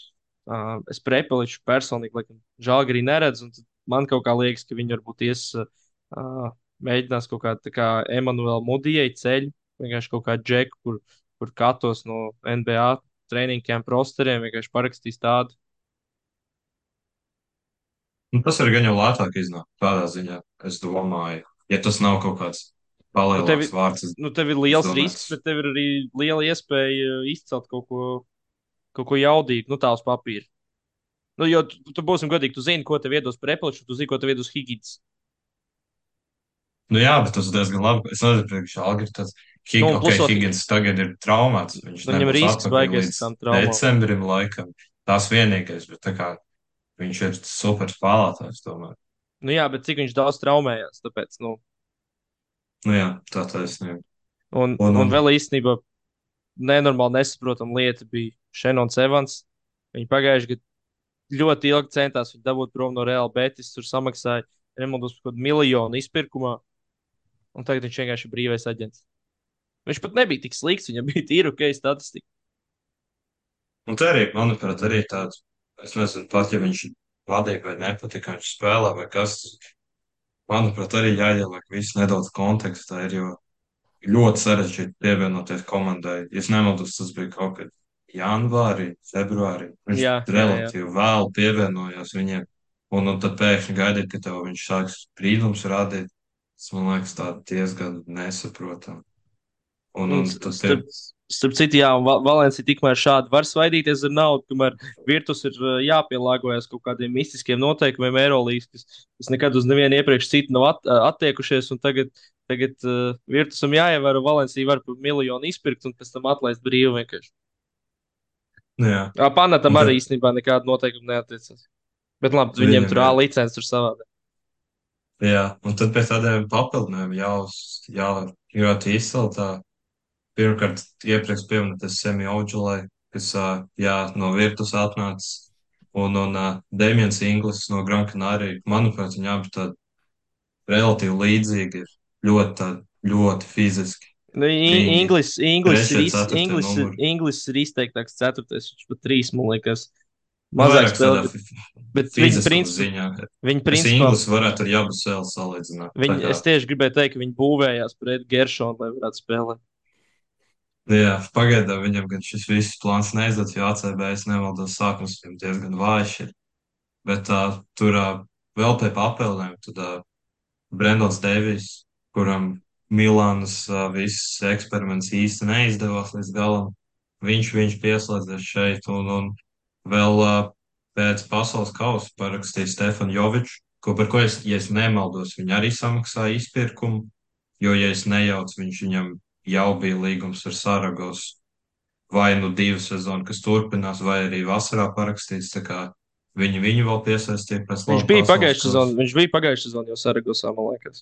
Uh, es Prepeliču personīgi, laikam, žēlgarī neredzu, un tad man kaut kā liekas, ka viņi varbūt ies, uh, mēģinās kaut kā tā kā Emanuela Mudijai ceļu, vienkārši kaut kā džeku, kur, kur katos no N B A training camp rosteriem, vienkārši parakstīs tādu. Nu, tas arī gan jau lētāk iznāk tādā ziņā, es domāju. Ja tas nav kaut kāds Nu, tev, palielāks vārds, es, nu, tev ir es liels domāju, risks, tas bet tev ir arī liela iespēja izcelt kaut ko, kaut ko jaudīgu, nu, tā uz papīra. Nu, jo tu, tu būsim godīgi, tu zini, ko tev iedos Prepeličs, tu zini, ko tev iedos Higgins. nu jā, bet tas ir diezgan labi. Es nezinu, priekš Algir tas, Nu, Hig, un ok, plus, ot, Higgins tagad ir traumāts, viņš nu, viņam nebūs risks atpakaļ baigais līdz tam traumām. decembrim laikam. Tas vienīgais, bet tā kā viņš ir super spēlētājs, tomēr. Nu, jā, bet cik viņš daudz traumējās, tāpēc, nu, Nu jā, tā taisnība. un, Un, un un, vēl īstenībā nenormāli nesaprotama lieta bija Šenons Evans. Viņi pagājuši gadu ļoti ilgi centās viņu dabūt prom no Real Betis, tur samaksāja Remondos par kaut kādu miljonu izpirkumā, un tagad viņš vienkārši ir brīvais aģents. Viņš pat nebija tik slikts, viņam bija tīra ok statistika. un te arī, manuprāt, arī tāds, es nezinu, pat ja viņš patīk vai nepatīk, kā viņš spēlē vai kas, manuprāt, arī jāieliek viss nedaudz kontekstā, ir, jo ļoti sarežģīti pievienoties komandai. Ja es nemaldos, tas bija kaut kad janvārī, februārī. Viņš Jā, jā, jā. relatīvi vēlu pievienojās viņiem, un, un tad pēkšņi gaidīt, ka tev viņš sāks sprīdums rādīt. Tas man liekas tā diezgan nesaprotam. Un, Un, un s- tad pie, starp, starp citu, jā, un Va- Valencija tikmēr šādi var svaidīties ar naudu, kamēr Virtus ir uh, jāpielāgojas kaut kādiem mistiskiem noteikumiem Eirolandes, kas, kas nekad uz nevienu iepriekš citu nav at, uh, attiekušies. Un tagad tagad uh, Virtusam jāievēro, Valencija var par miljonu izpirkt un pēc tam atlaist brīvi vienkārši. nu jā, Jā, Panatam un arī tad īstenībā nekāda noteikuma neatiecas. Bet labi, viņiem viņam tur A ir, licences tur savādāk. jā, un tad pēc tādiem papildinājumiem jā, jā, ļoti izcili tā. Pirmkārt, iepriekš pieminētais Semioģulai, kas, ā, jā, no Virtus atnācis, un, un ā, Demians Inglis no Gran Canaria. Manuprāt, viņi abi tādi relatīvi līdzīgi ir. Ļoti, tādi, ļoti fiziski. Nu, I- Viņi Inglis, Inglis, ir, trešie, iz, ceturtie Inglis, ir- numuri. Inglis ir izteiktāks ceturtais, viņš pat trīs, man liekas, Nu, mazāk vairāk tādā spēlē, bet, fi- bet viņi fiziskuma principā, ziņā. viņi Es principā, Inglis varētu ar Jabu Sēlu salīdzināt. Tā viņi, kā, es tieši gribēju teikt, ka viņi būvējās pret Geršonu, lai varētu spēlēt. nu jā, pagaidām viņam gan šis viss plāns neizdodas, jo A C B, es nemaldos, sākums viņam diezgan vājš ir. Bet tā, tur ā, vēl pie papildinājumiem, tad ā, Brendons Deivijs, kuram Milānas ā, viss eksperiments īsti neizdevās līdz galam, viņš, viņš pieslēdzies šeit un, un vēl ā, pēc pasaules kausa parakstīja Stefanu Joviču, ko par ko es, ja es nemaldos, viņi arī samaksāja izpirkumu, jo, ja es nejaucu, viņš viņam jau bija līgums ar Saragos vai nu divu sezonu, kas turpinās, vai arī vasarā parakstīts, tā kā viņi viņu vēl piesaistīja pēc Viņš laba bija pasaules pagājušajā kausa. sezonā, viņš bija pagājušajā sezonā jau Saragosā, man liekas.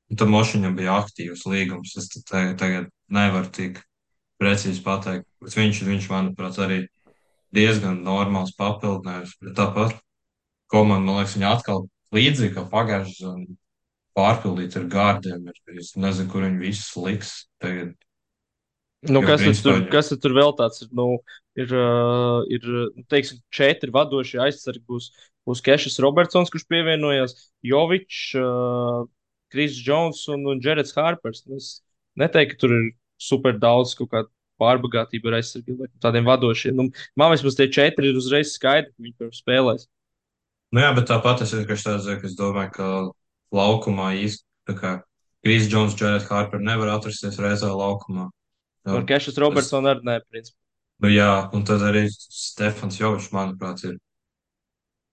Un tad Mošiņam bija aktīvs līgums. Es te- tagad, tagad nevaru tik precīzi pateikt. Bet viņš, viņš, manuprāt, arī diezgan normāls papildinājums. Bet tāpat komanda, man liekas, viņa atkal līdzīgi kā pagājušajā sezonā pārpildīta ar gārdiem. Ir- Es nezinu, kur viņi visus liks tagad. Nu, Jo, kas tad principā, tur, viņi, kas tad tur vēl tāds ir? Nu, ir, uh, ir nu, teiksim, četri vadošie aizsargi. Būs, būs Kešs Robertsons, kurš pievienojās, Jovičs, uh, Kris Jones un, un Jareds Harpers. Nu, es neteiktu, ka tur ir super daudz kaut kāda pārbagātība ar aizsargiem, vai tādiem vadošiem. Nu, man vismaz tie četri ir uzreiz skaidri, ka viņi tur spēlēs. nu jā, bet tāpat es vienkārši tādu zinu, ka es domāju, ka laukumā īsti tā kā Kris Džons, Jared Harper nevar atrasties reizē laukumā. Jā, Markešs es, Robertson arī nē, principā. nu jā, un tad arī Stefans Jovičs, manuprāt, ir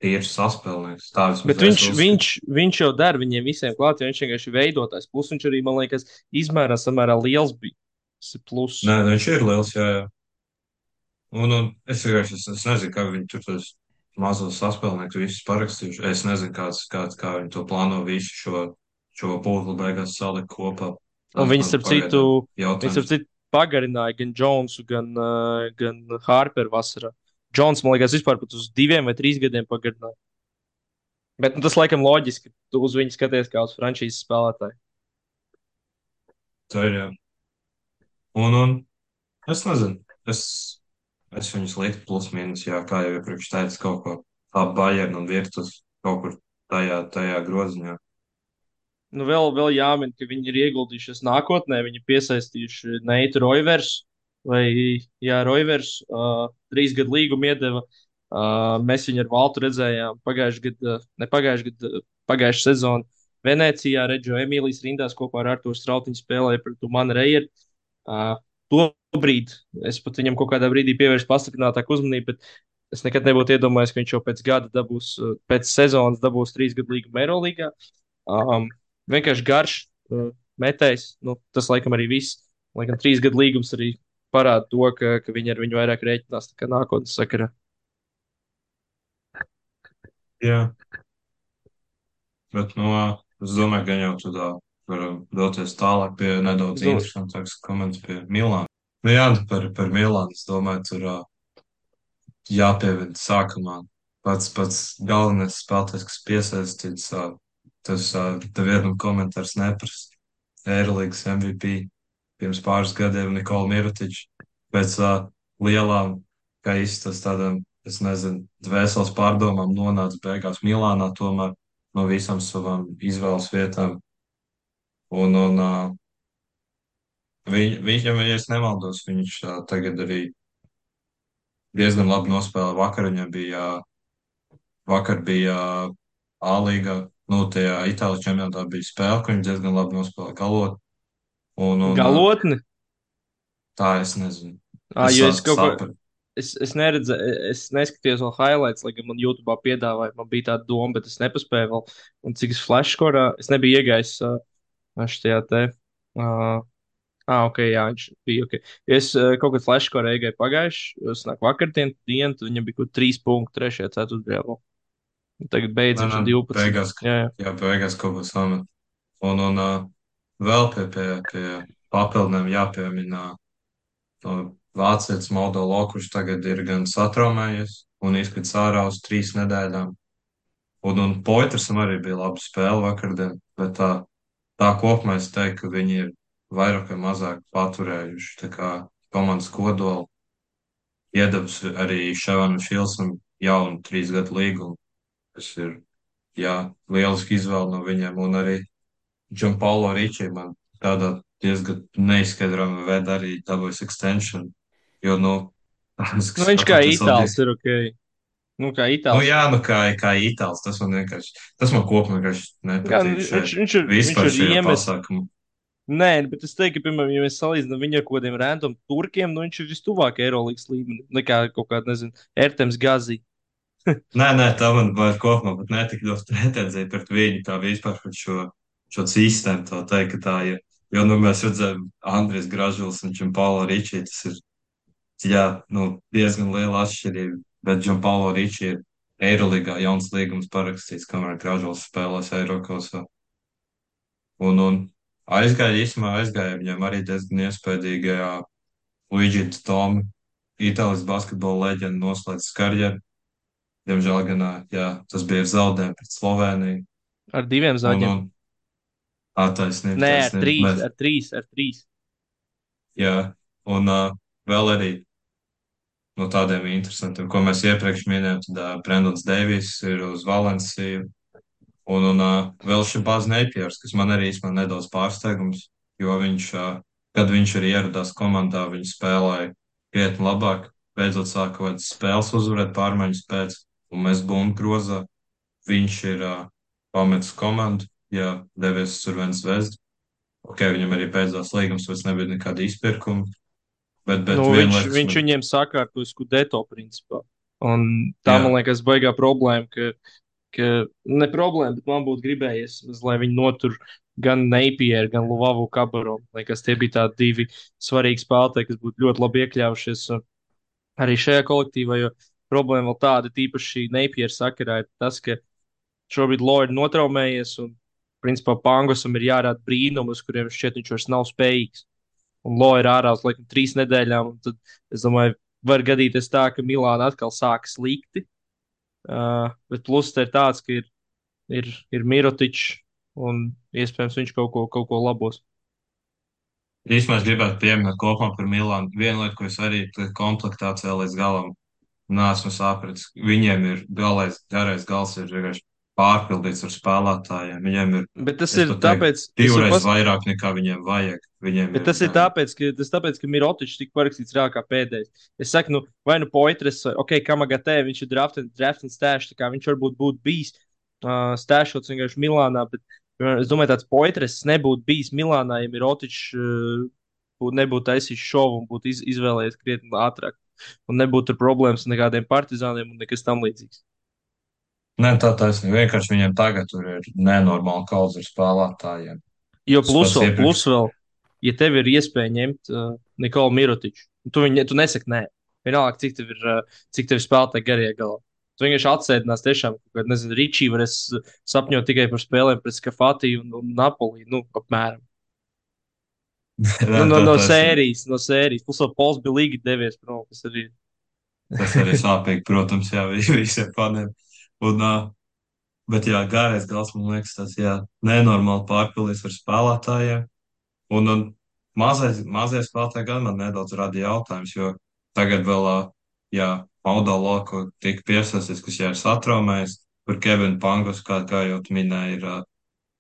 tīrs saspēlnieks. Tā vismaz Bet es viņš, uzskatu. viņš, viņš jau dara viņiem visiem klāt, jo viņš vienkārši ir veidotājs. Plus viņš arī, man liekas, izmērā samērā liels bija. Tas ir plus. Nē, nu viņš ir liels, jā, jā. Un, un es vienkārši es, es nezinu, kā viņi tur tos mazos saspēlniekus visus parakstījuši. Es nezinu, kāds, kāds, kā viņi to plāno visu šo, šo pūzli beigās salikt kopā. Un Tas viņi, man starp citu, pagaidām viņi, starp jautājums. citu, pagarināja gan Jonesu, gan, uh, gan Harperu vasarā. Jones, man liekas, vispār pat uz diviem vai trīs gadiem pagarināja. Bet nu, tas, laikam, loģiski. Tu uz viņu skaties kā uz frančīzes spēlētāju. Tā ir, jā. Un, un es nezinu. Es, es viņus liktu plus mīnus, jā, kā jau iepriekš teicu, kaut ko tā Bayern un Virtus kaut kur tajā, tajā groziņā. Nu, vēl, vēl jāmin, ka viņi ir ieguldījušies nākotnē. Viņi ir piesaistījuši Neitu Roivers, vai Jā, Roivers, uh, trīs gadu līgumu iedeva. Uh, mēs viņu ar Valtu redzējām pagājušajā gadā, ne pagājušajā gadā, pagājušajā sezonā Venecijā. Redzu, Emīlijas rindās kopā ar Arturu Strautiņu spēlēja pret Manu Reieru. Uh, Tobrīd es pat viņam kaut kādā brīdī pievērsu pastiprinātāku uzmanību, bet es nekad nebūtu iedomājies, ka viņš jau pēc gada dabūs, uh, pēc sezonas dabūs trīs gadu līgumu Eirolandā. Um, vienkārši garš uh, metējs. Nu, tas, laikam, arī viss. Laikam, trīs gadu līgums arī parāda to, ka, ka viņi ar viņu vairāk rēķinās nekā nākotnes sakarā. Jā, bet, nu, es domāju, ka jau tur varam doties tālāk pie nedaudz Es domāju, interesantāks komentārs pie Milāna. Nu jā, nu par, par Milānu, es domāju, tur ā, jāpievada sākumā pats pats galvenais spēlētājs, kas piesaistīts, ā, tas ā, tev vienam komentārs neprasa. Eirolandes M V P pirms pāris gadiem Nikola Mirotičs pēc ā, lielām, kā izstas tādām, es nezinu, dvēseles pārdomām nonāca beigās Milānā tomēr no visām savām izvēles vietām. Un, un ā, viņ, viņam, ja es nemaldos, viņš ā, tagad arī diezgan labi nospēlēja. Vakar viņam bija, vakar bija A-līga, nu, tajā Itālijas čempionātā bija spēle, ka viņš diezgan labi nospēlēja galot. Un, un ā, galotni. tā es nezinu. Ah, Es jo es sāku kaut ko. saprast. Es, es neredzēju, es neskatījos vēl highlights, lai gan man YouTube piedāvāja. Man bija tāda doma, bet es nepaspēju vēl. Un cik es flashkorā, es nebiju iegājis uh, šajā te. Uh, Ah, ok, jā, viņš bija ok. Es uh, kaut kādā flashkorā iegāju pagājuši, es nāku vakardien, dienu, tad viņam bija kaut trīs punkti trešajā ceturtajā. Tagad Nē, beidzot nē, ir divpadsmit. beigās, Jā, jā. jā, beigās kaut ko samet. Un, un ā, vēl pie, pie, pie papildinājumiem jāpiemina no vācietis Moldolo, kurš tagad ir gan satraumējies un izkrits ārā uz trīs nedēļām. Un, un Poitrsam arī bija laba spēle vakardien, bet tā, tā kopumā es teiktu, ka viņi ir vairāk vai mazāk paturējuši tā kā komandas kodolu, iedavusi arī Ševanam Filsam jaunu trīs gadu līgumu, kas ir, jā, lieliski izvēle no viņiem, un arī Gianpaolo Ricci man tādā diezgan neizskaidrāmā veidā arī dabūjis extension, jo, nu, Nu, tas, viņš kā pateicoties itālis Saudijas. ir ok. Nu, kā Nu, itālis. jā, nu, kā, kā itāls, tas man vienkārši, tas man kopumā vienkārši Kā, nu, nepatīk viņš, šeit, viņš ir, viņš vispār ir šajā iemetis. pasākumā. Nē, bet es teiktu, ka, piemēram, ja mēs salīdzinām viņu ar kaut kādiem random turkiem, nu viņš ir vistuvāk Eirolandes līmenim nekā kaut kāda, nezinu, Ertems Gazī. Nē, nē, tā man vairs kopumā pat netika ļoti pretenzija pret viņu, tā vispār pret šo, šo sistēmu, tā teikt, ka tā ir. Jo, nu, mēs redzējām Andris Gražuls un Gianpaolo Ricci, tas ir, jā, nu, diezgan liela atšķirība, bet Gianpaolo Ricci ir Eiroligā jauns līgums parakstīts, kamēr Gražuls spēlēs Eirokosā. Un, un aizgāja, īsumā aizgāja viņam arī diezgan iespējīgajā Luigi Tomi, Itālijas basketbola leģenda noslēdz karjeru. Diemžēl gan, ā, jā, tas bija ar zaudējumu pret Sloveniju. Ar diviem Un, zaļiem. un attaisnība, Nē, ar taisnība. trīs, Bet, ar trīs, ar trīs. jā, un uh, vēl arī no tādiem interesantiem, ko mēs iepriekš minējām, tad uh, Brendons Deivijs ir uz Valenciju. Un, un uh, vēl šim bāz Neipiers, kas man arī īstenībā nedaudz pārsteigums, jo viņš, uh, kad viņš arī ieradās komandā, viņš spēlēja krietni labāk, beidzot sāka kaut kādas spēles uzvarēt pārmaiņas pēc, un mēs bumbu grozā. Viņš ir uh, pametis komandu, jā, devies uz Survens Zvezdu. Ok, viņam arī beidzās līgums, vairs nebija nekāda izpirkuma, bet, Nu, bet viena viņš, lieta, kas viņš man, viņiem sakārtoja Skudeto principā. Un tā, man jā, liekas, baigā problēma, ka, ka ne problēma, bet man būtu gribējies, lai viņi notur gan Napieru, gan Luvavu Kabaru. Liekas, tie bija tādi divi svarīgi spēlētāji, kas būtu ļoti labi iekļāvušies uh, arī šajā kolektīvā, jo problēma vēl tāda, tīpaši Napiera sakarā, ir tas, ka šobrīd Lorija notraumējies un, principā, Pangosam ir jārāda brīnumi, uz kuriem šķiet viņš vairs nav spējīgs. Un Lo ir ārā uz laikam trīs nedēļām. Tad, es domāju, var gadīties tā, ka Milāna atkal sākas slikti. Uh, bet plus te ir tāds, ka ir, ir, ir Mirotičs un iespējams viņš kaut ko, kaut ko labos. īstenībā es gribētu pieminēt kopumā par Milānu. Viena lieta, ko es arī komplektācijā līdz galam neesmu sapratis, viņiem ir galais, garais gals ir vienkārši pārpildīts ar spēlētājiem. Viņiem ir, Bet tas es ir pat teiktu, tāpēc, es varu divreiz pas... vairāk nekā viņiem vajag. Viņiem Bet ir tas ir gan, tāpēc, ka, tas tāpēc, ka Mirotičs tika parakstīts reāli kā pēdējais. Es saku, nu, vai nu Poitras, vai ok, Kamagatē, viņš ir draft and, draft and stash, tā kā viņš varbūt būtu bijis uh, stashots vienkārši Milānā, bet piemēram, es domāju, tāds Poitras nebūtu bijis Milānā, ja Mirotičs uh, būtu, nebūtu taisījis šovu un būtu iz, izvēlējies krietni ātrāk. Un nebūtu tur problēmas ar nekādiem partizāniem un nekas tam līdzīgs. ne tā taisnība, vienkārši viņiem tagad tur ir nenormāli kaudz ar spēlētājiem. Jo Tas plus pats vēl, iepriekš. plus vēl, ja tev ir iespēja ņemt uh, Nikolu Mirotiču, tu, viņu, tu nesaki nē. Vienalga, cik tev ir, uh, cik tev ir spēlētāji garie galā. Tu vienkārši atsēdinās tiešām, ka, nezinu, Ričī varēs uh, sapņot tikai par spēlēm pret Skafati un, un Napoli, nu, apmēram. Nē, Nu, no, tā no taisnība. sērijas, no sērijas. Plus vēl Pols bija līgi devies prom, kas arī. Tas arī sāpīgi, protams, jā, vi- visiem faniem. Un, uh, bet jā, gārais gals, man liekas, tas, jā, nenormāli pārpildīts ar spēlētājiem. Un, un mazais, mazie spēlētāji gan man nedaudz rada jautājums, jo tagad vēl, ā, jā, Maudā Loko tika piesaistīts, kas jau ir satraumējis, par Kevinu Pangus, kā, kā jau tu minēji, ir ā,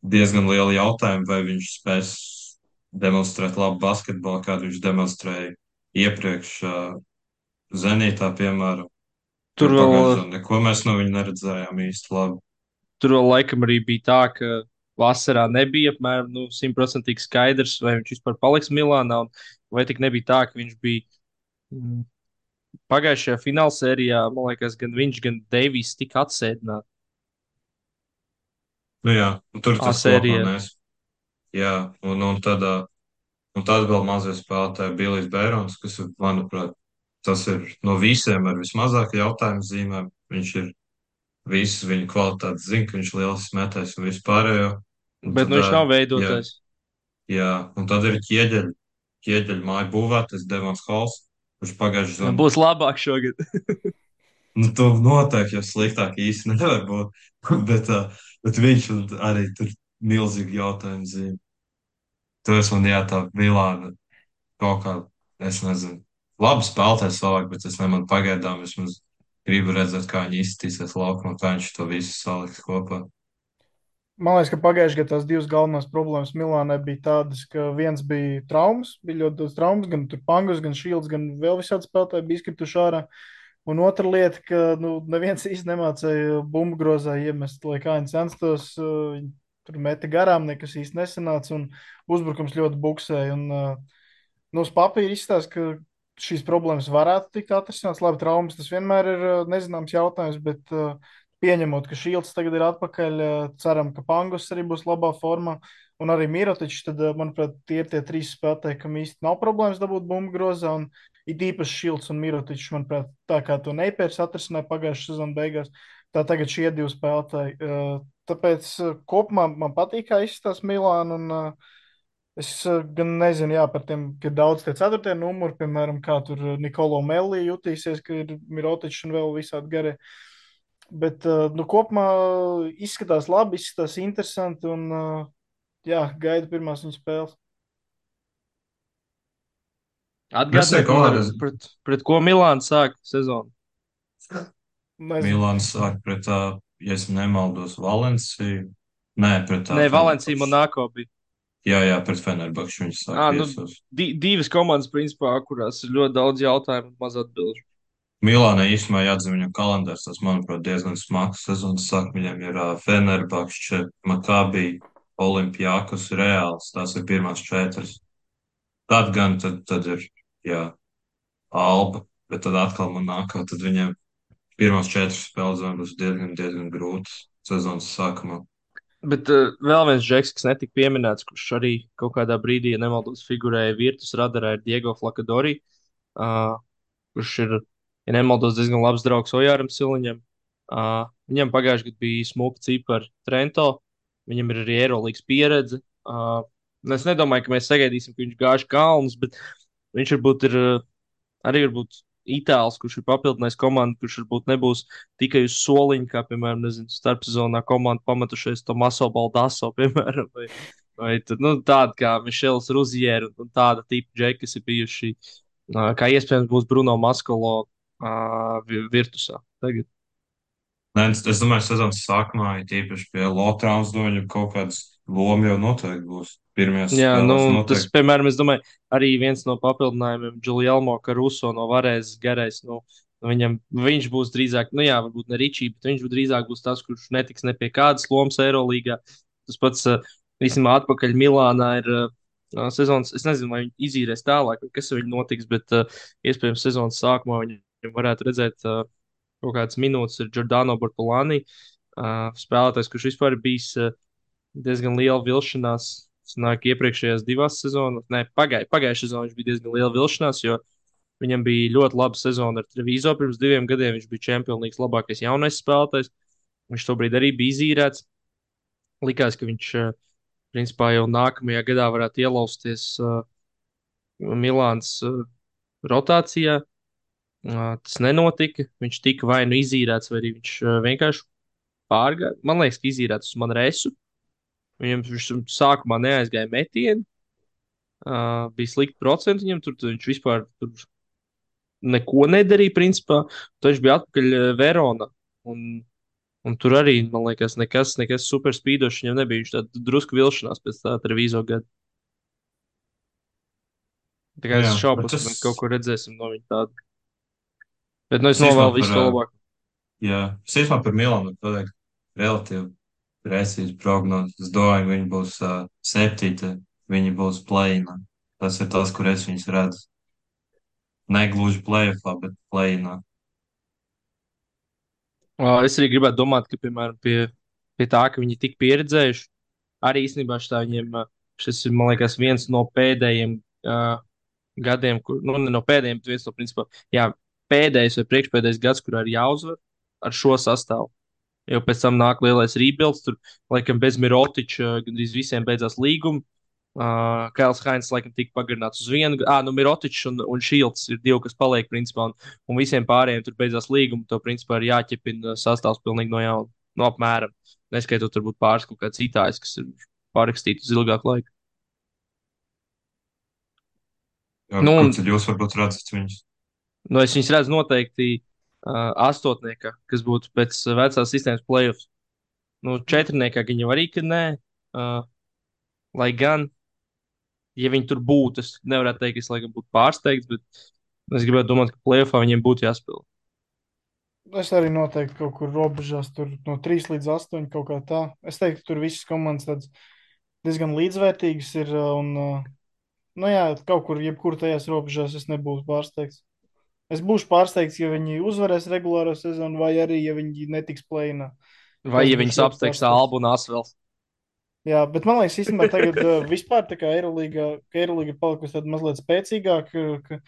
diezgan liela jautājuma, vai viņš spēs demonstrēt labu basketbolu, kādu viņš demonstrēja iepriekš ā, Zenītā, piemēram, jo Tur vēl, pagājušajā gadā neko mēs no viņa neredzējām īsti labi. tur vēl laikam arī bija tā, ka vasarā nebija apmēram nu, simtprocentīgi skaidrs, vai viņš vispār paliks Milānā, un vai tik nebija tā, ka viņš bija. mm, Pagājušajā finālsērijā, man liekas, gan viņš, gan Deivijs tika atsēdināti Nu jā, un tur A tas kopumā sērijā. nes. Jā, un, un tad, ā, un tad vēl mazie spēlētāji Bilijs Bērons, kas, manuprāt, tas ir no visiem ar vismazāk jautājumu zīmēm. Viņš ir visu viņu kvalitātes zina, ka viņš ir liels metējs un vispārējo. Un Bet tad, nu, viņš ā, nav jā, veidotājs. jā, un tad ir ķieģeļi, ķieģeļi māju būvētais Devons Hols, kurš pagājuši zonu. Būs labāk šogad. Nu, tu noteikti jau sliktāk īsti nevar būt, bet, ā, bet viņš un arī tur milzīgi jautājumu zīme. Tur es man jā, tā Milāna kaut kā, es nezinu, labi spēlētājs savāk, bet es nemanu pagaidām vismaz gribu redzēt, kā viņi izskatīsies laukumā, kā viņš to visu saliks kopā. Man liekas, ka pagājušajā gadā tās divas galvenās problēmas Milānai bija tādas, ka viens bija traumas, bija ļoti daudz traumas, gan Pangus, gan Šīls, gan vēl visādi spēlētāji bija izkrituši ārā. Un otra lieta, ka nu, neviens īsti nemācīja bumbu grozā iemest, lai kā viņi censtos. uh, Viņi tur meta garām, nekas īsti nesanāca, un uzbrukums ļoti buksēja. Un, uh, nu, uz papīra izstāsta, ka šīs problēmas varētu tikt atrisināts. Labi, traumas tas vienmēr ir uh, nezināms jautājums, bet uh, pieņemot, ka Šīls tagad ir atpakaļ, uh, ceram, ka Pangus arī būs labā formā. Un arī Mirotičs, tad, uh, manuprāt, tie ir tie trīs spēlētāji, kam īsti nav problēmas dabūt bumbu grozā. Un it īpaši Šilts un Mirotičs, manuprāt, tā kā to Neipērs atrisināja pagājušā sezona beigās, tā tagad šie divi spēlētāji. Uh, Tāpēc uh, kopumā man patīk, kā izskatās Milāna. Un, uh, Es uh, gan nezinu, jā, par tiem, ka ir daudz tie ceturtie numuri, piemēram, kā tur Nikolo Melli jutīsies, ka ir Mirotičs un vēl visādi garie. Bet, uh, nu, kopumā izskatās labi, izskatās interesanti un, uh, jā, gaidu pirmās viņa spēles. Es Atgādiniet teiktu, man, ar, kādreiz pret, pret ko Milāna sāk sezonu. Nezinu. Milāns sāk pret, ā, ja es nemaldos, Valenciju. Nē, pret tā Nē, Valencija Fenerbahču. Monako bija. Jā, jā, pret Fenerbahču viņš sāk À, nu, viesos. di divas komandas, principā, kurās ir ļoti daudz jautājumu un maz atbildžu. Milānai īstenībā jāatzīst viņu kalendārs, tas, manuprāt, diezgan smags sezonas sāk. Viņam ir uh, Fenerbahča, Makabi, Olimpijakus Reāls. Tās ir pirmās četras. Tad gan tad, tad ir, jā, Alba, bet tad atkal man nākā, tad viņiem pirmās četras spēles man būs diezgan, diezgan grūtas sezonas sākumā. Bet uh, vēl viens džeks, kas netika pieminēts, kurš arī kaut kādā brīdī, ja nemaldos, figurēja Virtus radarā, ir Diego Flakadori, uh, kurš ir, ja nemaldos, diezgan labs draugs Ojāram Siliņam. Uh, viņam pagājušajā gadā bija smuka cipara ar Trento, viņam ir arī Eirolandes pieredze. Uh, es nedomāju, ka mēs sagaidīsim, ka viņš gāž kalnus, bet viņš varbūt ir uh, arī varbūt itālis, kurš ir papildinājis komandu, kurš varbūt nebūs tikai uz soliņa, kā, piemēram, nezinu, starpsezonā komanda pametušies Tomaso Baldaso, piemēram, vai, vai tad, nu, tāda kā Mišels Ruzier un tāda tipa džeki, kas ir bijuši, uh, kā iespējams būs Bruno Maskolo uh, Virtusā tagad. Nē, es es domāju, sezonas sākumā, ja tīpaši pie Lotrāns doņa kaut kādas loma jau noteikti būs. Pirmajās Jā, nu, spēlēs tas, noteikti. piemēram, es domāju, arī viens no papildinājumiem, Giulielmo Caruso no Varēzes garais. Nu, viņam, viņš būs drīzāk, nu jā, varbūt ne Ričī, bet viņš drīzāk būs tas, kurš netiks ne pie kādas lomas Eirolīgā. Tas pats, uh, īstenībā, atpakaļ Milānā ir uh, sezonas, es nezinu, vai viņi izīrēs tālāk, vai kas ar viņu notiks, bet uh, iespējams sezonas sākumā viņam varētu redzēt uh, kaut kādas minūtes ar Giordano Bortolani, uh, spēlētājs, kurš vispār ir bijis uh, diezgan liela vilšanās. Nāk, iepriekšējās divās sezonās, ne, pagāj, pagājušajā sezonā viņš bija diezgan liela vilšanās, jo viņam bija ļoti laba sezona ar Treviso. Pirms diviem gadiem viņš bija Champions League labākais jaunais spēlētājs. Viņš tobrīd arī bija izīrēts. Likās, ka viņš eh, principā jau nākamajā gadā varētu ielausties uh, Milānas uh, rotācijā. Uh, tas nenotika. Viņš tika vai nu izīrēts, vai arī viņš uh, vienkārši pārgāja. Man liekas, ka izīrēts uz Manresu. Viņam viņš sākumā neaizgāja metienu. Uh, bija slikti procenti viņam, tur, tur viņš vispār tur neko nedarīja, principā. Tad viņš bija atpakaļ uh, Verona. Un, un tur arī, man liekas, nekas, nekas super spīdošs viņam nebija. Viņš tādu drusku vilšanās pēc tā televīzo gada. Tā kā Jā, es bet šaubos, tas, ka mēs kaut ko redzēsim no viņa tādu. Bet nu, es es īstenībā novēlu par, visu to ā, labāko. jā, es īstenībā par Milānu pateikt relatīvi precīzi prognozi. Es domāju, ka viņi būs uh, septīti, viņi būs play-inā. Tas ir tas, kur es viņus redzu. Negluži play-offā, bet play-inā. Uh, es arī gribētu domāt, ka, piemēram, pie, pie tā, ka viņi tik pieredzējuši, arī īstenībā šitā viņiem, uh, šis ir, man liekas, viens no pēdējiem uh, gadiem, kur, nu, ne no pēdējiem, bet viens no, principā, jā, pēdējais vai priekšpēdējais gads, kurā ir jāuzvar ar šo sastāvu. Jo pēc tam nāk lielais rebuilds, tur, laikam, bez Mirotiča gandrīz visiem beidzās līgumi. Uh, Kails Hainz, laikam, tika pagarināts uz vienu. Ah, nu, Mirotičs un, un Šilds ir divi, kas paliek, principā, un, un visiem pārējiem tur beidzās līgumi. To, principā, ir jāķepina sastāvs pilnīgi no jauna. No apmēram. Neskaitot, varbūt pāris kaut kāds itāļs, kas ir pārrakstīts uz ilgāku laiku. Jā, Nu, kur un, tad jūs varbūt redzat viņus? nu, es viņus redzu noteikti uh, astotniekā, kas būtu pēc uh, vecās sistēmas playoffs. Nu, četrniekā gan jau arī, ka nē. Uh, lai gan, ja viņi tur būtu, es nevaru teikt, ka es laikam būtu pārsteigts, bet es gribētu domāt, ka playoffā viņiem būtu jāspēlē. Es arī noteikti kaut kur robežās, tur no trīs līdz astoņiem kaut kā tā. Es teiktu, tur visas komandas tādas diezgan līdzvērtīgas ir. Un, uh, nu jā, kaut kur, jebkur tajās robežās es nebūšu pārsteigts. Es būšu pārsteigts, ja viņi uzvarēs regulāro sezonu, vai arī, ja viņi netiks plēnā. Vai Tas ja viņus būs ļoti apsteigs pārsteigts. Albu un Asvels? Jā, bet man liekas, īstenībā tagad uh, vispār tā kā Eirolīga, ka Eirolīga ir palikusi tāda mazliet spēcīgāka, ka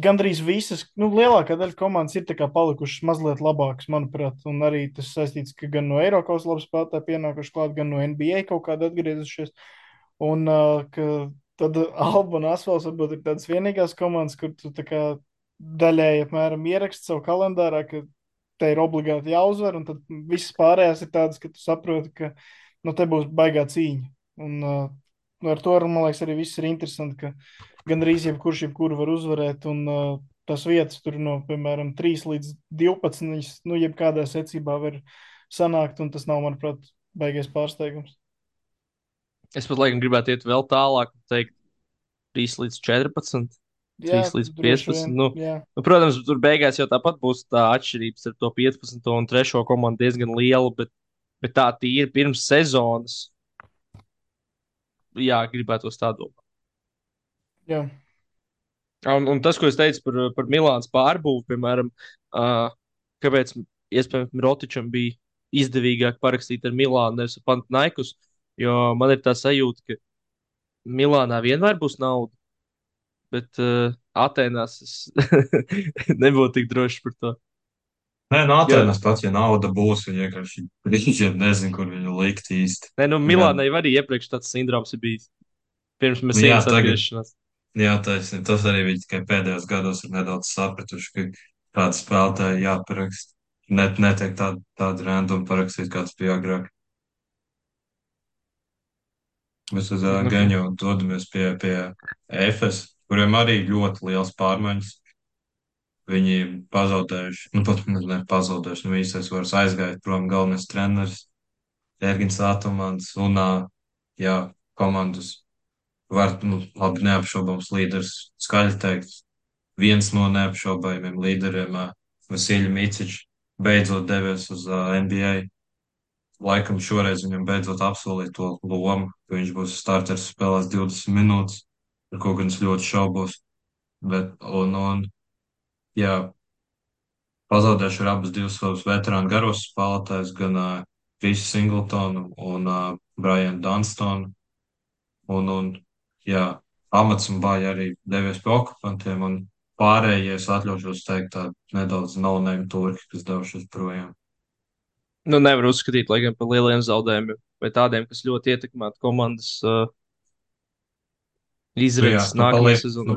gandrīz visas, nu, lielākā daļa komandas ir tā kā palikušas mazliet labākas, manuprāt, un arī tas saistīts, ka gan no Eiropas labi spēlētāji pienākuši klāt, gan no N B A kaut kāda atgriezušies, un uh, ka tad Alba un Asfals varbūt ir tādas vienīgās komandas, kur tu tā kā daļēji apmēram ieraksti savu kalendārā, ka te ir obligāti jāuzvar, un tad visas pārējās ir tādas, ka tu saproti, ka nu, te būs baigā cīņa. Un, uh, ar to, man liekas, arī viss ir interesanti, ka gandrīz jebkurš jebkuru var uzvarēt, un uh, tas vietas tur no, piemēram, trīs līdz divpadsmit, nu, jebkādā secībā var sanākt, un tas nav, manuprāt, baigais pārsteigums. Es pat laikam gribētu iet vēl tālāk, teikt, trīs līdz četrpadsmit, Jā, trīs līdz droši vien, piecpadsmit. Nu, jā. nu, protams, tur beigās jau tāpat būs tā atšķirība starp to piecpadsmito un trešo komandu diezgan liela, bet, bet tā tīri pirms sezonas. jā, gribētos tā domāt. Jā, Un, un tas, ko es teicu par, par Milānas pārbūvi, piemēram, uh, kāpēc iespējams Mirotičam bija izdevīgāk parakstīt ar Milānu, nevis ar Panathinaikos, jo man ir tā sajūta, ka Milānā vienmēr būs nauda, bet uh, Atēnās es nebūtu tik drošs par to. Nē, no Jo, Atēnas pats, ja nauda būs, viņi vienkārši brīžiem nezin, kur viņu likt īsti. ne, nu, Gan, Milānai arī iepriekš tāds sindroms ir bijis, pirms nu jā, Mesīnas tagad, atgriešanās. jā, taisnība, tas arī viņi tikai pēdējos gados ir nedaudz sapratuši, ka kāds spēlētāji jāparakst. Net, netiek tādu, tādu random parakstīt, kāds bija agrāk. Mēs uz uh, Nu, Geņu dodamies pie, pie Efes, kuriem arī ļoti liels pārmaiņas. Viņi pazaudējuši, nu pat ne, ne pazaudējuši, nu īstais vairs aizgāja prom galvenais treneris Ergins Atomans un, uh, jā, komandas var, nu, labi, neapšaubāms līderis, skaļi teikt, viens no neapšaubājumiem līderiem, uh, Vasilija Micičs, beidzot devies uz uh, N B A. Laikam šoreiz viņam beidzot apsolīja to lomu, ka viņš būs starters spēlēs divdesmit minūtes, par ko gan es ļoti šaubos. Bet, un, un, jā, pazaudējuši ir abus divus savus veterānu garos spēlētājus, gan uh, Krisu Singletonu un uh, Brianu Dunstonu. Un, un, jā, Amats un Bāja arī devies pie okupantiem, un pārējie es atļaušos teikt tā nedaudz no-name turki, kas devušies projām. nu, nevar uzskatīt lai gan par lieliem zaudējumiem, vai tādiem, kas ļoti ietekmētu komandas uh, Nu, jā, izredzes nu, nākamajā paliek, nu, sezonā.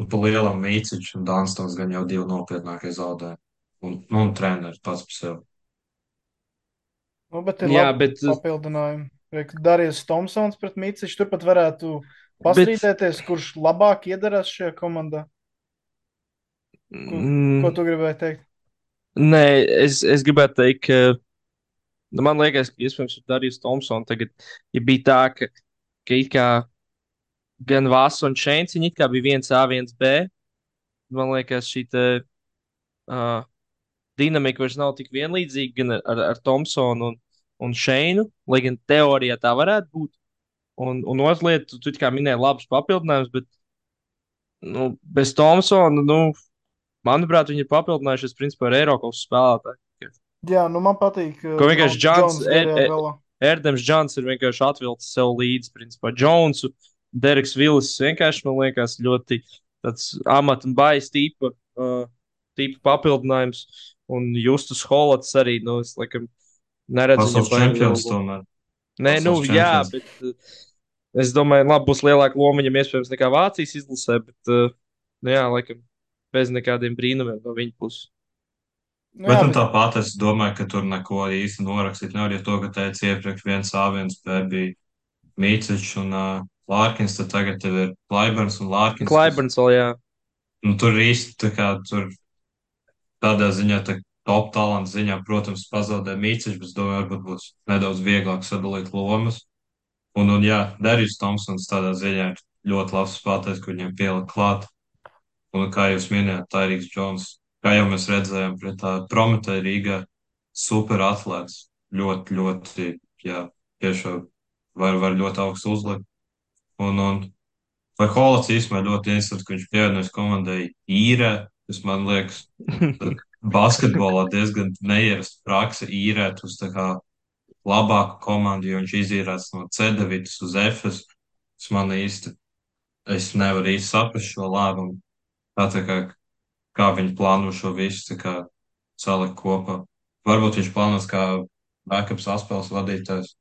nu, pa lielam Mīciņš un Dunstons gan jau divi nopietnākie zaudējumi. Un, nu, un treneris pats par sevi. nu, bet ir Jā, labi bet, papildinājumi. Riek, Darījus Tomsons pret Mīcišu turpat varētu bet pastrīdēties, kurš labāk iedarās šajā komandā. Ko, ko mm, tu gribēji teikt? nē, es, es gribētu teikt, ka nu, man liekas, ka iespējams ar Dariju Thompsonu tagad ja bija tā, ka, ka it kā gan Vāsa un Šeins, viņi it kā bija viens A, viens B. Man liekas, šī te, uh, dinamika vairs nav tik vienlīdzīga gan ar, ar, ar Thompsonu un, un Šeinu, lai gan teorijā tā varētu būt. Un, un otra lieta, tu, tu it kā minēji labus papildinājumus, bet nu, bez Thompsona, nu, manuprāt, viņi ir papildinājušies principā ar Eiropas spēlētāju. Jā, nu man patīk Ko uh, vienkārši Džons, Džons, Džons er, garajā er, galā. Erdēms Džons ir vienkārši atvilcis sev līdzi, principā, Džonsu. Dereks Villis vienkārši, man liekas, ļoti tāds amata un baisa tipa, uh, tipa papildinājums. Un Justus Holats arī, nu, es laikam neredzu viņam Pasaules baigi lielu čempions lomu. tomēr. Nē, nu, Pasaules jā, čempions. bet uh, es domāju, labi, būs lielāka loma viņam iespējams nekā Vācijas izlasē, bet, uh, nu, jā, laikam, bez nekādiem brīnumiem no viņa puses. Nu, Bet jā, nu, bet tāpat es domāju, ka tur neko īsti norakstīt nevar, ja to, ka teica iepriekš viens A, viens B bija Mīciņš un uh, Lārkins, tad tagad tev ir Klaiberns un Lārkins, kas, Klaiberns vēl, jā. nu, tur īsti tā kā tur tādā ziņā, tā top talanta ziņā, protams, pazaudē Mīciņš, bet es domāju, varbūt būs nedaudz vieglāk sadalīt lomas. Un, un jā, Derijs Tomsons tādā ziņā ir ļoti labs spēlētājs, kur viņiem pielikt klāt. Un kā jūs minējāt, Tairīks Džons, kā jau mēs redzējām, pret tā Prometēja Rīgā super atlēts. Ļoti, ļoti, jā, tiešām var, var ļoti augstu uzlikt. Un, un vai Holats īstenībā ļoti interesanti, ka viņš pievienojas komandai īrē, kas man liekas, basketbolā diezgan neierasta praksa īrēt uz tā kā labāku komandu, jo viņš izīrēts no C deviņas uz F S. Tas man īsti, es nevaru īsti saprast šo lēmumu. Tā, tā kā, kā viņi plāno šo visu tā kā salikt kopā. Varbūt viņš plānos kā backup saspēles vadītājs.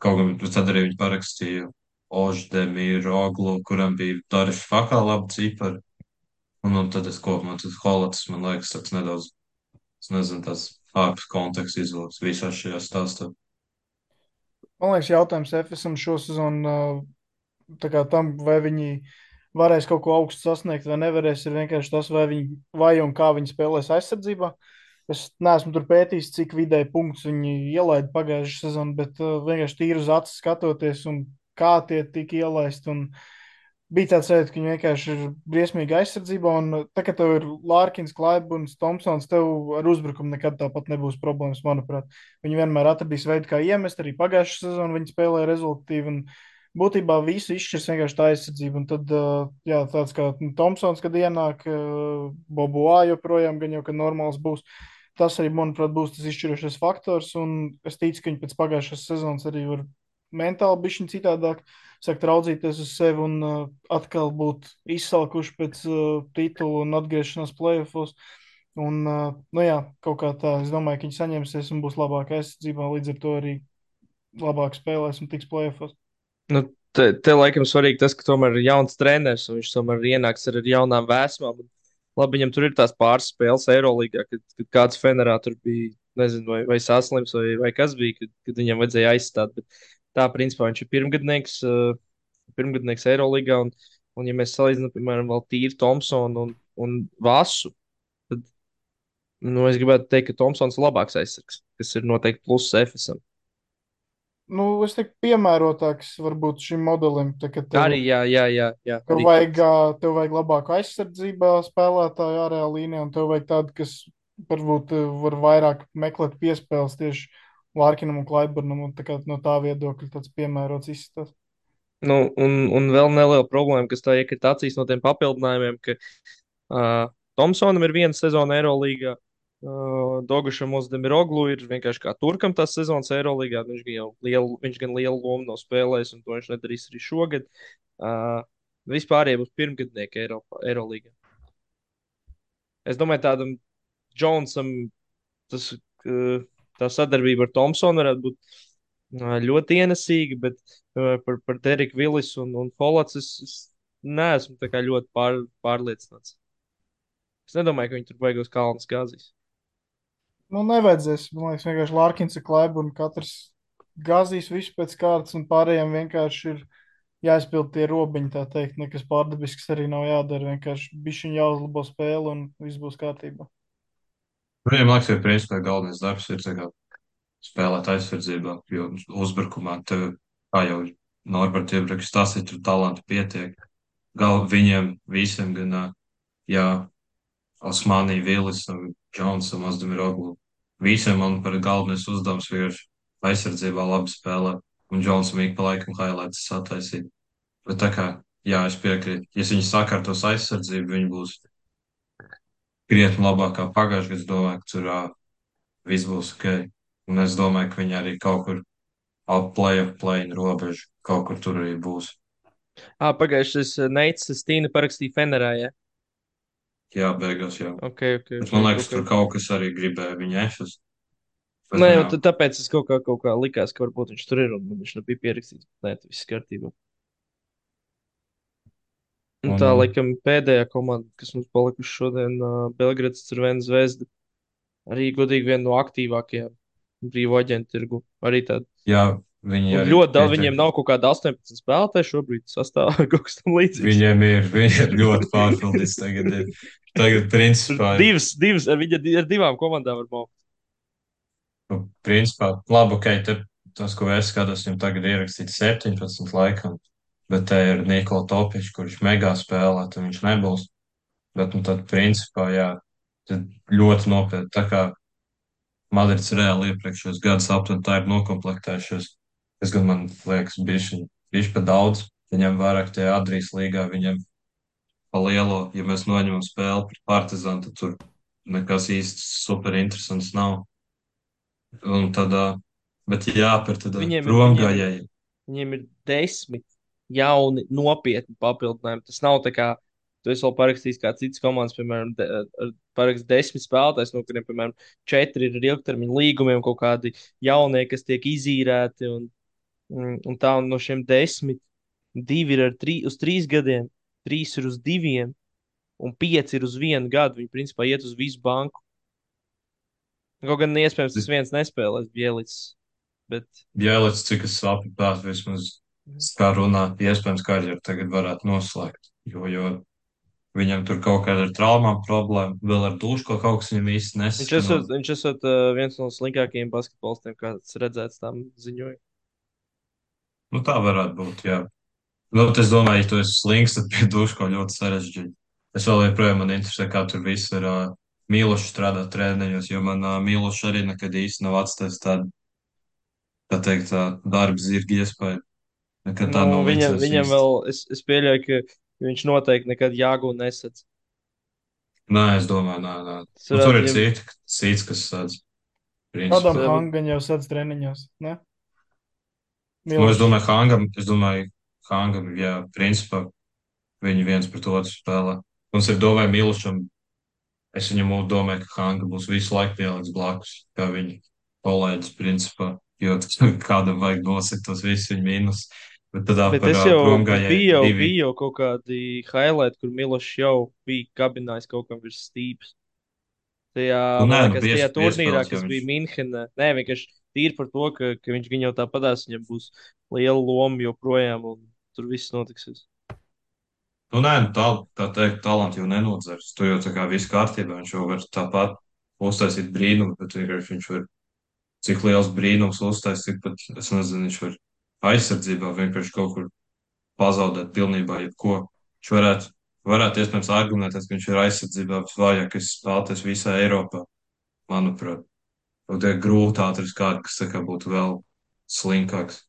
Kaut gan bet tad arī viņi parakstīja Oždemīru Oglu, kuram bija Dariš Fakā labi cipari. Un, un tad es kopumā, tas Holats, man liekas, tāds nedaudz, es nezinu, tas ārpus konteksta izvilks visā šajā stāstā. man liekas, jautājums F S M šosezon uh, tā kā tam, vai viņi varēs kaut ko augstu sasniegt vai nevarēs, ir vienkārši tas, vai viņi, vai un kā viņi spēlēs aizsardzībā. Es neesmu tur pētījis, cik vidēji punktus viņi ielaida pagājušajā sezonā, bet uh, vienkārši tīri uz acu skatoties un kā tie tika ielaisti. Un bija tāds sajūta, ka viņi vienkārši ir briesmīgi aizsardzībā. Un uh, tā kā tev ir Lārkins, Klaiburns, Thompsons, tev ar uzbrukumu nekad tāpat nebūs problēmas, manuprāt. Viņi vienmēr atradīs veidu, kā iemest. Arī pagājušā sezonā viņi spēlēja rezultatīvi. Un būtībā visu izšķirs vienkārši tā aizsardzība. Un tad, uh, jā, tāds kā nu, Thompsons, kad ienāk, uh, Bobuā joprojām gan jau, ka normāls būs. Tas arī, manuprāt, būs tas izšķirošais faktors. Un es ticu, ka viņi pēc pagājušās sezonas arī var mentāli bišķiņ citādāk sākt raudzīties uz sevi un uh, atkal būt izsalkuši pēc uh, titula un atgriešanās playoffs. Un, uh, nu jā, kaut kā tā, es domāju, ka viņi saņemsies un būs labāka aizsardzībā, līdz ar to arī labāk spēlēs un tiks playoffs. Nu, te, te laikam svarīgi tas, ka tomēr ir jauns treneris un viņš tomēr ienāks ar, ar jaunām vēsmām. Un, labi, viņam tur ir tās pāris spēles Eirolandā, kad, kad kāds Fenerā tur bija, nezinu, vai, vai saslims, vai, vai kas bija, kad, kad viņam vajadzēja aizstāt. Bet tā, principā, viņš ir pirmgadnieks, uh, pirmgadnieks Eirolandā. Un, un, ja mēs salīdzinām, piemēram, vēl tīri Thompsonu un, un Vasu, tad nu, es gribētu teikt, ka Thompsons ir labāks aizsargs, kas ir noteikti pluss Efesam. Nu, es teiktu, piemērotāks varbūt šim modelim, tā, ka tev, Arī, jā, jā, jā, jā tev arī vajag, tāds. ā, tev vajag labāku aizsardzībā spēlētāju ārējā līnijā, un tev vajag tādu, kas varbūt ā, var vairāk meklēt piespēles tieši Lārkinam un Klaiburnam, un tā kā no tā viedokļa tāds piemērots izskatās. Nu, un, un vēl neliela problēma, kas tā iekrita acīs no tiem papildinājumiem, ka uh, Thompsonam ir viena sezona Eirolandā, uh, Dogušam Ozdemiroglu ir vienkārši kā turkam tās sezonas Eirolandā. Viņš gan jau lielu, viņš gan lielu lomu nav spēlējis, un to viņš nedarīs arī šogad. Uh, Vispār būs pirmgadnieki Eiropā, Eirolandā. Es domāju, tādam Džonsam tas, uh, tā sadarbība ar Thompsonu varētu būt uh, ļoti ienesīga, bet uh, par, par Deriku Villisu un, un Holats es, es neesmu tā kā ļoti pār, pārliecināts. Es nedomāju, ka viņi tur beigās kalnas gāzīs. Nu, nevajadzēs, man liekas, vienkārši Lārkins ir Klaiburn, katrs gazīs visu pēc kārtas, un pārējiem vienkārši ir jāizpild tie robiņi, tā teikt, nekas pārdabisks arī nav jādara, vienkārši bišķiņ jāuzlabo spēle un viss būs kārtībā. Viņam liekas, ka principā galvenais darbs ir tā kā spēlēt aizsardzībā, jo uzbrukumā tev, kā jau Norberts iepriekš stāstīja, tur talantu pietiek. Gal viņiem visiem gan, ā, jā, Osmanī, Vilisam, Džonsam, Ozdemirogu. Visiem man par galvenais uzdevums vienkārši aizsardzībā labi spēlē, un Džonsam ik pa laikam highlights sataisīt. Bet tā kā, jā, es piekrītu, ja viņi sakārtos aizsardzību, viņi būs krietni labāk kā pagājušajā gadā. Es domāju, ka tur uh, viss būs ok. Un es domāju, ka viņi arī kaut kur ap play-off play-in robežu, kaut kur tur arī būs. Ah, pagājušais Neits Stīna parakstīja Fenerā, ja? Jā, beigās jau. Ok, ok, Bet ok, man liekas, kaut tur kā. kaut kas arī gribēja viņu ešus. Bet, Nē, nu jau jā, tā- tāpēc es kaut kā, kaut kā likās, ka varbūt viņš tur ir un viņš nebija pierakstīts. Nē, tas viss kārtībā. Un un, tā, un, laikam, pēdējā komanda, kas mums palikusi šodien, uh, Belgrads Crvena Zvezda, arī godīgi viena no aktīvākajām brīvo aģentu tirgu. Arī tāda. jā, viņi Un arī ļoti daudz pietiek. viņiem nav kaut kāda astoņpadsmit spēlētāji šobrīd sastāvā vai kaut kas tam līdzīgs. Viņiem ir, viņi ir ļoti pārpildīts tagad. Ir. Tagad, Tur principā, divas, divas, ar viņa ar divām komandām var maukt. nu, principā, labi, ok, te, tas, ko es skatos, viņam tagad ierakstīts septiņpadsmit laikam, bet te ir Nikola Topičs, kurš megā spēlē, tad viņš nebūs. Bet, nu, tad, principā, jā, tad ļoti nopietni. Tā kā Madrids reāli iepriekšējos gadus aptuveni tā ir nokomplektējušies. Es gan man liekas, bišķi, bišķi pa daudz. Viņam vairāk tie Adrijas līgā, viņam pa lielo, ja mēs noņemam spēli pret Partizānu, tad tur nekas īsti super interesants nav. Un tad, ā, bet jā, par tad ā, Viņiem ir, viņiem ir, promgājēji. viņiem ir desmit jauni, nopietni papildinājumi. Tas nav tā kā tu esi vēl parakstījis kā citas komandas, piemēram, de, ar parakst desmit spēlētājs, no kuriem, piemēram, četri ir ar ilgtermiņa līgumiem, kaut kādi jaunie, kas tiek izīrēti. Un, un, un tā un no šiem desmit, divi ir ar trī, uz trīs gadiem, trīs ir uz diviem, un pieci ir uz vienu gadu. Viņi, principā, iet uz visu banku. Kaut gan iespējams tas viens nespēlēs Bielicis, bet Bjēlits, cik es sapratu, vismaz kā runā, iespējams, karjeru tagad varētu noslēgt. Jo, jo viņam tur kaut kāda ir traumām problēma, vēl ar dušu kaut kas viņam īsti viņš esot, nesaskanot. viņš esot uh, viens no slinkākajiem basketbolistiem, kāds redzēts tam ziņojumā. Nu, tā varētu būt, jā. Nu, es domāju, ja tu esi slings, tad pie duško ļoti sarežģīti. Es vēl joprojām man interesē, kā tur viss ir uh, mīluši strādāt treniņos, jo man uh, mīluši arī nekad īsti nav atstājis tādu, tā teikt, tā darba zirga iespēju. Nekad Nu, tā nav viņam, licies viņam īsti. vēl, es, es pieļauju, ka viņš noteikti nekad jāgūna nesadz. Nē, es domāju, nē, nē. Tas Nu, tur varētu, ir ja, citi, cits, kas sēdz, Adam principā. tas Hangan jau sadz treniņos, ne? Nu, es Milošs. domāju, Hangam, es domāju, Hangam, jā, principā viņi viens pret otru spēlē. Un es arī domāju, Milušam, es viņam domāju, ka Hanga būs visu laiku pieliks blakus, kā viņa kolēģis, principā, jo kādam vajag nosakt tos visus viņa mīnus. Bet tad Bet par es uh, jau promgājēju biju, jau, divi. biju jau kaut kādi highlight, kur Milošs jau bija kabinājis kaut kam virs stīpas. Tajā, Nu, nē, man nu, liekas, pies, tajā turnīrā, piespēlēts, jo kas viņš, bija Minhenē, nē, vienkārši tīri par to, ka, ka viņš gan jau tāpatās, viņam būs liela loma joprojām, un tur viss notiksies. nu, nē, nu, tā, tā teikt, talanti jau nenodzers. Tu jau tā kā viss kārtībā, viņš jau var tāpat uztaisīt brīnumu, bet vienkārši viņš var cik liels brīnums uztaisīt, cik pat, es nezinu, viņš var aizsardzībā vienkārši kaut kur pazaudēt pilnībā jebko. Viņš varētu, varētu iespējams argumentēt, ka viņš ir aizsardzībā visvājākais spēlētājs visā Eiropā, manuprāt. Tad ir grūti atrast kādu, kas tā kā būtu vēl slinkāks.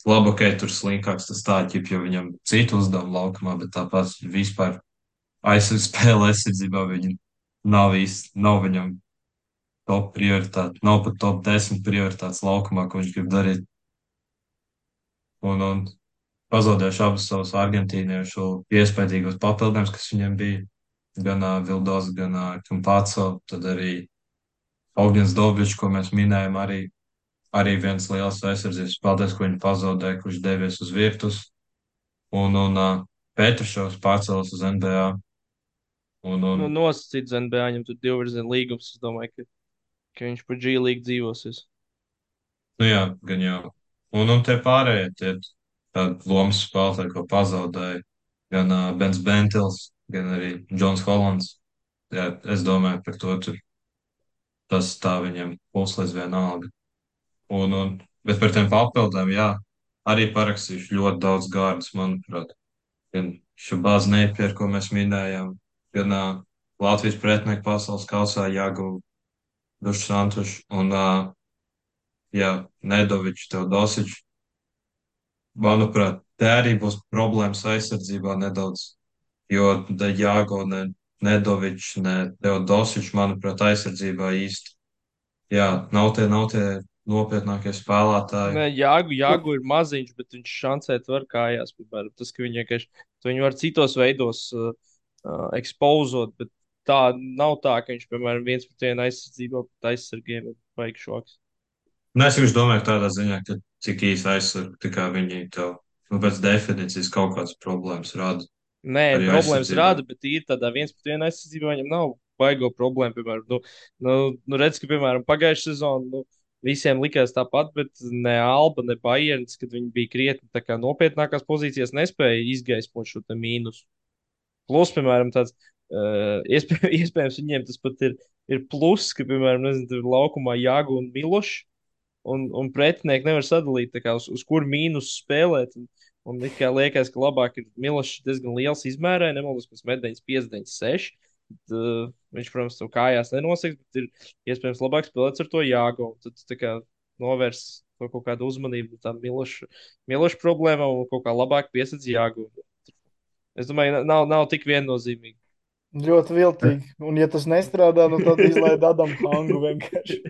Labi, ka tur slinkāks tas tā, ķip, jo viņam citu uzdevumu laukumā, bet tāpat vispār aizsardz spēle aizsardzībā viņa nav īsti, nav viņam top prioritāte, nav pat top desmit prioritātes laukumā, ko viņš grib darīt. Un, un pazaudējuši abus savus argentīniešu iespējīgos papildinājumus, kas viņiem bija. Gan uh, Vildos, gan uh, Kampāco, tad arī Augins Dobičs, ko mēs minējām, arī, arī viens liels aizsardzības spēlētājs, ko viņi pazaudēja, kurš devies uz virtus. Un, un uh, Petrušovs pārcēlās uz N B A. Un, un, Nu, nosacīts N B A, viņam tur divvirziena līgums, es domāju, ka, ka viņš pa G līgu dzīvosies. nu jā, gan jau. Un, un tie pārējie, tie tādi lomas spēlētāji, ko pazaudēja, gan uh, Bens Bentils, gan arī Džons Holands. Jā, es domāju, par to tur tas tā viņam puslīdz vienalga. Un, un, bet par tiem papildām, jā, arī parakstījuši ļoti daudz gārdus, manuprāt. Gan Šabāz Neipier, ko mēs minējām, gan uh, Latvijas pretinieku pasaules kausā Jāgu Dušu Santušu un, uh, jā, Nedoviču, Teodosiču. Manuprāt, te arī būs problēmas aizsardzībā nedaudz, jo ne Jāgo, ne Nedovičs, ne Teodosičs, manuprāt, aizsardzībā īsti. Jā, nav tie, nav tie nopietnākie spēlētāji. Nē, Jāgu, Jāgu ir maziņš, bet viņš šancēt var kājās, piemēram, tas, ka viņi vienkārši, to viņi var citos veidos uh, uh, ekspozot, bet tā nav tā, ka viņš, piemēram, viens pret vienu aizsardzībā pret aizsargiem ir baigi šoks. Nu, es vienkārši domāju, tādā ziņā, ka cik īsi aizsargi, tā kā viņi tev, nu, pēc definīcijas kaut kādas problēmas rada Nē, arī problēmas aizsardzībā. rada, bet ir tādā viens pret vienu aizsardzībā viņam nav baigo problēmu. Piemēram, nu, nu, nu redz, ka, piemēram, pagājušā sezonā nu, visiem likās tāpat, bet ne Alba, ne Bayerns, kad viņi bija krietni tā kā nopietnākās pozīcijās, nespēja izgaismot šo te mīnusu. Plus, piemēram, tāds, uh, iespēj, iespējams, viņiem tas pat ir, ir plus, ka, piemēram, nezinu, tur laukumā Jāgu un Milošs. Un, un pretinieki nevar sadalīt, tā kā, uz, uz kur mīnus spēlēt. Un, un it kā liekas, ka labāk ir Milošs diezgan liels izmērē, nemaldos, pēc medaļas piecdesmit seši. Bet, uh, viņš, protams, to kājās nenoseks, bet ir iespējams labāk spēlēt ar to Jāgo. Un tad tā kā novērs to kaut kādu uzmanību no tām Miloša, Miloša problēmām un kaut kā labāk piesaistīt Jāgo. Es domāju, nav, nav tik viennozīmīgi. Ļoti viltīgi. Un, ja tas nestrādā, nu tad izlaid Adamu Hangu vienkārši.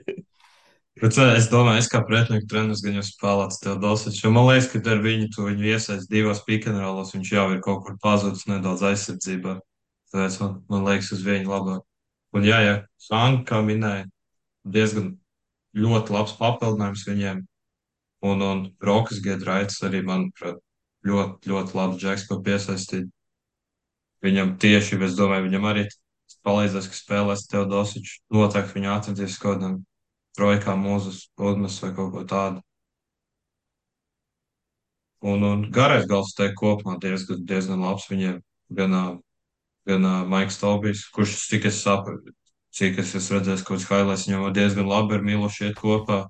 Bet uh, es domāju, es kā pretinieku treneris gan jau spēlēts tev dosies, jo man liekas, ka ar viņu tu viņu iesaist divos pikantrālos, viņš jau ir kaut kur pazudis nedaudz aizsardzībā. Tāpēc man, man liekas uz viņu labāk. Un jā, jā, Sanka, kā minēja, diezgan ļoti labs papildinājums viņiem. Un, un Rokas Giedraitis arī, manuprāt, ļoti, ļoti labs džeks, ko piesaistīt. Viņam tieši, es domāju, viņam arī palīdzēs, ka spēlēs Teodosiču. Noteikti viņu atradīs kaut kādam trojkā mūzes, pludmes vai kaut ko tādu. Un, un garais gals te kopumā diezgan, diezgan labs viņiem. Gan, ā, gan ā, Maiks Taubijs, kurš, cik es sapratu, cik es esmu redzējis, kaut kāds highlights viņam diezgan labi ar Milošu iet kopā.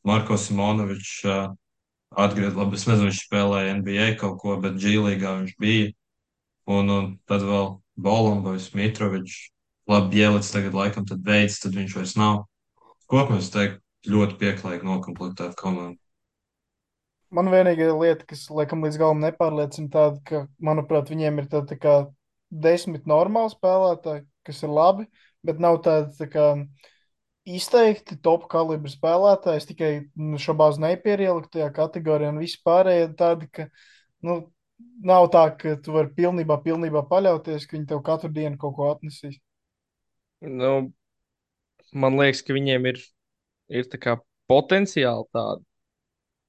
Marko Simonovičs, ā, atgriezt, labi, es nezinu, viņš spēlēja N B A kaut ko, bet G līgā viņš bija. Un, un tad vēl Bolombojs, Mitrovičs, labi, Bielits tagad laikam tad veids, tad viņš vairs nav. Kopumā es teiktu, ļoti pieklājīgi nokomplektēta komanda. Man vienīgā lieta, kas laikam līdz galam nepārliecina, tāda, ka, manuprāt, viņiem ir tāda tā kā desmit normāli spēlētāji, kas ir labi, bet nav tāda tā kā izteikti top kalibra spēlētāji. Es tikai nu, šobrīd nepieliku tajā kategorijā, un visi pārējie tādi, ka nu, nav tā, ka tu vari pilnībā, pilnībā paļauties, ka viņi tev katru dienu kaut ko atnesīs. Nu, man liekas, ka viņiem ir, ir tā kā potenciāli tādi.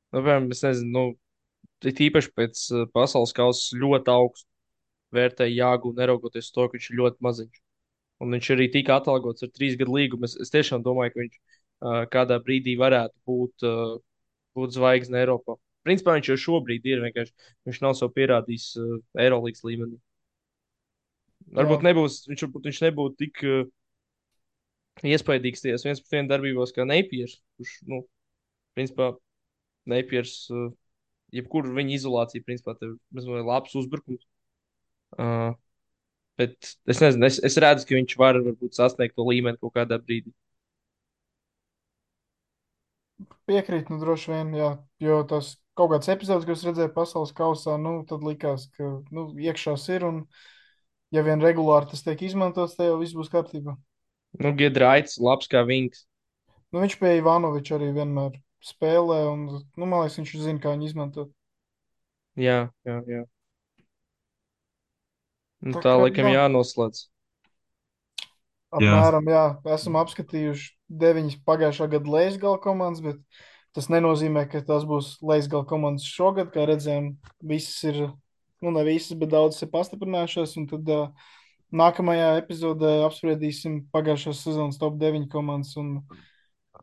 Nu, piemēram, es nezinu, nu, it īpaši pēc uh, pasaules kausa ļoti augstu vērtēja Jāgu, neraugoties uz to, ka viņš ir ļoti maziņš. Un viņš arī tika atalgots ar trīs gadu līgumu. Es, es tiešām domāju, ka viņš uh, kādā brīdī varētu būt, uh, būt zvaigzne Eiropā. Principā viņš jau šobrīd ir vienkārši. Viņš nav sev pierādījis uh, Eirolandes līmenī. Varbūt Jā, nebūs, viņš, varbūt viņš nebūtu tik uh, iespaidīgs tajās viens pret vienu darbībās kā Neipiers. Kurš, nu, principā, Neipiers, uh, jebkura viņa izolācija, principā, tev ir labs uzbrukums. Uh, bet es nezinu, es, es redzu, ka viņš var varbūt sasniegt to līmeni kaut kādā brīdī. piekrīt, nu droši vien, jā, jo tas kaut kāds epizodes, ko es redzēju pasaules kausā, nu, tad likās, ka, nu, iekšās ir, un ja vien regulāri tas tiek izmantots, tad jau viss būs kārtībā. Nu, Giedraits, labs kā Vinks. Nu, viņš pie Ivanoviča arī vienmēr spēlē, un, nu, man liekas, viņš zina, kā viņu izmantot. Jā, jā, jā. Nu, Tā tā kā, laikam jā, jānoslēdz. Jā, apmēram, jā, esam apskatījuši deviņas pagājušā gada leisgala komandas, bet tas nenozīmē, ka tās būs leisgala komandas šogad. Kā redzējām, visas ir, nu, ne visas, bet daudzas ir pastiprinājušās, un tad uh, nākamajā epizodē apspriedīsim pagājušās sezonas top deviņas komandas un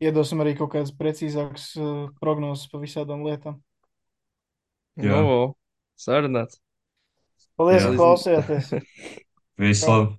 iedosim arī kaut kādas precīzākas uh, prognozes par visādām lietām. Nu, jā, sarunāts. Paldies, jā. ka Līdz... klausījāties! Visu Čau! labi!